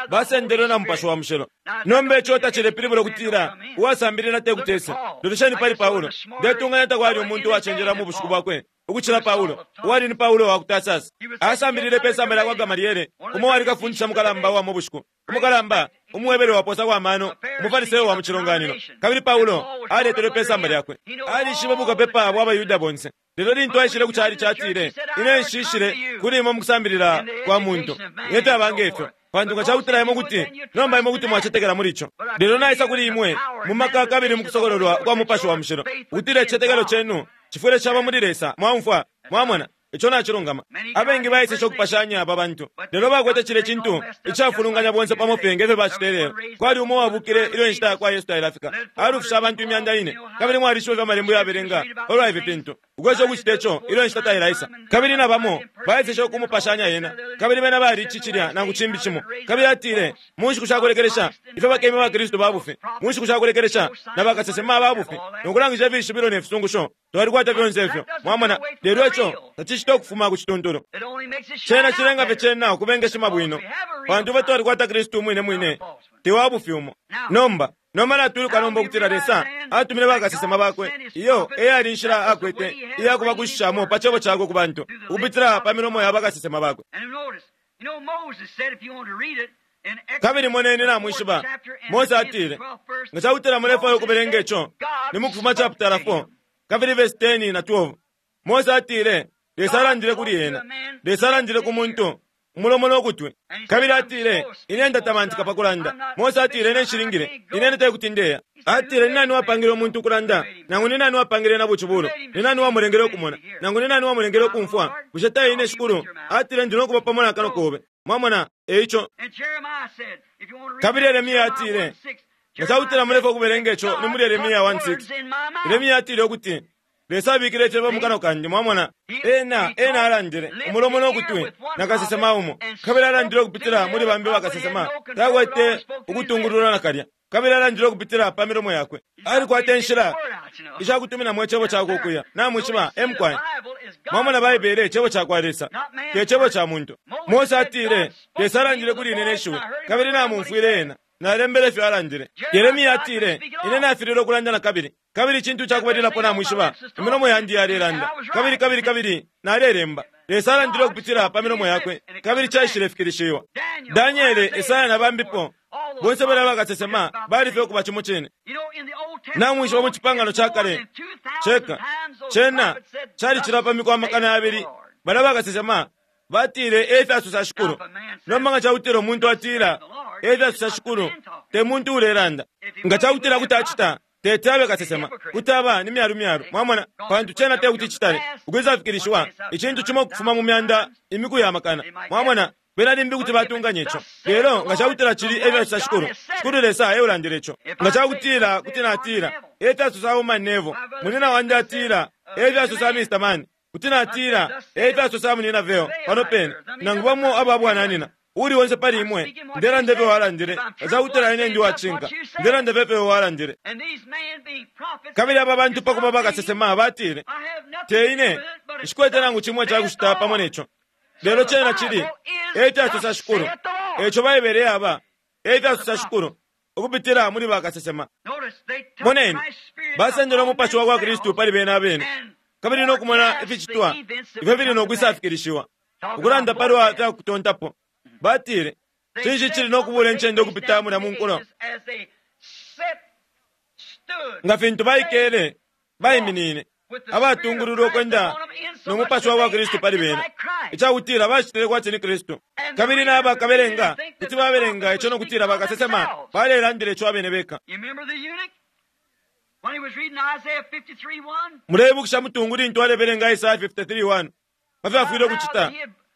basendelwe na Mupashi wa Mushilo. Nomba ico tacilepilibula ukutila uwasambilila te kuti ese. Lolesheni pali Paulo. Ndetunganya takwali umuntu uwacenjela mu bushiku bwakwe ukucila Paulo, uwali ni Paulo wa ku Tarsus. Asambilile pe samba lya kwa Gamaliele, umo uwali kafundisha mukalamba uwa mu bushiku, umukalamba, umuHebere wapoosako amano, umuFariseyo wa mu cilonganino. Kabili Paulo aletelwe pe samba lyakwe. Alishibe bukapepa bwa baYuda bonse. Lelo lintu aishile ku calici atile, Ine nshishile kuli imwe mu kusambilila kwa muntu, nge fyaba nge fyo, pantu nga cakutila imwe kuti, nomba imwe kuti mwacetekela muli ico. Lelo naisa kuli imwe mu maka kabili mu kusokololwa kwa Mupashi wa Mushilo, ukutila icitetekelo cenu cifwile caba muli Lesa. Mwaumfwa? Mwamona? Ico nacilungama. Abengi baeseshe ukupashanya aba bantu, lelo bakwete cilya cintu icafulunganya bonse pamo fye nge fyo bacita ilelo. Kwali umo uwabukile ilyo inshita ya kwa Yesu tailafika, alufishe abantu 4,000, kabili mwalishiba ifyo Amalembo yabelenga palwa ifi fintu, ukwesha ukucita ico ilyo inshita tailaisa. Kabili na bamo baeseshe ukumupashanya ena, kabili bena bali ici cilya nangu cimbi cimo. Kabili atile, mu nshiku sha kulekelesha, ifyo bakema baKristu ba bufi, mu nshiku sha kulekelesha, na bakasesema aba bufi, no kulangisha ifishibilo ne fisungusho. Twalikwata fyonse ifyo, mwamona, lelo ico tacicita ukufuma ku cituntulu. Cena cilenga fye cena ukubengeshima bwino, pantu ifwe twalikwata Kristu umwine mwine, te wa bufi umo. Nomba, nomba natwiluka nomba ukutila Lesa atumine bakasesema bakwe. Iyo e yali inshila akwete iya kubakushishamo pa cebo cakwe ku bantu, ukupitila pa milomo ya bakasesema bakwe. Kabili moneni, namwishiba, Mose atile, nga cakutila mulefwaya ukubelenga ico, ni mu Kufuma chaputala 4 kabili verse 10 na 12. Mose atile, Lesa alandile kuli ena. Lesa alandile ku muntu, umulomo no kutwi. Kabili atile, Ine ndatamantika pa kulanda. Mose atile, Ine nshilingile. Ine te kuti ndeya. Atile, Ni nani wapangile umuntu ukulanda? Nangu ni nani wapangile na bucibulo? Ni nani wamulengele ukumona? Nangu ni nani wamulengele ukumfwa? Bushe te ine Shikulu? Atile, Ndi no kuba pamo na kanwa kobe. Mwamona? E ico. Kabili Yeremia atile, nga cakutila mulefwaya ukubelenga ico, ni muli Yeremia 1:6. Yeremia atile ukuti, Lesa abikile icebo mu kanwa kandi, mwamona. Ena, ena alandile, umulomo no kutwi, na kasesema umo. Kabili alandile ukupitila muli bambi bakasesema. Takwete ukutungulula nakalya. Kabili alandile ukupitila pa milomo yakwe. Alikwata inshila ishakutuminamo icebo cakwe ukuya. Namwishiba, emkwai. Mwamona Baibele, icebo cakwa Lesa, te cebo ca muntu. Mose atile, Lesa alandile kuli ine ne shiwi, kabili namumfwile ena. Nalembele ifyo alandile. Yeremia atile, Ine nafililwe ukulanda na kabili. Kabili icintu cakubalilapo namwishiba, imilomo yandi yalelanda. Kabili, kabili, kabili nalelemba. Lesa alandile ukupitila pa milomo yakwe, kabili caishilefikilishiwa. Daniele, Esaya na bambipo, bonse balya bakasesema bali fye ukuba cimo cine. Namwishiba mu Cipangano ca Kale ceka, cena calicila pa miku 200,000 balya bakasesema batile e fyasosa Shikulu. Nomba nga cakutila umuntu atila e fyasosa Shikulu, te muntu ulelanda. Nga cakutila kuti acita, teti abe kasesema, kuti aba ni myalu myalu, mwamona, pantu cena te kuti citale ukwisafikilishiwa icintu cimo ukufuma mu myanda imiku ya makana, mwamona. Bena limbi kuti batunganya ico, lelo nga cakutila cili e fyasosa Shikulu, Shikulu Lesa e ulandile ico. Nga cakutila kuti natila e fyasosa Woman Neville, munyina wandi atila e fyasosa Mr. Man, kuti natila e fyasosa munyina Vayle pano pene, nangu bamo aba bwananyina, uuli onse pali imwe, ndelanda ifyo walandile. Nga cakutila ine ndi uwacishinka, ndelanda fye ifyo walandile. Kabili aba bantu pa kuba bakasesema batile, Te ine, nshikwete nangu cimo icakucita pamo ne co. Lelo cena cili, e fyasosa Shikulu. Eco Baibele yaba, e fyasosa Shikulu, ukupitila muli bakasesema. Moneni, basendele umupashi wa kwa Kristu pali bena abene, kabili no kumona ificitwa ifyo fili no kwisafikilishiwa. Ukulanda palwa fya kutontapo, batile, Cinshi cili no kubula incende ukupita mulya mu nkulo? Nga fintu baikele, baiminine, abatungululwa ukwenda no mupashi wa kwa Kristu pali bena, icakutila bacitile kwati ni Kristu. Kabili naba kabelenga kuti babelenga ico no kutila bakasesema balelandila ico abene beka. Muleibukisha mutungu lintu alebelenga Isaya 53:1 pa fyo afwile ukucita,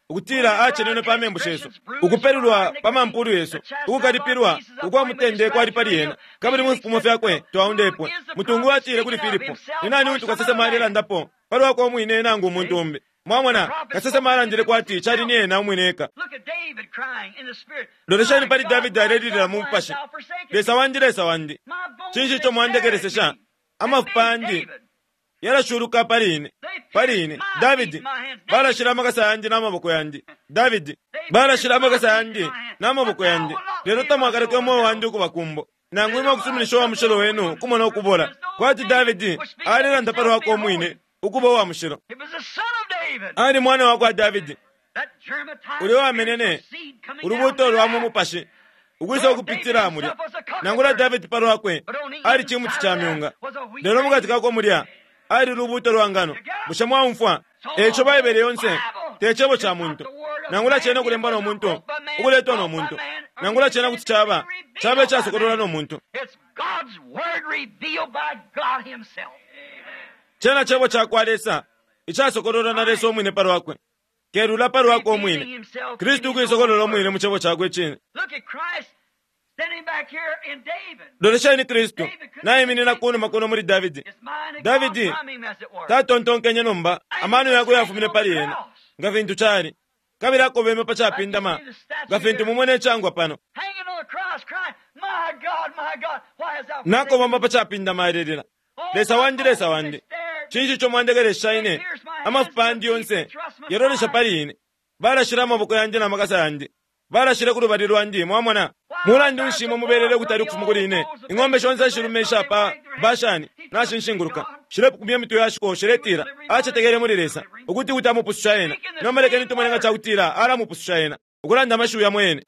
ukutila acenenwe pa membu shesu, ukupelulwa pa mampulu yesu, ukukalipilwa ukwa mutende kwali pali ena, kabili mu fipumo fyakwe twaundepwe. Mutungu atile kuli Filipo, Ni nani untu kasesema alelandapo, pa lwakwe umwine nangu umuntu umbi? Mwamona, kasesema alandile kwati cali ni ena umwine eka. Lolesheni pali Davidi alelilila mu mupashi, Lesa wandi, Lesa wandi, cinshi ico mwandekelesesha? Amafupa yandi yalashuluka pali ine, pali ine. Davidi, balashila amakasa yandi na maboko yandi. Davidi, balashila amakasa yandi na maboko yandi. Lelo tamwakaleke umweo wandi ukuba kumbo, nangu imwe ukusuminisha uwa mushilo wenu ukumona ukubola. Kwati Davidi alelanda pa lwakwe umwine ukuba uwa mushilo. Ali mwana wa kwa Davidi, ulya uwamenene ulubuuto lwa mu mupashi ukwisa ukupitila mulya. Nangula Davidi pa lwakwe ali cimuti ca myunga, lelo mu kati kakwe mulya ali lubuuto lwa ngano. Bushe mwaumfwa? E ico Baibele yonse te cebo ca muntu, nangula cena ukulembwa no muntu, ukuletwa no muntu, nangula cena kuti caba, caba icasokololwa no muntu. Cena cebo ca kwa Lesa icasokololwa na Lesa umwine pa lwakwe, kelula pa lwakwe umwine, Kristu ukuisokolola umwine mu cebo cakwe icine. Lolesheni Kristu naiminina kunuma kuno muli Davidi. Davidi tatontonkenye nomba, amano yakwe yafumine pali ena, nga fintu cali, kabili akobeme pa capindama, nga fintu mumwene icangwa pano. Nakobama pa capindama alelila, Lesa wandi, Lesa wandi, cinshi ico mwandekelesha ine? Amafupa yandi yonse yalolesha pali ine, balashila amaboko yandi na makasa yandi. Balashile ku lubali lwandi, mwamona. Mulandu nshi imwe mubelele ukutali ukufuma kuli ine? Ing'ombe shonse ishilume isha pa Bashani nashinshinguluka, shilepukumya imitwe ya shiko, shiletila, Acetekele muli Lesa, ukuti kuti amupususha ena. Nomba lekeni tumone nga ca kutila alamupususha ena, ukulanda amashiwi yamo yene.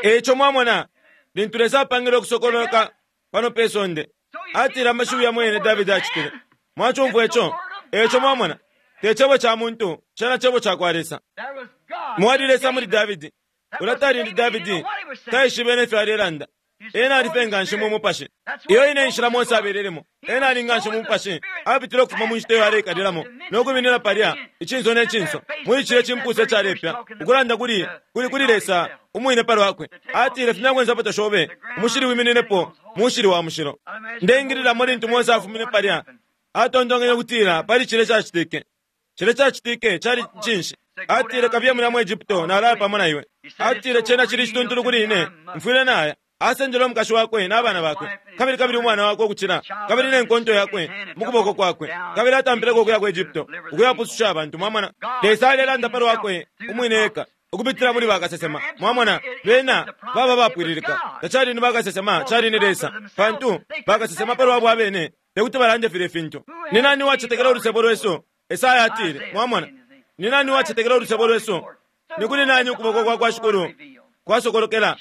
E ico mwamona, lintu Lesa apangile ukusokololoka pano pe sonde, atile amashiwi yamo yene Davidi acitile. Mwacumfwa ico? E ico mwamona, te cebo ca muntu, cena cebo ca kwa Lesa. Mwali Lesa muli Davidi. Ulya tali ni Davidi, taishibe ne fyo alelanda. Ena ali fye nganshi mu Mupashi. Iyo ine nshila Mose abelelemo. Ena ali nganshi mu Mupashi. Apitile ukufuma mu nshita iyo aleikalilamo, no kwiminina palya, icinso ne cinso, muli cilye cimpusa icalepya, ukulanda kuli, kuli, kuli Lesa. Umwine palwakwe. Atile, Fumyako insapato shobe, umushili wimininepo, mushili wa mushilo. Ndeingililamo lintu Mose afumine palya, atontonkenye ukutila pali cilya icacitike. Cilya icacitike cali cinshi? Atile, Kabiye mulya mu Egypto, nalaya pamo na iwe. Atile, Cena cili icituntulu kuli ine, mfwile naya. Asendele umukashi wakwe na bana bakwe, kabili kabili umwana wakwe ukucila, kabili ne nkonto yakwe mu kuboko kwakwe, kabili atampileko ukuya ku Egypto, ukuyapususha abantu. Mwamona, Lesa alelanda palwakwe umwine eka ukupitila muli bakasesema. Mwamona, bena baba bapwililika. Tacali ni bakasesema, cali ni Lesa, pantu bakasesema palwabo abene tekuti balande filya fintu. Ni nani uwacetekela ulusebo lwesu? Esaya atile. Mwamona, ni nani uwacetekela ulusebo lwesu? Ni kuli nani ukuboko kwa kwa Shikulu kwasokolokela?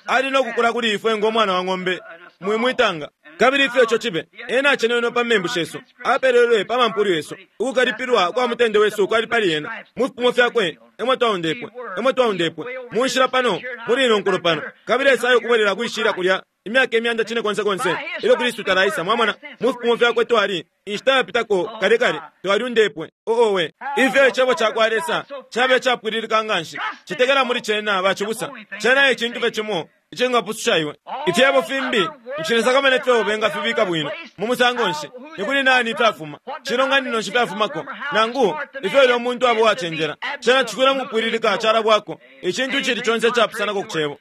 Ali no kukula kuli ifwe ngo mwana wa ng'ombe mwimwitanga. Kabili ifyo ico cibe, ena acenenwe pa membu shesu, apelelwe pa mampulu yesu, ukukalipilwa kwa mutende wesu kwali pali ena. Mu fipimo fyakwe emwe twaundepwe, emwe twaundepwe, mu nshila pano, muli ino nkulo pano. Kabili Esaya ukubwelela kwishila kulya imyaka imyanda cine konse konse ilyo Kristu talaisa. Mwamona, mu fipimo fyakwe twali inshita yapitako kale kale twaliundepwe. Oowe, ifyo icebo ca kwa Lesa cabe icapwililika nganshi! Cetekela muli cena, bacibusa. Cena e cintu fye cimo icingapususha iwe. Ifyebo fimbi nshilesakamana ifyo bengafibika bwino mu musango nshi, ni kuli nani fyafuma, cilonganino nshi fyafumako, nangu ifyo ilyo umuntu aba uwacenjela. Cena cifwile mu kupwililika calabwako, icintu icili conse icapusanako ku cebo.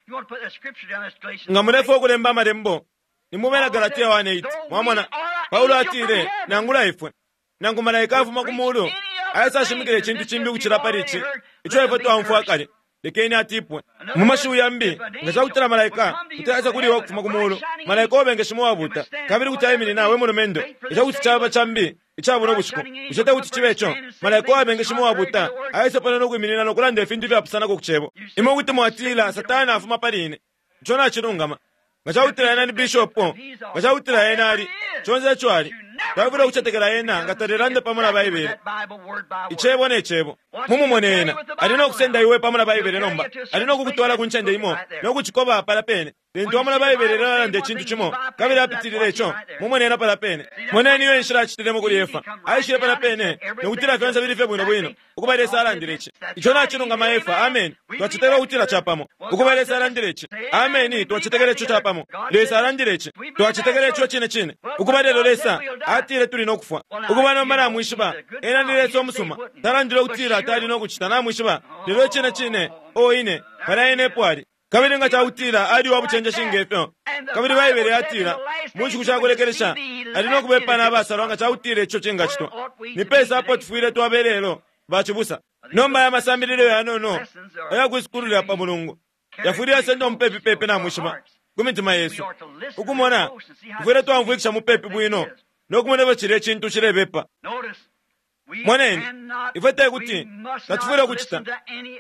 Nga mulefwaya ukulemba amalembo, ni mu Bena Galatia 1:8. Mwamona, Paulo atile, nangula ifwe, nangu malaika afuma ku mulu aisashimikila icintu cimbi ukucila pali ici ico ifwe twaumfwa kale, lekeni atipwe. Mu mashiwi yambi, nga ca kutila malaika kuti aisa kuli iwe ukufuma ku mulu, malaika uwabengeshima uwabuuta, kabili kuti aiminina, we mulumendo, ica kuti caba cambi ica buno bushiku, bushe te kuti cibe ico? Malaika uwabengeshima uwabuuta aisa pano no kwiminina no kulanda ifintu ifyapusanako ku Cebo. Imwe kuti mwatila, Satana afuma pali ine. Ico nacilungama. Nga ca kutila ena ni bishopo, nga ca kutila ena ali, conse ico ali, tawafwile ukucetekela ena nga talelanda pamo na Baibele, Icebo ne Cebo. Mumumone ena. Ali no kusenda iwe pamo na Baibele nomba. Ali no kukutwala ku ncende imo no kucikoba palya pene. Lintu wamona Baibele ilalanda icintu cimo, kabili apitilile ico, mumone ena palya pene. Moneni iyo inshila acitilemo kuli Efa. Aishile palya pene no kutila fyonse fili fye bwino bwino, ukuba Lesa alandile ici. Ico nacilungama, Efa. Ameni. Twacetekela ukutila capamo. Ukuba Lesa alandile ici. Ameni. Twacetekela ico capamo. Lesa alandile ici. Twacetekela ico cine cine. Ukuba lelo Lesa atile tuli no kufwa. Ukuba nomba namwishiba, Ena ni Lesa umusuma. Talandile ukutila tali no kucita, namwishiba. Lelo icine cine, o ine, palya ena epo ali. Kabili nga cakutila ali uwa bucenjeshi nge fyo, kabili Baibele yatila, mu nshiku sha kulekelesha, ali no kubepa na basalwa nga cakutila ico cingacitwa. Ni pesa apo tufwile twaba ilelo, bacibusa? Nomba aya masambililo yanono aya kwi sukulu lya pa Mulungu yafwile yasendwa mupepi pepi, namwishiba, ku mitima yesu. Ukumona, tufwile twaumfwikisha mupepi bwino no kumona ifyo cilya icintu cilebepa. Moneni, ifwe te kuti tatufwile ukucita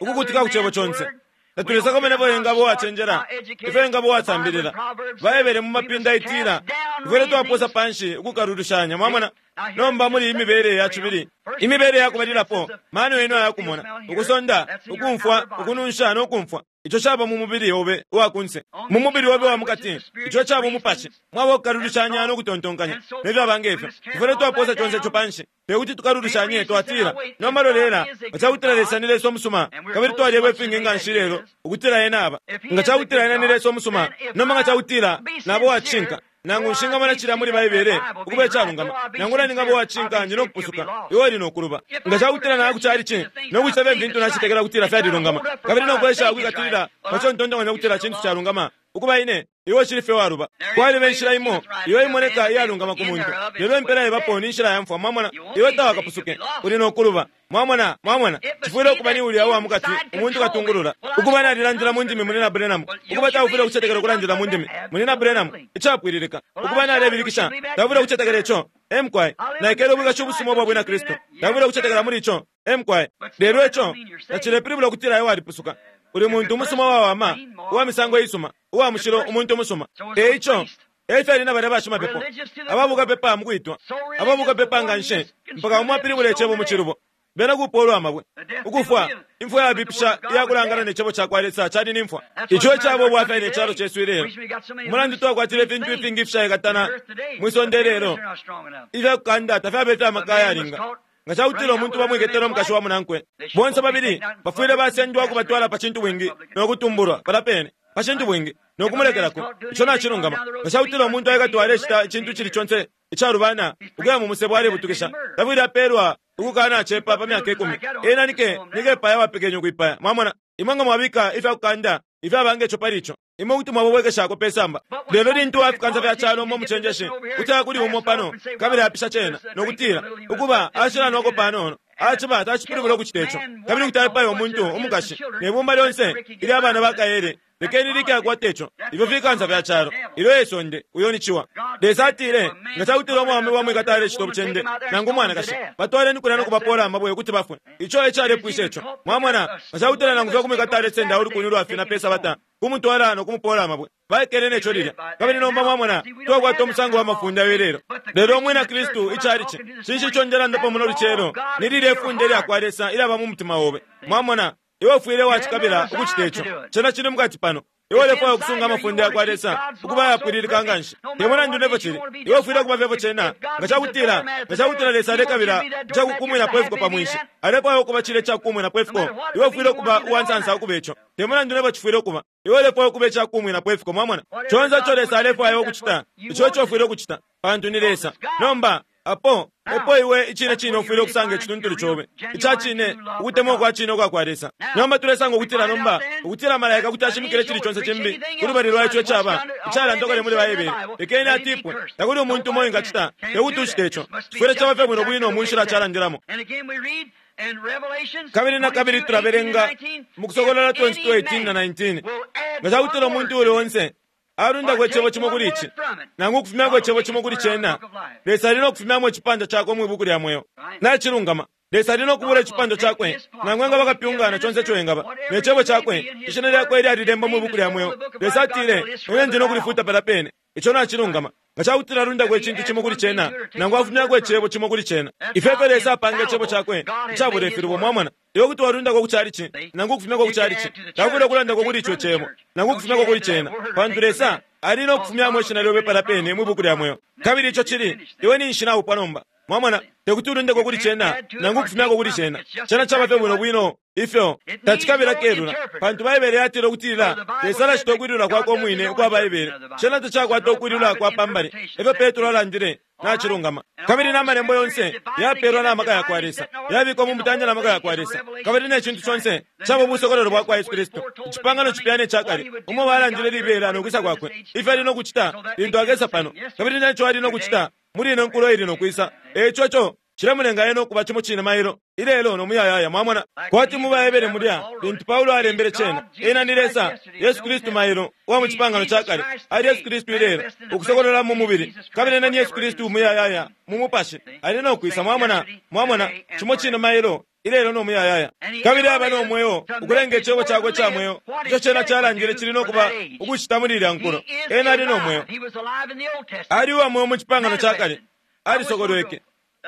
ukukutika ku cebo conse. Tatulesakamana ifyo engaba uwacenjela, ifyo engaba uwasambilila. Baebele mu mapinda itila, tufwile twaposa panshi ukukalulushanya. Mwamona? Nomba muli imibele ya cibili, imibele ya kubalilapo, mano yenu ayakumona, ukusonda, ukumfwa, ukununsha no kumfwa. Ico caba mu mubili obe uwa kunse. Mu mubili obe wa mukati, ico caba umupashi, mwaba ukukalulushanya no kutontonkanya, ne fyaba nge fyo. Tufwile twaposa conse ico panshi. Te kuti tukalulushanye, twatila, nomba lolela, nga ca kutila Lesa ni Lesa umusuma, kabili twalyebwa ifingi nga nshi lelo, ukutila Ena aba. Nga ca kutila Ena ni Lesa umusuma, nomba nga ca kutila naba uwa cishinka, nangu nshingamona cilya muli Baibele ukuba icalungama, nangula ningaba uwa cishinka ndi no kupusuka, iwe uli no kuluba. Nga ca kutila naya ku calici no kucita fye fintu nacetekela ukutila fyalilungama, kabili no kwesha ukwikatilila pa co ntontonkanya ukutila cintu calungama, ukuba ine, iwe ucili fye waluba. Kwaliba inshila imo iyo imoneka iyalungama ku muntu, lelo impela ibapo ni nshila ya mfwa. Mwamona, iwe tawakapusuke, uli no kuluba. Mwamona, mwamona, cifwile ukuba ni ulya uwa mukati, umuntu katungulula. Ukuba nalilandila mu ndimi, Munyina Branham. Ukuba taufwile ukucetekela ukulandila mu ndimi, Munyina Branham. Icapwililika. Ukuba nalebilikisha, taufwile ukucetekela ico. Ee mukwai, naikele ubwikashi ubusuma ubwa Bwina Kristu, taufwile ukucetekela muli ico. Ee mukwai, lelo ico tacilepilibula ukutila iwe walipusuka. Uli muntu umusuma uwawama, uwa misango isuma, uwa mushilo, umuntu umusuma. E ico, e fyali na balya bashimapepo, ababukapepa mu kwitwa, ababukapepa nga nshi, mpaka umo apilibula icebo mu cilubo. Bena kupoolwa amabwe. Ukufwa, imfwa yabipisha iya kulangana ne cebo ca kwa Lesa cali ni mfwa. Ico e caba ubwafya ne calo cesu ilelo. Umulandu twakwatila ifintu ifingi ifishaikatana mwi sonde ilelo, ifya kukanda tafyaba ifya maka ayalinga. Nga cakutila umuntu bamwiketele umukashi wa munankwe, bonse babili bafwile basendwa ukubatwala pa cintubwingi no kutumbulwa palya pene pa cintubwingi no kumulekelako. Ico nacilungama. Nga cakutila umuntu aikatwa alecita icintu icili conse icalubana, ukuya mu musebo alebutukisha, tafwile apeelwa ukukanacepa pa myaka ikumi. Ena ni kepaya uwapekenye ukwipaya. Mwamona? Imwe nga mwabika ifya kukanda ifyaba nge co pali ico, imwe kuti mwababwekeshako pe samba. Lelo lintu uwa fikansa fya calo umo umucenjeshi kuti aya kuli umo pano kabili apisha cena, no kutila, Ukuba, ashilanwako panono. Aciba tacipilibula ukucita ico. Kabili kuti aipaya umuntu, umukashi, ne bumba lyonse ilya bana ba kaele. Lekeni Ricky akwate ico. Ifyo fikansa fya calo. Ilyo e sonde, uyo ni ciwa. Lesa atile, Nga cakutila umwaume bamwikata alecita ubucende, nangu umwanakashi, batwaleni kulya no kubapoola amabwe ukuti bafwe. Ico e calepwisha ico. Mwamona? Nga cakutila nangu fye kumwikata alesenda ulukuni ulwafina pe Sabata, kumutwala no kumupoola amabwe. Baikele ne co lilya. Kabili nomba, mwamona, twakwata umusango wa mafunde ayo ilelo. Lelo Umwina Kristu, icalici, cinshi ico ndelandapo muno lucelo? Ni lilye funde ilyakwa Lesa ilyaba mu mutima obe. Mwamona? Iwe ufwile wacikabila ukucita ico. Cena cili mukati pano. Iwe ulefwaya ukusunga amafunde yakwa Lesa ukuba ayapwililika nganshi. Te mulandu nefyo cili, iwe ufwile ukuba fye efyo cena. Nga cakutila, nga cakutila Lesa alekabila icakukumwinapo ifiko pa mwinshi, alefwaya ukuba cilya icakukumwinapo ifiko, iwe ufwile ukuba uwansansa ukuba ico. Te mulandu nefyo cifwile ukuba, iwe ulefwaya ukuba icakukumwinapo ifiko. Mwamona? Conse ico Lesa alefwaya iwe ukucita, ico eco ufwile ukucita, pantu ni Lesa. Nomba, Apo, epo iwe icine cine ufwile ukusanga icituntulu cobe, ica cine, ukutemwa ukwa cine ukwa kwa Lesa. Nomba tulesanga ukutila nomba, ukutila malaika kuti ashimikila icili conse cimbi kulubali lwa ico icaba icalandwa kale muli Baibele. Lekeni atipwe. Takuli umuntu umo uwingacita, tekuti ucite ico. Cifwile caba fye bwino bwino mu nshila calandilamo. Kabili na kabili tulabelenga mu Kusokolola 22:18 na 19, Nga cakutila umuntu uuli onse alundako icebo cimo kuli ici, nangu ukufumyako icebo cimo kuli cena, Lesa ali no kufumyamo icipandwa cakwe mwi Buku lya Mweo. Nacilungama. Lesa ali no kubula icipandwa cakwe, nangu engaba kapyunga na conse ico engaba, ne Cebo Cakwe, ishina lyakwe lyalilembwa mwi Buku lya Mweo. Lesa atile, Ine ndi no kulifuta palya pene. Ico nacilungama. Nga cakutila alundako icintu cimo kuli cena, nangu afumyako icebo cimo kuli cena. Ifyo efyo Lesa apanga Icebo Cakwe icabula ifilubo. Mwamona? Iwe kuti walundako ku chalichi, nangu ukufumyako ku chalichi. Taufwile ukulandako kuli ico Cebo, nangu ukufumyako kuli Cena, pantu Lesa ali no kufumyamo ishina lyobe palya pene mwi Buku lya Mweo. Kabili ico cili, iwe ninshi naupwa nomba. Mwamona? Tekuti ulundeko kuli Cena, nangu ukufumyako kuli Cena. Cena caba fye bwino bwino ifyo. Tacikabila kelula, pantu Baibele yatila ukutila Lesa alacita ukwilula Kwakwe Umwine ukwa Baibele. Cena tacakwata ukwilula kwa pa mbali, efyo Petro alandile. Nacilungama. Kabili na Malembo yonse yapelwa na maka yakwa Lesa, yabikwa mu mutande na maka yakwa Lesa, kabili ne cintu conse caba ubusokololo bwakwa Yesu Kristu, Icipangano Cipya ne Cakale, umo balandile libela no kwisa Kwakwe, ifyo Ali no kucita lintu Akesa pano, kabili neco Ali no kucita muli ino nkulo ili no kwisa. Eico ico cilemulenga Ena ukuba cimo cine mailo, ilelo, no muyayaya. Mwamona? Kwati mu baHebere mulya, lintu Paulo alembele cena, Ena ni Lesa, Yesu Kristu mailo, uwa mu Cipangano ca Kale, ali Yesu Kristu ilelo, ukusokolola mu mubili, kabili Ena ni Yesu Kristu umuyayaya, mu Mupashi, ali no kwisa. Mwamona? Mwamona? Cimo cine mailo, ilelo, no muyayaya. Kabili aba no mweo, ukulenga Icebo Cakwe ica mweo, ico Cena calandile cili no kuba, ukucita muli ilya nkulo. Ena ali no mweo. Ali uwa mweo mu Cipangano ca Kale. Alisokolweke.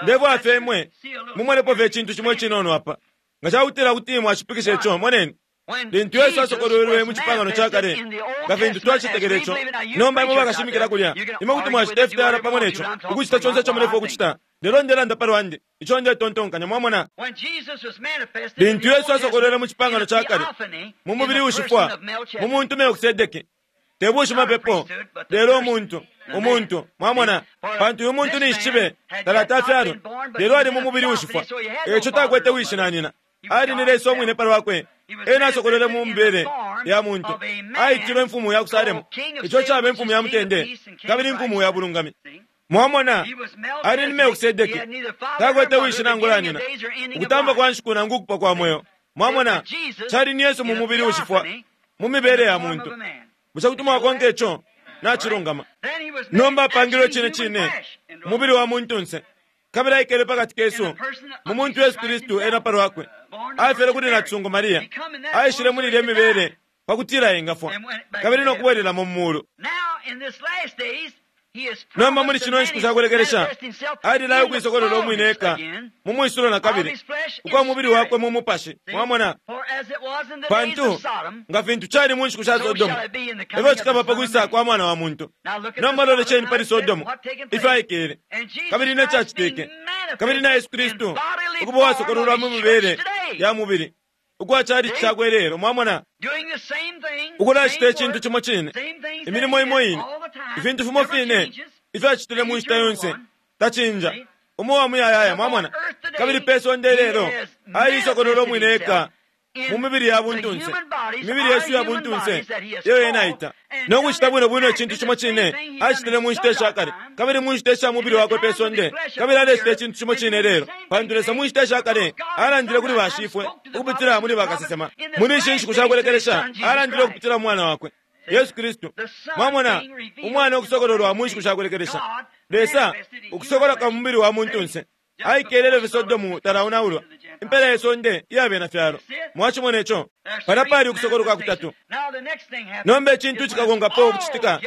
Ndefwaya fye imwe mumonepo fye icintu cimo icinono apa. Nga cakutila kuti mwashipikisha ico, moneni. Lintu Yesu asokolwelwe mu Cipangano ca Kale, nga fintu twacetekela ico, nomba imwe bakashimikila kulya, imwe kuti mwacita ifitayala pamo ne co, ukucita conse ico mulefwaya ukucita. Lelo ndelanda pa lwandi, ico ndetontonkanya, mwamona. Lintu Yesu asokolwelwe mu Cipangano ca Kale, mu mubili ushifwa, mu muntu Melkisedeke, Te bushimapepo, lelo umuntu, umuntu, mwamona, pantu uyu muntu ninshi cibe talati afyalwe, lelo ali mu mubili uushifwa, eico takwete wishi na nyina. Ali ni Lesa umwine pa lwakwe. Ena asokolwele mu mibele ya muntu. Aitilwe Imfumu ya ku Salemu, ico caba Imfumu ya mutende, kabili Imfumu ya bulungami. Mwamona, ali ni Melkisedeke, takwete wishi nangula nyina, ukutampa kwa nshiku nangu ukupwa kwa mweo. Mwamona, cali ni Yesu mu mubili uushifwa, mu mibele ya muntu. Bushe kuti mwakonka ico? Nacilungama. Nomba apangilwe icine cine umubili wa muntunse, kabili aikele pa kati kesu mu muntu Yesu Kristu ena pa lwakwe. Afyelwe kuli nacisungu Maria, aishile muli ilya mibele pa kutila engafwa kabili no kubwelelamo mu muulu. Nomba muli shino nshiku shakulekelesha alilaya ukuisokolola umwine eka mu mwisulo na kabili ukwa mubili wakwe mu mupashi. Mwamona? Pantu nga fintu cali mu nshiku sha Sodomu, efyo cikaba pa kwisa kwa Mwana wa muntu. Nomba lolesheni pali Sodomu, ifyo aikele, kabili ne cacitike, kabili na Yesu Kristu ukuba uwasokololwa mu mibele ya mubili ukwa chalichi cakwe lelo. Mwamona? Ukulacita icintu cimo cine, imilimo imo ine, ifintu fimo fine ifyo acitile mu nshita yonse, tacinja, umo wa muyayaya. Mwamona? Kabili pe sonde lelo aliisokolola umwine eka mu mibili ya buntunse, imibili yesu ya buntunse iyo ena aita, no kucita bwino bwino icintu cimo cine acitile mu nshita isha kale, kabili mu nshita isha mubili wakwe pe sonde, kabili alecita icintu cimo cine lelo. Pantu Lesa mu nshita isha kale alandile kuli bashifwe ukupitila muli bakasesema, muli ishi nshiku shakulekelesha alandile ukupitila mu Mwana wakwe Yesu Kristu. Mwamona, Umwana ukusokololwa mu nshiku shakulekelesha, Lesa ukusokoloka mu mubili wa muntunse. Aikele ilyo Sodomu talaonaulwa, impela ye sonde iya bena fyalo. Mwacimona ico? Palya pali ukusokoloka kutatu. Nomba icintu cikakonkapo ukucitika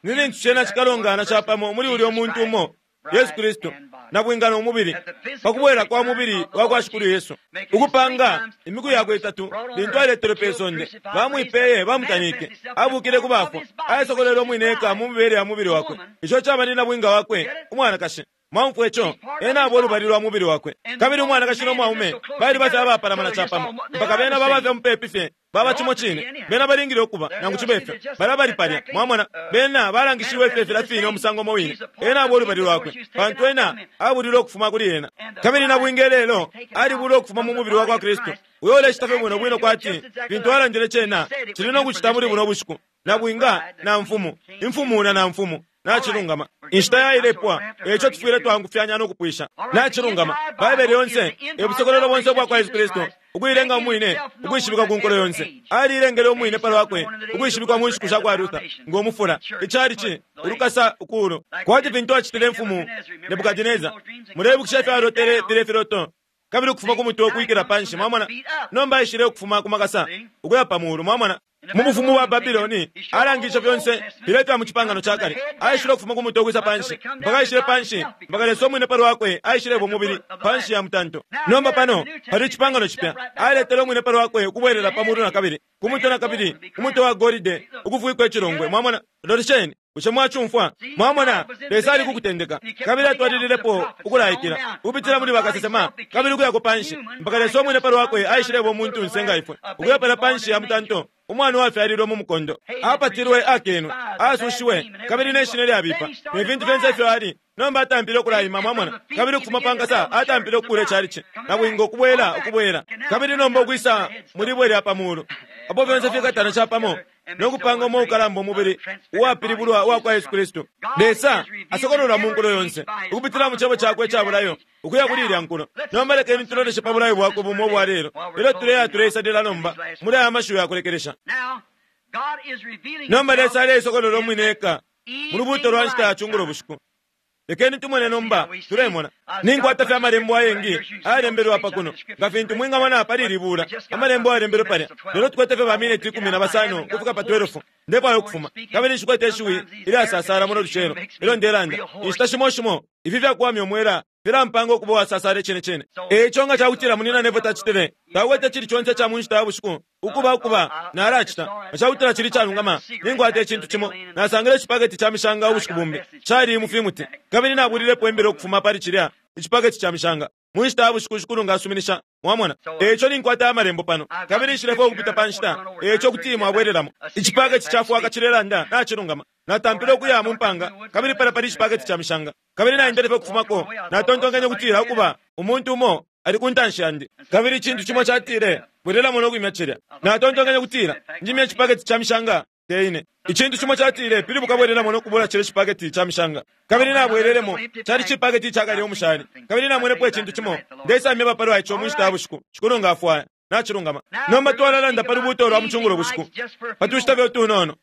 ni lintu cena cikalongana capamo muli ulyo muntu umo, Yesu Kristu, nabwinga no mubili, pa kubwela kwa mubili wa kwa Shikulu Yesu. Ukupanga imiku yakwe itatu lintu aletelwe pe sonde, bamwipeye, bamutanike, abukile ku bafwa, aisokolele umwine eka mu mibele ya mubili wakwe. Ico caba ni nabwinga wakwe, umwanakashi. Mwaumfwa ico? Ena aba ulubali lwa mubili wakwe. Kabili umwanakashi no mwaume baliba fye abapalamana capamo, mpaka bena baba fye mupepi fye, baba cimo cine. Bena balingile ukuba, nangu cibe fyo. Balya bali palya. Mwamona? Bena balangishiwe fye filya fine umusango umo wine. Ena aba ulubali lwakwe, pantu ena abulilwe ukufuma kuli ena. Kabili nabwinga ilelo alibulwa ukufuma mu mubili wakwa Kristu, uyo ulecita fye bwino bwino kwati fintu alandile cena cili no kucita muli buno bushiku. Nabwinga na mfumu, imfumu na namfumu. Nacilungama. Inshita yailepwa, eico tufwile twangufyanya no kupwisha. Nacilungama. Baibele yonse e busokololo bonse ubwa kwa Yesu Kristu, ukuilenga umwine ukwishibikwa ku nkulo yonse. Aliilengele umwine pa lwakwe ukwishibikwa mu nshiku sha kwa Luther ngo mufula, icalici, ulukasa ukuulu, kwati fintu acitile imfumu Nebukadineza. Muleibukisha ifyo alotele filya filoto, kabili ukufuma ku mutwe ukwikila panshi. Mwamona? Nomba aishile ukufuma ku makasa ukuya pa muulu. Mwamona? Mu bufumu bwa Babiloni alangishe fyonse filya ifya mu cipangano ca kale. Aishile ukufuma ku mutwe ukwisa panshi, mpaka aishile panshi, mpaka Lesa umwine pa lwakwe aishileba umubili panshi ya mutanto. Nomba pano pali icipangano cipya. Aletele umwine pa lwakwe ukubwelela pa mulu na kabili, ku mutwe na kabili, ku mutwe wa golide ukufwikwa icilongwe. Mwamona? Lolesheni. Bushe mwacumfwa? Mwamona, Lesa ali kukutendeka, kabili atwalililepo ukulaikila ukupitila muli bakasesema, kabili ukuyako panshi, mpaka Lesa umwine pa lwakwe aishileba umuntunse nga ifwe, ukuya palya panshi ya mutanto, umwana uwafyalilwe mu mukondo, apatilwe, akenwe, asushiwe, kabili ne shina lyabipa, ne fintu fyonse ifyo ali. Nomba atampile ukulaima, mwamona, kabili ukufuma pa nkasa atampile ukukula icalici, nabwinga ukubwela, ukubwela, kabili nomba ukwisa mu libwe lya pa mulu, apo fyonse fikatana capamo no kupanga umo ukalamba umubili uwapilibulwa uwa kwa Yesu Kristu. Lesa asokololwa mu nkulo yonse ukupitila mu cebo cakwe ica bulayo ukuya kuli ilya nkulo. Nomba lekeni tuloleshe pa bulayo bwakwe bumo ubwa lelo ilyo tuleya tuleisalila nomba muli aya mashiwi ya kulekelesha. Nomba Lesa aleisokolola umwine eka mu lubuuto lwa nshita ya cungulo bushiku. Lekeni tumone nomba, tulemona. Ninkwata fye amalembo ayengi ayalembelwe apa kuno, nga fintu mwingamona pali ili buula, amalembo ayalembelwe palya. Lelo tukwete fye bamineti 15 ukufika pa 12. Ndefwaya ukufuma. Kabili nshikwete ishiwi ilyasasala muno lucelo ilyo ndelanda. Inshita shimo shimo ifi fyakuwamya umwela filampanga ukuba uwasasala icine cine. E ico nga ca kutila munyina Neville tacitile, takwete icili conse ica mu nshita ya bushiku ukuba ukuba nalacita. Nga ca kutila cili icalungama, ninkwata icintu cimo. Nasangile icipaketi ca mishanga ubushiku bumbi, cali mu fimuti, kabili nabulilepo imbila ukufuma pali cilya icipaketi ca mishanga. Mu nshita ya bushiku Shikulu nga asuminisha, mwamona. E ico ninkwata Amalembo pano, kabili nshilefwaya ukupita pa nshita, e ico kuti mwabwelelamo. Icipaketi ca fwaka cilelanda, nacilungama. Natampile ukuya mu mpanga, kabili palya pali icipaketi ca mishanga. Kabili naendele fye ukufumako, natontonkenye ukutila, ukuba, umuntu umo ali ku ntanshi yandi. Kabili icintu cimo catile, Bwelelamo no kwimya cilya. Natontonkenye ukutila, Njimye icipaketi ca mishanga, te ine. Icintu cimo catile, Pilibuka bwelelamo no kubula cilya cipaketi ca mishanga. Kabili nabwelelemo, cali cipaketi icakale umushali. Kabili namwenepo icintu cimo. Ndeisamyeba palwa ico mu nshita ya bushiku, Shikulu nga afwaya. Nacilungama. Nomba twalalanda pa lubuuto lwa mu cungulo bushiku, pa tushita fye utunono.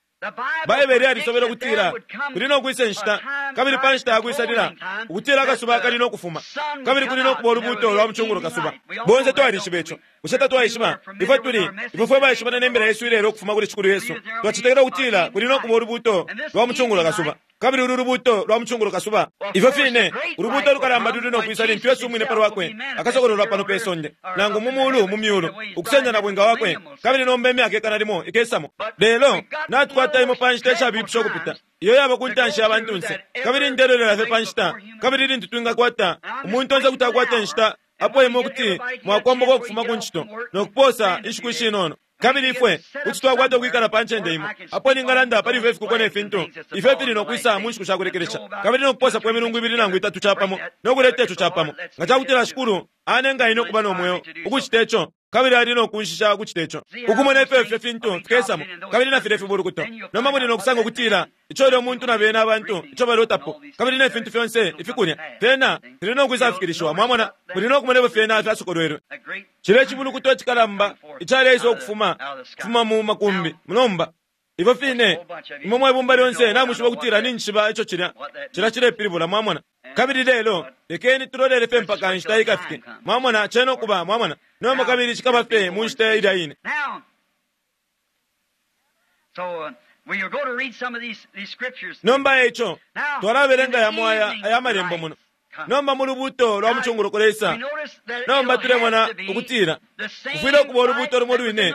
Baibele yalisobele ukutila kuli no kwisa inshita, kabili pa nshita ya kwisalila, ukutila akasuba kali no kufuma, kabili kuli no kuba ulubuuto lwa mu cungulo kasuba. Bonse twalishiba ico. Bushe tatwaishiba? Ifwe tuli, ifwe fwe baishibana ne mbila yesu ilelo ukufuma kuli Shikulu Yesu, twacetekela ukutila kuli no kuba ulubuuto lwa mu cungulo kasuba. Kabili ulu lubuuto lwa mucungulo kasuba, ifyo fine ulubuuto lukalamba luli no kwisa lintu Yesu umwine pa lwakwe akasokololwa pano pe sonde, nangu mu mulu mu myulu, ukusenda nabwinga wakwe, kabili nomba imyaka ikana limo ikesamo. Lelo natukwata imo pa nshita ishabipisha ukupita iyo yaba ku ntanshi ya bantunse, kabili ndelolela fye pa nshita, kabili lintu twingakwata umuntu onse kuti akwata inshita apo imwe kuti mwakomboka ukufuma ku ncito no kupoosa inshiku ishinono. Kabili ifwe kuti twakwata ukwikala pa ncende imo apo ningalanda pali ifyo ifikuko ne fintu ifyo fili no kwisa mu nshiku sha kulekelesha, kabili no kupoosapo imilungu ibili nangu itatu capamo no kuleta ico capamo. Nga ca kutila Shikulu anenga ine ukuba no mweo ukucita ico, kabili ali no kunshisha ukucita ico, ukumona ifyo ifyo fintu fikesamo, kabili na filya ifibulukuto. Nomba muli no kusanga ukutila ico ulya muntu na bena abantu ico balotapo, kabili ne fintu fyonse ifikulya fyena fili no kwisafikilishiwa. Mwamona, muli no kumona ifyo fyena fyasokolwelwe. Cilya icibulukuto icikalamba icaleisa ukufuma kufuma mu makumbi. Nomba ifyo fine imwe mwe bumba lyonse namwishiba ukutila ninjishiba ico cilya cilya cilepilibula. Mwamona? Kabili lelo lekeni tulolele fye mpaka inshita ikafike. Mwamona, cena ukuba, mwamona. Nomba kabili cikaba fye mu nshita ilya ine. Nomba eico twalabelenga yamo aya aya malembo muno. Nomba mu lubuuto lwa mucungulo kulesa, nomba tulemona ukutila kufwile ukuba ulubuuto lumo lwine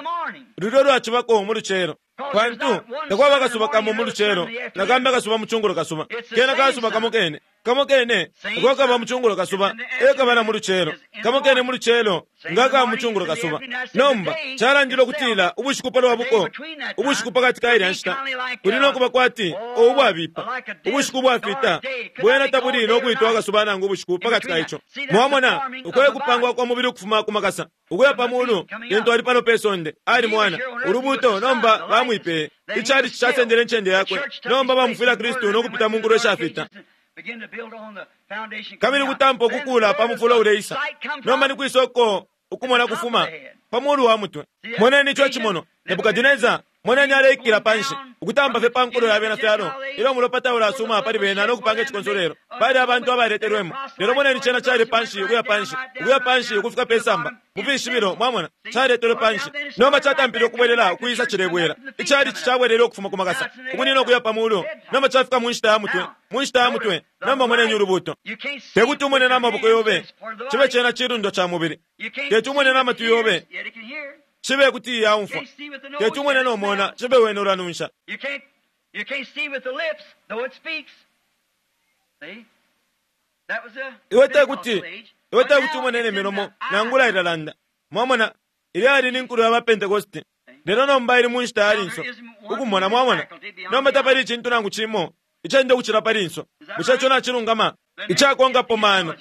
lulyo lwacibako mu lucelo, pantu takwaba akasuba kamo mu lucelo nakambi akasuba mu cungulo kasuba. Kena kasuba kamo kene, kamo kene ako kaba mu cungulo kasuba e kaba na mu lucelo, kamo kene mu lucelo nga kaba mu cungulo kasuba. Nomba calandile ukutila ubushiku palwa buko, ubushiku pakati ka ilya nshita kuli no kuba kwati ubwabipa, ubushiku ubwafita bwena tabuli no kwitwa akasuba nangu ubushiku pakati ka ico. Mwamona, uko e kupangwa kwa mubili ukufuma ku makasa ukuya pa mulu lintu ali pano pe sonde ali mwana ulubuuto. Nomba bamwipeye, icali casendele incende yakwe. Nomba bamufwila Kristu no kupita mu nkulo ishafita, kabili kutampa ukukula pa mufulo uleisa. Nomba ni kwisoko ukumona kufuma pa mulu wa mutwe. Moneni ico cimono Nebukadineza, moneni aleikila panshi ukutampa fye pa nkulo ya bena fyalo, ilyo umulopa taulasuma pali bena no kupanga icikonsolelo pali abantu abaletelwemo. Lelo moneni cena cali panshi, ukuya panshi, ukuya panshi ukufika pe samba mu fishibilo. Mwamona, caletelwe panshi, nomba catampile ukubwelela ukwisa cilebwela. Icali cabwelele ukufuma ku makasa ukunina ukuya pa mulu, nomba cafika mu nshita ya mutwe, mu nshita ya mutwe. Nomba moneni ulubuuto. Tekuti umone n'amaboko yobe, cibe cena cilundwa ca mubili. Teti umone n'amatwi yobe, cibe kuti yaumfwa. Teti umone nomona, cibe wene ulanunsha. Iwe tekuti, iwe tekuti umone ne milomo nangula ilalanda. Mwamona, ilya yali ni nkulo ya ba Pentekoste, lelo nomba ili mu nshita ya linso ukumona. Mwamona, nomba tapali icintu nangu cimo icenda ukucila pa linso. Bushe ico nacilungama? Icakonkapo mano,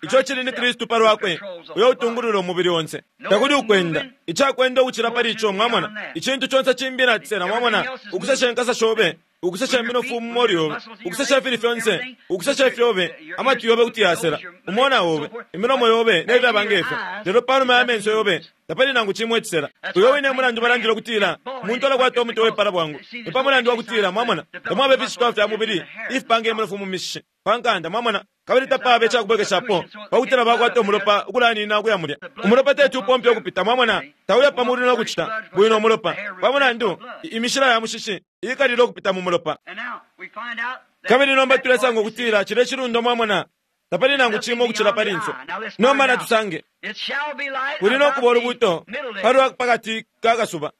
ico cili ni Kristu pa lwakwe uyo utungulula umubili onse. Takuli ukwenda icakwenda ukucila pali ico. Mwamona, icintu conse cimbi nacisela. Mwamona, ukusesha inkasa shobe, ukusesha iminofu mu molu yobe, ukusesha ifili fyonse, ukusesha ifyobe, amatwi yobe kuti yasela, umona obe, imilomo yobe ne fyaba ngefyo. Lelo panuma ya menso yobe tapali nangu cimo icisela. Uyo wine mulandu balandile ukutila umuntu alakwata umutwe wepala bwangu, ni pa mulandu wa kutila, mwamona, tamwaba ifishitwa fya mubili ifipanga iminofu mu mishishi pa nkanda. Mwamona, kabili tapaba icakubwekeshapo pakutila bakwata umulopa ukulanina ukuya mulya. Umulopa teti upompe ukupita. Mwamona, tauya pa mulu no kucita bwino umulopa pa mulandu imishila ya mushishi ikalile ukupita mu mulopa. Kabili nomba tulesanga ukutila cilya cilundo, mwamona, tapali nangu cimo ukucila pa linso. Nomba natusange kuli no kuba ulubuuto palwa pakati ka kasuba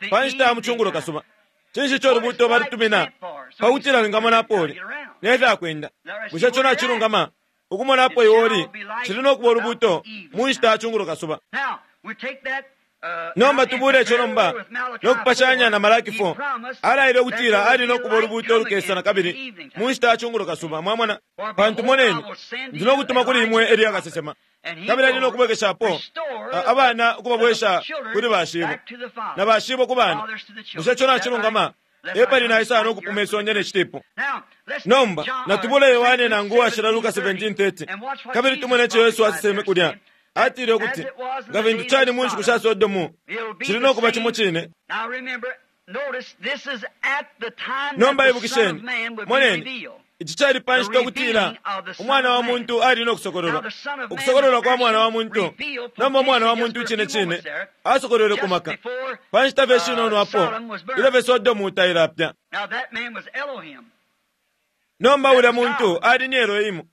pa nshita ya mucungulo kasuba. Cinshi ico ulubuuto balutumina? Pakutila wingamona apo uli ne fyakwenda. Bushe ico nacilungama? Ukumona apo iwe uli, cili no kuba ulubuuto mu nshita ya cungulo kasuba. Nomba tubule ico nomba no kupashanya na Malaki 4. Alaile ukutila ali no kuba ulubuuto ulukesa na kabili mu nshita ya cungulo kasuba. Mwamona, pantu moneni, ndi no kutuma kuli imwe Eliya kasesema, kabili ali no kubwekeshapo abana ukubabwesha kuli bashibo, na bashibo ku bana. Bushe ico nacilungama? Epali naisa no kupuma isonde ne citipu. Nomba natubule Yohane nangu uwashila Luka 17:30, kabili tumone ico Yesu aseseme kulya. Atile ukuti nga fintu cali mu nshiku sha Sodomu, cili no kuba cimo cine. Nomba ibukisheni, moneni, ici cali pa nshita ukutila Umwana wa muntu ali no kusokololwa, ukusokololwa kwa Mwana wa muntu. Nomba Umwana wa muntu icine cine asokolwele ku maka pa nshita fye shinono apo ilyo fye Sodomu tailapya. Nomba ulya muntu ali ni Elohimu,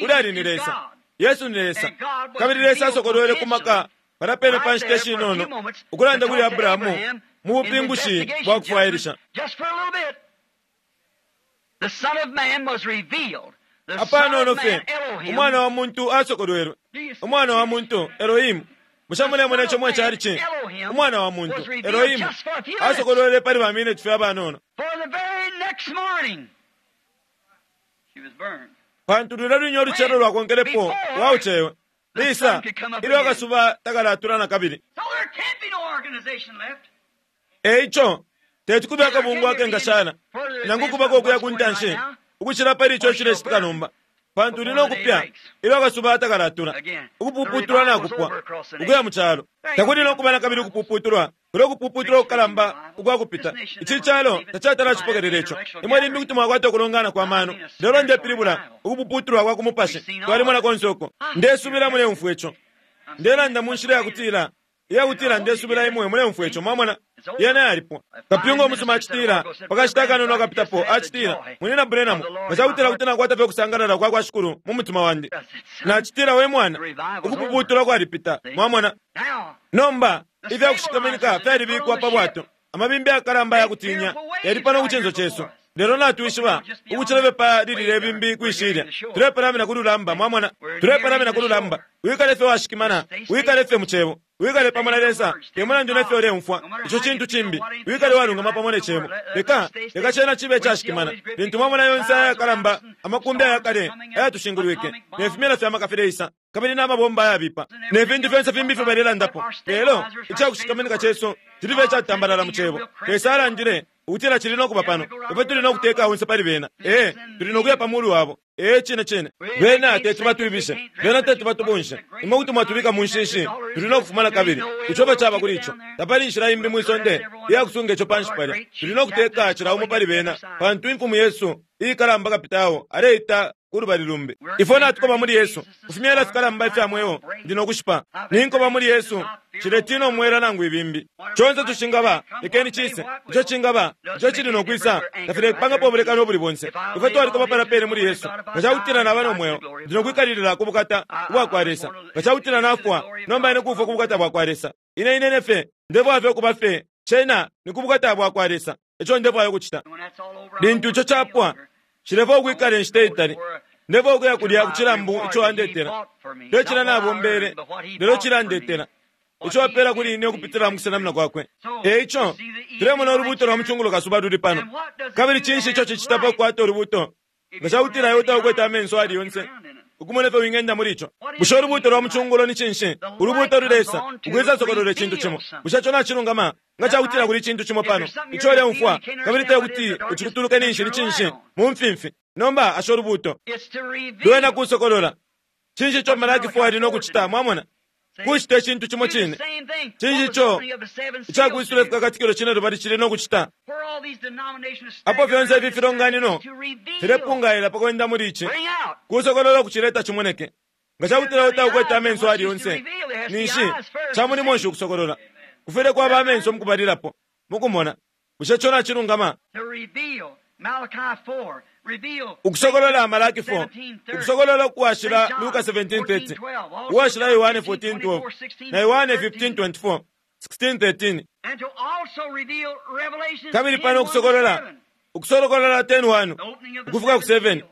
ulya ali ni Lesa. Yesu ni Lesa, kabili Lesa asokolwele ku maka palya pene pa nshita ishinono ukulanda kuli Abrahamu mu bupingushi bwa kufwailisha. Apanono fye Umwana wa muntu asokolwelwe. Umwana wa muntu, Elohimu. Bushe mulemona ico mwe calici? Umwana wa muntu, Elohimu, asokolwele pali ba mineti fye abanono. Pantu lulya lwine ulucelo lwakonkelepo lwaucewe. Lisa, ilyo akasuba takalatula na kabili. E ico, teti kube akabungwe akengashala, nangu kubako ukuya ku ntanshi, ukucila pali ico icilecitika nomba. Pantu uli no kupya ilyo akasuba takalatula. Ukupuputulwa nakupwa, ukuya mu calo. Takuli no kuba na kabili ukupuputulwa, kulya ukupuputulwa kukalamba ukwa kupita. Ici calo tacatala acipokelela ico. Imwe limbi kuti mwakwata ukulongana kwa mano, lelo ndepilibula ukupuputulwa kwa ku mupashi. Twalimona konse uko. Ndesubila muleumfwa ico. Ndelanda mu nshila yakutila, iyakutila ndesubila imwe muleumfwa ico. Mwamona? Yena yalipwa. Kapyunga umusuma acitila, pakashita akanono akapitapo, acitila, Munyina Branham, nga cakutila kuti nakwata fye ukusangalala kwa kwa Shikulu mu mutima wandi. Nacitila, we mwana, ukupuputulwa kwalipita. Mwamona? Nomba, ifya kushikaminika fyalibikwa pa bwato. Amabimbi ayakalamba ayakutinya yali pano ku cinso cesu. Lelo natwishiba ukucila fye pa lilile ibimbi kwi shilya. Tulepalamina ku lulamba, mwamona. Tulepalamina ku lulamba. Wikale fye washikimana, wikale fye mu Cebo. Wikale pamo na Lesa, te mulandu ne fyo uleumfwa, ico cintu cimbi. Wikale walungama pamo ne Cebo. Leka, leka cena cibe icashikimana. Lintu mwamona yonse aya yakalamba, amakumbi ayakale ayatushingulwike, ne fimela fya maka fileisa, kabili na mabomba ayabipa, ne fintu fyonse fimbi ifyo balelandapo, lelo icakushikaminika cesu cili fye icatambalala mu Cebo. Lesa alandile ukutila cili no kuba pano. Ifwe tuli no kuteka onse pali bena. Ee, tuli no kuya pa mulu wabo. Ee, cine cine. Bena teti batwibishe. Bena teti batubunshe. Imwe kuti mwatubika mu nshishi, tuli no kufuma na kabili. Ico efyo caba kuli ico. Tapali inshila imbi mwi sonde iya kusunga ico panshi palya. Tuli no kuteka cila umo pali bena, pantu Imfumu yesu iikalamba Kapitao aleita ku lubali lumbi. Ifwe natukoba muli Yesu, ku fimyela fikalamba ifya mweo, ndi no kushipa. Ninkoba muli Yesu, nshiletina umwela nangu ibimbi. Conse tushingaba, lekeni cise. Ico cingaba, ico cili no kwisa, tafilepangapo ubulekano ubuli bonse. Ifwe twalikoba palya pene muli Yesu. Nga ca kutila naba no mweo, ndi no kwikalilila ku bukata ubwa kwa Lesa. Nga ca kutila nafwa, nomba ine kufwa ku bukata bwa kwa Lesa. Ine, ine fye, ndefwaya fye ukuba fye, cena ni ku bukata bwa kwa Lesa. Eco ndefwaya ukucita. Lintu ico capwa, nshilefwaya ukwikala inshita itali. Ndefwaya ukuya kulya ku cilambu ico andetela. Te cilya nabombeele, lelo cilya andetela, ico apeela kuli ine ukupitila mu kusenamina kwakwe. E ico, tulemona ulubuuto lwa mucungulo kasuba luli pano. Kabili cinshi ico cicita pa kukwata ulubuuto? Nga ca kutila iwe taukwete amenso ayali yonse ukumona ifyo wingenda muli ico. Bushe ulubuuto lwa mucungulo ni cinshi? Ulubuuto luleisa, ukwisasokolola icintu cimo. Bushe ico nacilungama? Nga ca kutila kuli icintu cimo pano ico uleumfwa, kabili te kuti ucikutuluke ninshi ni cinshi? Mu mfimfi. Nomba asha ulubuuto. Lwena kusokolola. Cinshi ico Malaki 4 ali no kucita? Mwamona? Kucita icintu cimo cine. Cinshi ico icakwisula ifikakatikilo cinelubali cili no kucita? Apo fyonse ifi filonganino filepungaila pa kwenda muli ici, kusokolola ukucileta cimoneke. Nga ca kutila taukwete amenso ayali yonse, ninshi ca mulimo nshi ukusokolola? Kufwile kwaba amenso mu kubalilapo, mu kumona. Bushe ico nacilungama? Ukusokolola Malaki 4, ukusokolola ukwashila Luka 17:30, uwashila Yohane 14:12, na Yohane 15:24, 16:13. Kabili pano ukusokolola, ukusokolola 10:1 ukufika ku 7,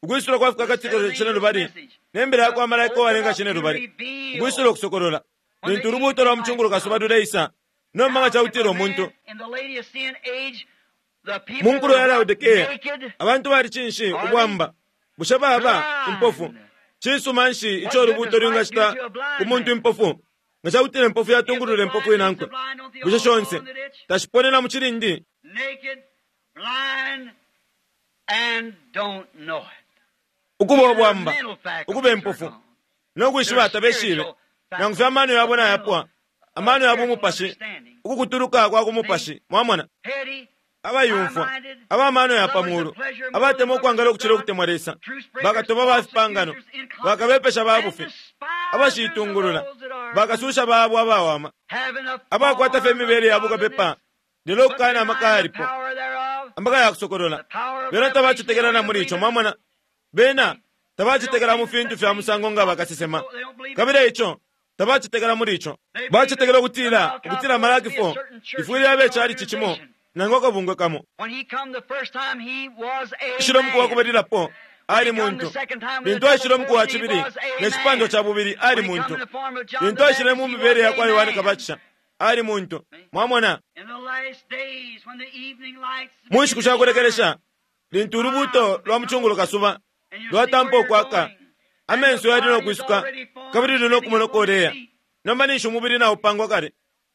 ukwisula kwa fikakatikilo cinelubali ne mbila ya kwa malaika uwalenga cinelubali, ukwisula ukusokolola. Lintu ulubuuto lwa mucungulo kasuba luleisa, nomba nga cakutila umuntu mu nkulo ya Laodikea, abantu bali cinshi ubwamba? Bushe baba impofu? Cisuma nshi ico ulubuuto lwingacita ku muntu impofu? Nga ca kutila impofu yatungulula impofu inankwe, bushe shonse tashiponena mu cilindi? Ukuba ubwamba, ukuba impofu, no kwishiba tabeshibe, nangu fye amano yabo nayapwa, amano ya bumupashi, ukukutuluka kwa ku mupashi. Mwamona? Abayumfwa, aba mano ya pa muulu, abatemwa ukwangala ukucila ukutemwa Lesa, bakatoba ba fipangano, bakabepesha ba bufi, abashiitungulula, bakasusha babo abawama, abakwata fye imibele ya bukapepa, lelo ukukana amaka yalipo. Amaka yakusokolola. Bena tabacetekela na muli ico, mwamona. Bena tabacetekela mu fintu fya musango nga bakasesema. Kabili eico tabacetekela muli ico. Bacetekela ukutila, ukutila Malaki 4 ifwile yabe calici cimo nangu akabungwe kamo. Ishilo muku wakubalilapo ali muntu. Lintu aishile umuku wa cibili ne cipandwa ca bubili ali muntu. Lintu aishile mu mibele ya kwa Yohane Kabatisha ali muntu. Mwamona? Mu nshiku sha kulekelesha, lintu ulubuuto lwa mucungulo kasuba lwatampa ukwaka, amenso yali no kwisuka kabili luli no kumona uko uleya. Nomba ninshi umubili naupangwa kale,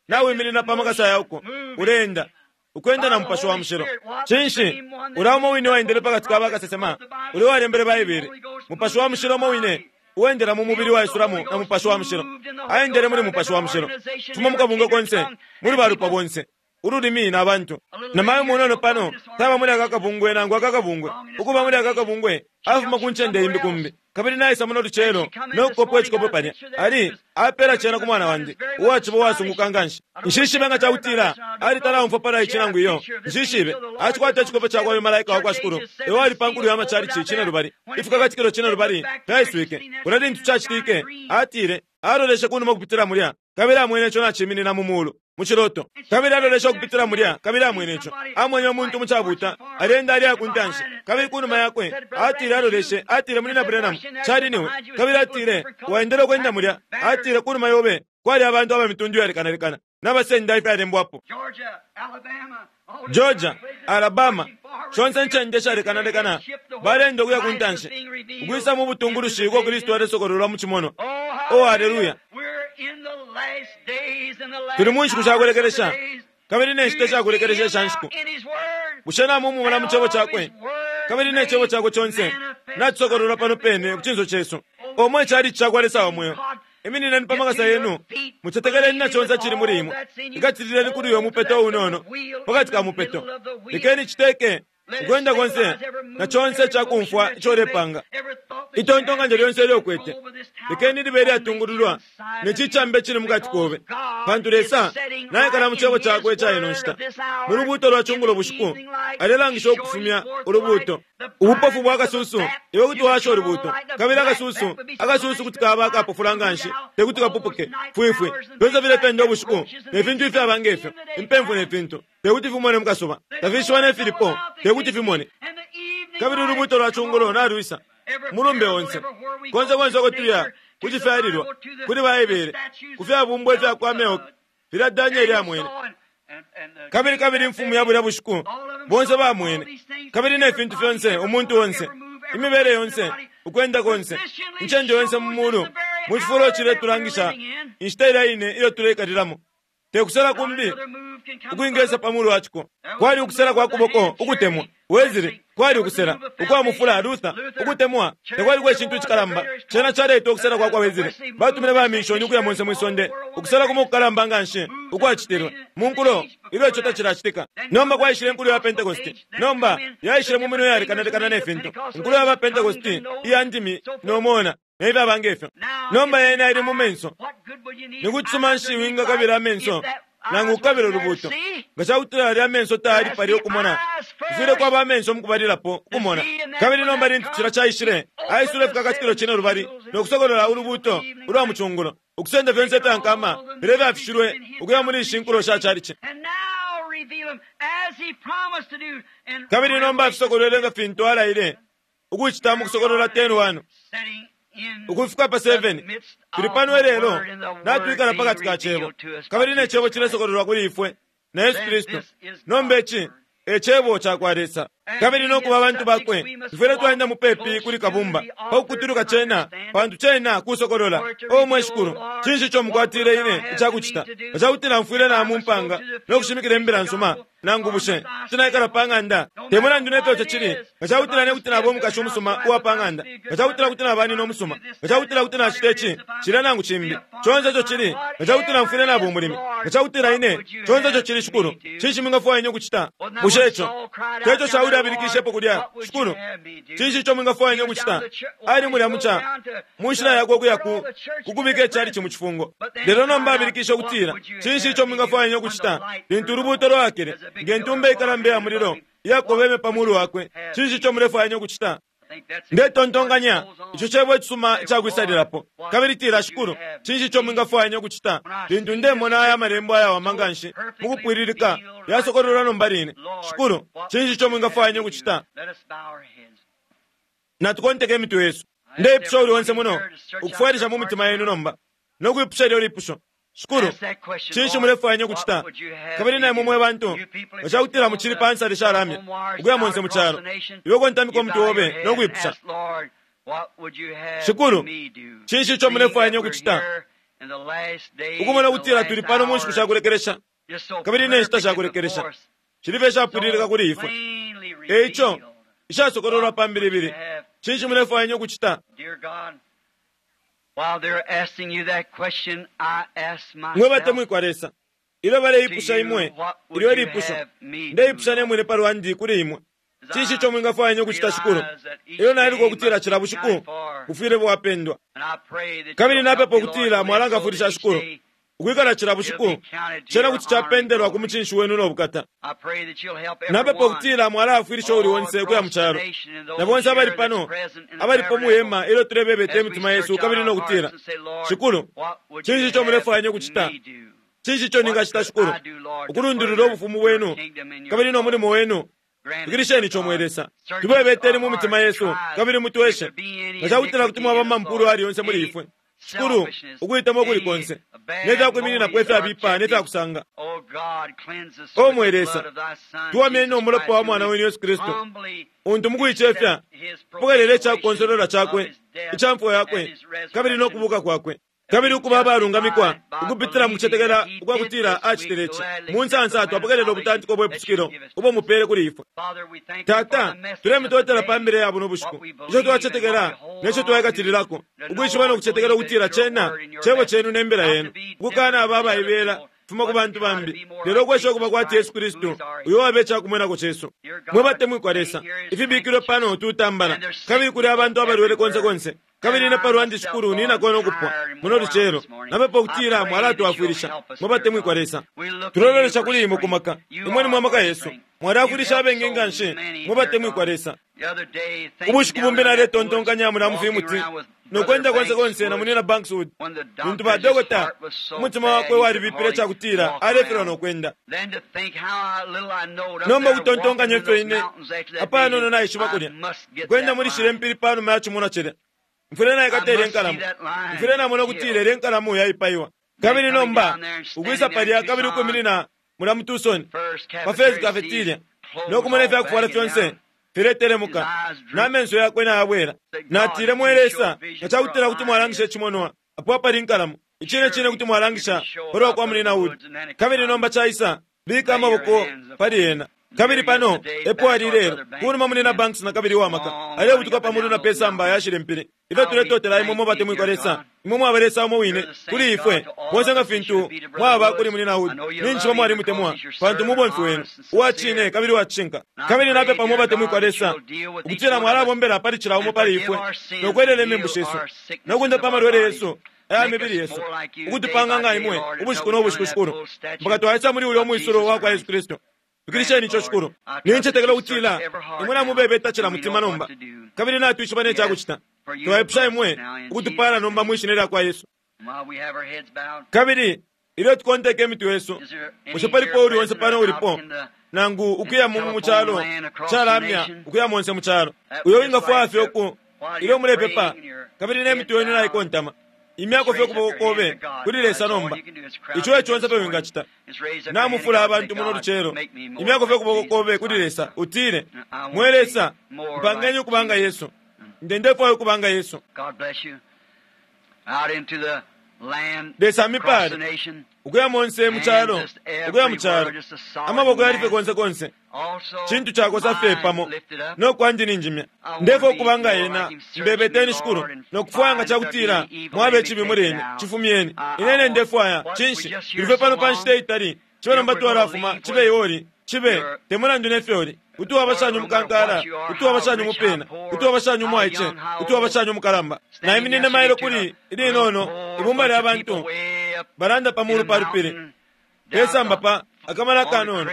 nawiminina pa makasa yauko, uleenda ukwenda na Mupashi wa Mushilo. Cinshi? Ulya umo wine waendele pakati ka bakasesema, ulya uwalembele Baibele. Mupashi wa Mushilo umo wine uwendela mu mubili waisulamo na Mupashi wa Mushilo, aendele muli Mupashi wa Mushilo, fuma mukabungwe konse, muli balupwa bonse, ululimi na bantu. Na mayo munono pano taba muli aka kabungwe nangu aka kabungwe, ukuba muli aka kabungwe afuma ku ncende imbi kumbi. Kabili naisa muno lucelo no kukopa icikope palya, ali apela cena ku mwana wandi uwaciba uwasunguka nganshi. Nshishibe nga cakutila ali talaumfwa pala ici nangu iyo, nshishibe. Acikwata icikope cakwa uyu malaika wakwa Shikulu, ewo ali pa nkulu ya macalici cine lubali, ifikakatikilo cine lubali fyaiswike. Kulya lintu cacitike, atile aloleshe kunuma ukupitila mulya, kabili amwene ico naciminina mu mulu mu ciloto. Kabili aloleshe ukupitila mulya, kabili amwene ico. Amwene umuntu mucabuta alenda aliya ku ntanshi, kabili kunuma yakwe atile aloleshe, atile muli na Branham cali niwe. Kabili atile waendele ukwenda mulya, atile kunuma yobe kwali abantu aba mitundu yalekanalekana nabasenda ifyalembwapo. Georgia, Alabama, shonse ncende shalekanalekana balenda ukuya ku ntanshi ukwisa mu butungulushi uko Kristu alesokololwa mu cimonwa. Oh, haleluya! Tuli mu nshiku shakulekelesha, kabili ne nshita shakulekelesha isha nshiku. Bushe namumumona mu cebo cakwe? Kabili ne cebo cakwe conse nacisokololwa pano pene ku cinso cesu. Omwe calici cakwa Lesa wa mweo. Iminineni pa makasa yenu, mucetekeleni na conse cili muli imwe. Ikatilileni kuli uyo mupeto unono pakati ka mupeto. Lekeni citeke ukwenda konse na conse cakumfwa ico ulepanga. Itontonkanyo lyonse ilyo ukwete, lekeni libe ilyatungululwa ne cicambe cili mukati kobe, pantu Lesa naikala mu cebo cakwe ica ino nshita. Mu lubuuto lwa cungulo bushiku alelangisha ukufumya ulubuuto. Ubupofu bwa kasusu, iwe kuti washa ulubuuto, kabili akasusu, akasusu kuti kaba akapofula nganshi tekuti kapupuke fwifwi. Fyonse filependa ubushiku ne fintu ifyaba ngefyo, impemfu ne fintu, tekuti fimone mu kasuba, tafishiwa ne filipo, tekuti fimone. Kabili ulubuuto lwa cungulo nalwisa mulumbe onse, konse konse uko tuya, ku cifyalilwa, kuli Baibele, ku fyabumbwa ifya kwa Meoki filya Danieli amwene. Kabili kabili imfumu ya bulya bushiku, bonse bamwene, kabili ne fintu fyonse, umuntu onse, imibele yonse, ukwenda konse, incende yonse mu mulu, mu cifulo ciletulangisha inshita ilya ine ilyo tuleikalilamo. Te kusela kumbi ukwingesa pa mulu wa ciko. Kwali ukusela kwa kuboko ukutemwa Wesley, kwali ukusela ukwa mufula Luther, ukutemwa takwali kwa cintu icikalamba. Cena caleita ukusela kwa kwa Wesley. Batumine ba mishoni ukuya monse mwi sonde, ukusela kumo kukalamba nganshi ukwacitilwe mu nkulo ilyo ico tacilacitika. Nomba kwaishile inkulo ya Pentecost. Nomba yaishile mu minwe yalekanalekana ne fintu. Inkulo ya ba Pentecost iya ndimi no mona ne fyaba ngefyo. Nomba yena ili mu menso. Ni kucisuma nshi wingakabila amenso nangu ukabila ulubuuto? Nga cakutila yalya amenso tayali palya ukumona, kufwile kwaba amenso mukubalilapo ukumona. Kabili nomba lintu cilya caishile, aisule ifikakatikilo cine lubali no kusokolola ulubuuto ulwa mucungulo, ukusenda fyonse ifya nkama filya ifyafishilwe ukuya muli ishi nkulo sha calici. Kabili nomba afisokolwele nga fintu alaile ukucita mu Kusokolola 10:1 ukufika pa 7. Tuli pano ilelo, natwikala pakati ka Cebo, kabili ne Cebo cilesokololwa kuli ifwe na Yesu Kristu. Nomba ici e Cebo cakwa Lesa, kabili no kuba abantu bakwe tufwile twaenda mupepi kuli Kabumba pa kukutuluka cena, pantu cena kusokolola. O mwe Shikulu, cinshi ico mukwatile ine icakucita? Nga cakutila mfwile na mu mpanga no kushimikila imbila nsuma, nangu bushe kuti naikala pa ng'anda? Te mulandu ne fyo ico cili, nga cakutila ne kuti naba umukashi umusuma uwa pa ng'anda, nga cakutila kuti naba nina umusuma, nga cakutila kuti nacita ici, cilya nangu cimbi, conse ico cili, nga cakutila mfwile naba umulimi, nga cakutila ine, conse ico cili, Shikulu, cinshi mwingafwaya ine ukucita? Bushe ico te co Shauli abilikishepo kulya, Shikulu, cinshi ico mwingafwaya ine ukucita? Ali mulya muca, mu nshila yakwe ukuya ku kukubika icalici mu cifungo. Lelo nomba abilikishe ukutila, cinshi ico mwingafwaya ine ukucita? Lintu ulubuuto lwaakele, nge ntumba ikalamba iya mulilo, iyakobeme pa mulu wakwe, cinshi ico mulefwaya ukucita? Ndetontonkanya ico cebo icisuma icakwisalilapo. Kabili tila, Shikulu, cinshi ico mwingafwaya ukucita? Lintu ndemona aya malembo ayawama nganshi mukupwililika yasokololwa nomba line. Shikulu, cinshi ico mwingafwaya ukucita? Natukonteke imitwe yesu. Ndeipusha uli onse muno ukufwailisha mu mitima yenu nomba no kwipusha ilyo lipusho. Shikulu, cinshi mulefwaya ukucita? Kabili na imwe mwe bantu, nga ca kutila mucili pa nsale shalamya ukuya monse mu calo, iwe kontamika umutwe obe no kwipusha, Shikulu, cinshi ico mulefwaya ukucita? Ukumona ukutila tuli pano mu nshiku shakulekelesha kabili ne nshita shakulekelesha shili fye ishapwililika kuli ifwe. E ico, ishasokololwa pa mbilibili, cinshi mulefwaya ukucita? Mwe batemwikwa Lesa, ilyo baleipusha imwe ilyo lipusho, ndeipusha ne mwine pa lwandi kuli imwe, cinshi ico mwingafwaya ukucita, Shikulu? Ilyo nailuka ukutila cila bushiku bufwile bwapendwa, kabili napepa ukutila mwalangafwilisha, Shikulu, ukwikala cila bushiku cena kuti capendelwa ku mucinshi wenu no bukata. Napepa ukutila mwalaafwilisha uuli onse ukuya mu calo, na bonse abali pano abalipo mu hema ilyo tulebebeta imitima yesu kabili no kutila, Shikulu, cinshi ico mulefwaya ukucita? Cinshi ico ningacita, Shikulu, ukulundulula ubufumu bwenu kabili no mulimo wenu? Fikilisheni ico, mwe Lesa. Tubebeteni mu mitima yesu kabili mutweshe nga ca kutila kuti mwaba mampulu ali yonse muli ifwe, Shikulu, ukuitamo ukuli konse ne fya kwimininapo ifyabipa ne fya kusanga. O mwe Lesa, tuwamyeni no mulopa wa Mwana wenu Yesu Kristu, untu mukuicefya pokelela ica kukonsolola cakwe ica mfwa yakwe kabili no kubuka kwakwe, kabili ukuba abalungamikwa ukupitila mu kucetekela ukwa kutila acitile ici. Mu nsansa twapokelela ubutantiko bwe pusukilo ubo mupele kuli ifwe. Tata, tulemutotela pa mbila ya buno bushiku, ico twacetekela neco twaikatililako, ukwishiba no kucetekela ukutila cena cebo cenu ne mbila yenu, ukukana aba abaibela fuma ku bantu bambi, lelo ukwesha ukuba kwati Yesu Kristu, uyo waba icakumwenako cesu. Mwe batemwikwa Lesa, ifibikilwe pano tutambala, kabili kuli abantu abalwele konse konse, kabili ine palwandi, Shikulu, ninako no kupwa muno lucelo. Napepa ukutila mwalatwafwilisha. Mwe batemwikwa Lesa, tulololesha kuli imwe ku maka. Imwe ni mwe maka yesu. Mwalafwilisha abengi nganshi, mwe batemwikwa Lesa. Ubushiku bumbi naletontonkanya mula mufimuti no kwenda konse konse na munina Bankswood, lintu ba dokota umutima wakwe walibipile cakutila alefilwa no kwenda. Nomba ukutontonkanya ifyo ine apanono naishiba kulya kwenda muli shile mpili panuma ya cimonwa cilya, mfwile naikata ilye nkalamu, mfwile namona ukutila ilye nkalamu yaipaiwa. Kabili nomba ukwisa palya kabili ukwiminina mula mu Tucson pa First Cafeteria no kumona ifya kufwala fyonse filetelemuka na menso yakwe nayabwela, natile, mwe Lesa, nga cakutila kuti mwalangisha icimonwa apo apali inkalamu, icine cine kuti mwalangisha palwa kwa munina Wood. Kabili nomba caisa, bika amaboko pali ena. Kabili pano epo ali lelo, kunuma munina Banks na kabili uwamaka alebutuka pa mulu na pe samba yashile mpili. Ifyo tuletotela imwe mwe batemwikwa Lesa, imwe mwaba Lesa umo wine kuli ifwe bonse nga fintu mwaba kuli munina Wood. Ninshi mwalimutemwa pantu mubomfi wenu uwa cine kabili uwa cishinka. Kabili napepa mwe batemwikwa Lesa ukutila mwalabombela pali cila umo pali ifwe no kwelela imembu shesu no kundapa amalwele yesu aya mibili yesu, ukutupanga nga imwe ubushiku no bushiku, Shikulu, mpaka twaisa muli ulya umwisulo wa kwa Yesu Kristu. Fikilisheni ico, Shikulu. Nincetekela ukutila imwe namubebeta cila mutima nomba, kabili natwishiba ne cakucita. Twaipusha imwe ukutupala nomba mwi shina lya kwa Yesu. Kabili ilyo tukonteka imitwe yesu, bushe palipo uli onse pano ulipo nangu ukuya mu calo calamya ukuya monse mu calo, uyo wingafwaya fye uku ilyo mulepepa kabili ne mitwe yenu naikontama, imyako fye ukuboko kobe kuli Lesa nomba? Ico e conse pe wingacita. Namufula abantu muno lucelo, imyako fye ukuboko kobe kuli Lesa, utile, mwe Lesa, mpangeni ukubanga Yesu. Nde ndefwaya ukubanga Yesu. Lesa amipale ukuya monse mu calo, ukuya mu calo, amaboko yali fye konse konse, cintu cakosa fye pamo no kwandi ninjimya. Ndefwaya ukubanga ena. Mbebeteni, Shikulu, no kufwaya nga cakutila mwaba icibi muli ine, cifumyeni. Ine ndefwaya cinshi? Tuli fye pano pa nshita itali, cibe nomba twalafuma, cibe ioli, cibe te mulandu ne fyoli. Kuti waba shani umukankala, kuti waba shani umupina, kuti waba shani umwaice, kuti waba shani umukalamba. Naiminine mailo kuli ilinono ibumba lya bantu balanda pa mulu pa lupili pesamba pa akamala kanono.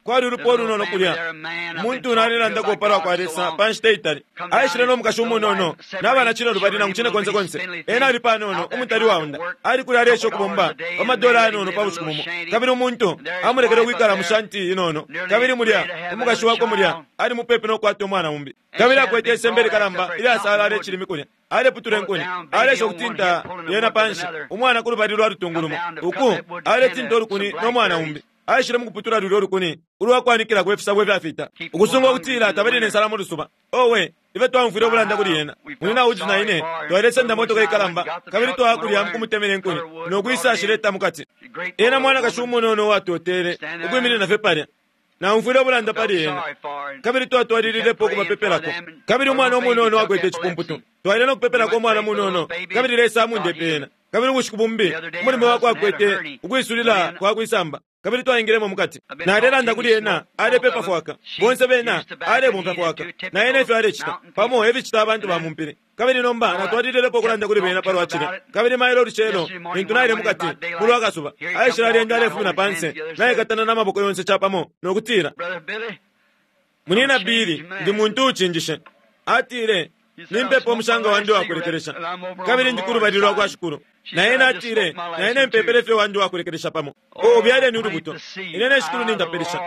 Kwali ulupwa ulunono kulya, umuntu nalelandako palwa kwa Lesa pa nshita itali. Aishile no mukashi umunono na bana cine lubali nangu cine konse konse. Ena ali panono, umutali waunda. Ali kulya aleesha ukubomba pa madola ayanono pa bushiku bumo. Kabili umuntu amulekele ukwikala mu shanti inono. Kabili mulya, umukashi wakwe mulya, ali mupepi no kukwata umwana umbi. Kabili akwete isembe likalamba ilyasalala icilimi kulya. Aleputula inkuni, aleesha ukutinta yena panshi, umwana ku lubali lwa lutungu lumo. Uku, aletinta ulukuni no mwana umbi. Aishile mukuputula lulyo lukuni ulwa kwanikilako ifisabo ifyafita, ukusunga ukutila tabali ne nsala mu lusuba. Owe, ifyo twaumfwile ubulanda kuli yena! Munyina Woods na ine twalesenda motoka ikalamba, kabili twaya kulya mukumutemena inkuni no kwisa ashileta mukati. Ena mwanakashi umunono uwatotele ukwiminina fye palya. Naumfwile ubulanda pali ena, kabili twatwalililepo ukubapepelako. Kabili umwana umunono akwete icipumputu. Twaile no kupepelako umwana munono, kabili Lesa amundepe ena. Kabili ubushiku bumbi, umulume wakwe akwete ukwisulila kwa kwisamba, kabili twaingilemo mukati. Nalelanda kuli ena, alepepa fwaka. Bonse bena alebomfya fwaka, na ena efyo alecita pamo eficita abantu ba mumpili. Kabili nomba natwalililepo ukulanda kuli bena palwa cilya. Kabili mailo ulucelo, lintu naile mukati mulwa kasuba, aishile alenda alefumina panse, naikatana na maboko yonse capamo, no kutila, Munyina Billy, ndi muntu uucinjishe. Atile, Nimpepa umushanga wandi uwakulekelesha, kabili ndi kulubali lwa kwa Shikulu. Na ena atile, Na ine mpepele fye wandi uwakulekelesha pamo. O, byaleni ulubuto. Ine ne Shikulu nintapilisha.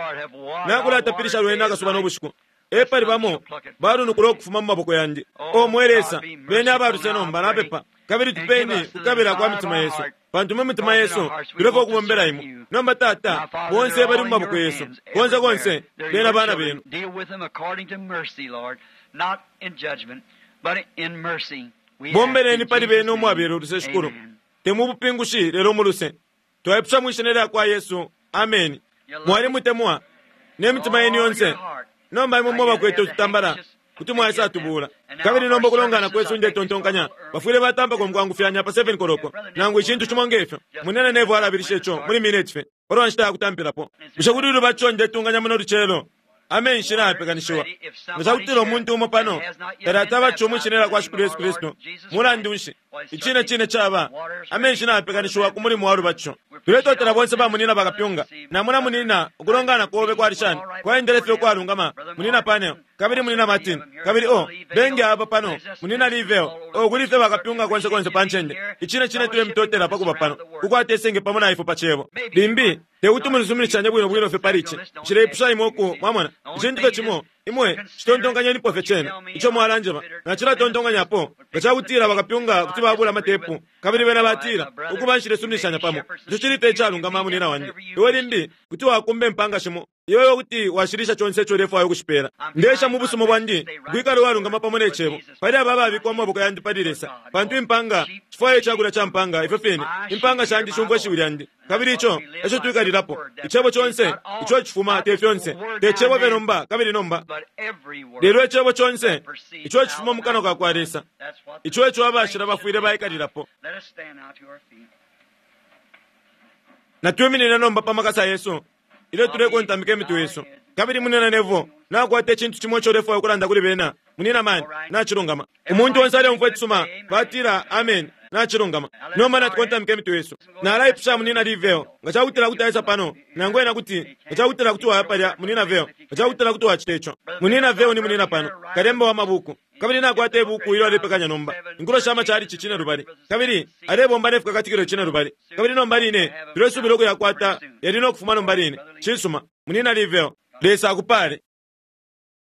Nakulatapilisha lwena akasuba no bushiku. Epali bamo balunukula ukufuma mu maboko yandi. O mwe Lesa, beni abaluse nomba, napepa. Kabili tupeni kukabila kwa mitima yesu, pantu mu mitima yesu tulefwaya ukubombela imwe. Nomba Tata, bonse bali mu maboko yesu, konse konse bena bana benu. Bombeleni pali bena umwabela uluse, Shikulu, te mu bupingushi lelo mu luse. Twaipusha mwi shina lya kwa Yesu. Ameni. Mwalimutemwa ne mitima yenu yonse. Nomba imwe mwe bakwete ututambala kuti mwaisatubula. Kabili nomba ukulongana kwesu, ndetontonkanya bafwile batampako mukwangufyanya pa 7 koloko nangu icintu cimo ngefyo. Munene Nevo alabilisha ico muli mineti fye palwa nshita ya kutampilapo. Bushe kuli ulubatisho ndetunganya muno lucelo? Amenshi nayapekanishiwa. Nga cakutila umuntu umo pano talatabatishiwa mwi shina lya kwa Shikulu Yesu Kristu, mulandu nshi, icine cine caba, amenshi nayapekanishiwa ku mulimo wa lubatisho. Tuletotela bonse ba munina bakapyunga. Namona munina, ukulongana kobe kwali shani? Kwaendele fye ukwalungama, munina Panel, kabili munina Martin, kabili o, bengi aba pano, munina Liveo, o, kuli fye bakapyunga konse konse pa ncende. Icine cine tulemutotela pa kuba pano, kukwata isenge pamo na ifwe pa cebo. Limbi, te kuti mulisuminishanye bwino bwino fye pali ici. Nshileipusha imwe uku, mwamona, icintu fye cimo, imwe citontonkanyenipo fye cena ico mwalanjeba. Nacilatontonkanyapo nga cakutila bakapyunga kuti babula amatepu, kabili bena batila, Ukuba, nshilesuminishanya pamo. Ico cili fye icalungama, munina wandi. Iwe limbi kuti wakumba impanga shimo, iwe kuti washilisha conse ico ulefwaya ukushipela. Ndeesha mu busuma bwandi ukwikala uwalungama pamo ne cebo pali aba ababikwa mu maboko yandi pali Lesa, pantu impanga shifwaya icakulya ca mpanga ifyo fine. Impanga shandi shumfwa ishiwi lyandi, kabili ico eco twikalilapo. Icebo conse ico cifuma, te fyonse, te cebo fye nomba kabili nomba, lelo icebo conse ico cifuma mu kanwa ka kwa Lesa, ico eco abashila bafwile baikalilapo. Natwiminine nomba pa makasa yesu ilyo tulekontamika imitwe yesu. Kabili munina Nevo nakwata icintu cimo ico ulefwaya ukulanda kuli bena. Munina Man, nacilungama. Umuntu onse aleumfwa icisuma, batila amen, nacilungama. Nomba natukontamika imitwe yesu. Nalaipusha munina Liveo nga cakutila kuti aisa pano, nangu ena kuti, nga cakutila kuti waya palya, munina Veo, nga cakutila kuti wacita ico. Munina Veo ni munina pano, kalemba wa mabuku. Kabili nakwata ibuku ilyo alepekanya nomba, Inkulo sha Machalichi Cine Lubali, kabili alebomba ne Fikakatikilo Cine Lubali. Kabili nomba line tulesubila ukuyakwata yali no kufuma nomba line. Cisuma, munina Liveo, Lesa akupale.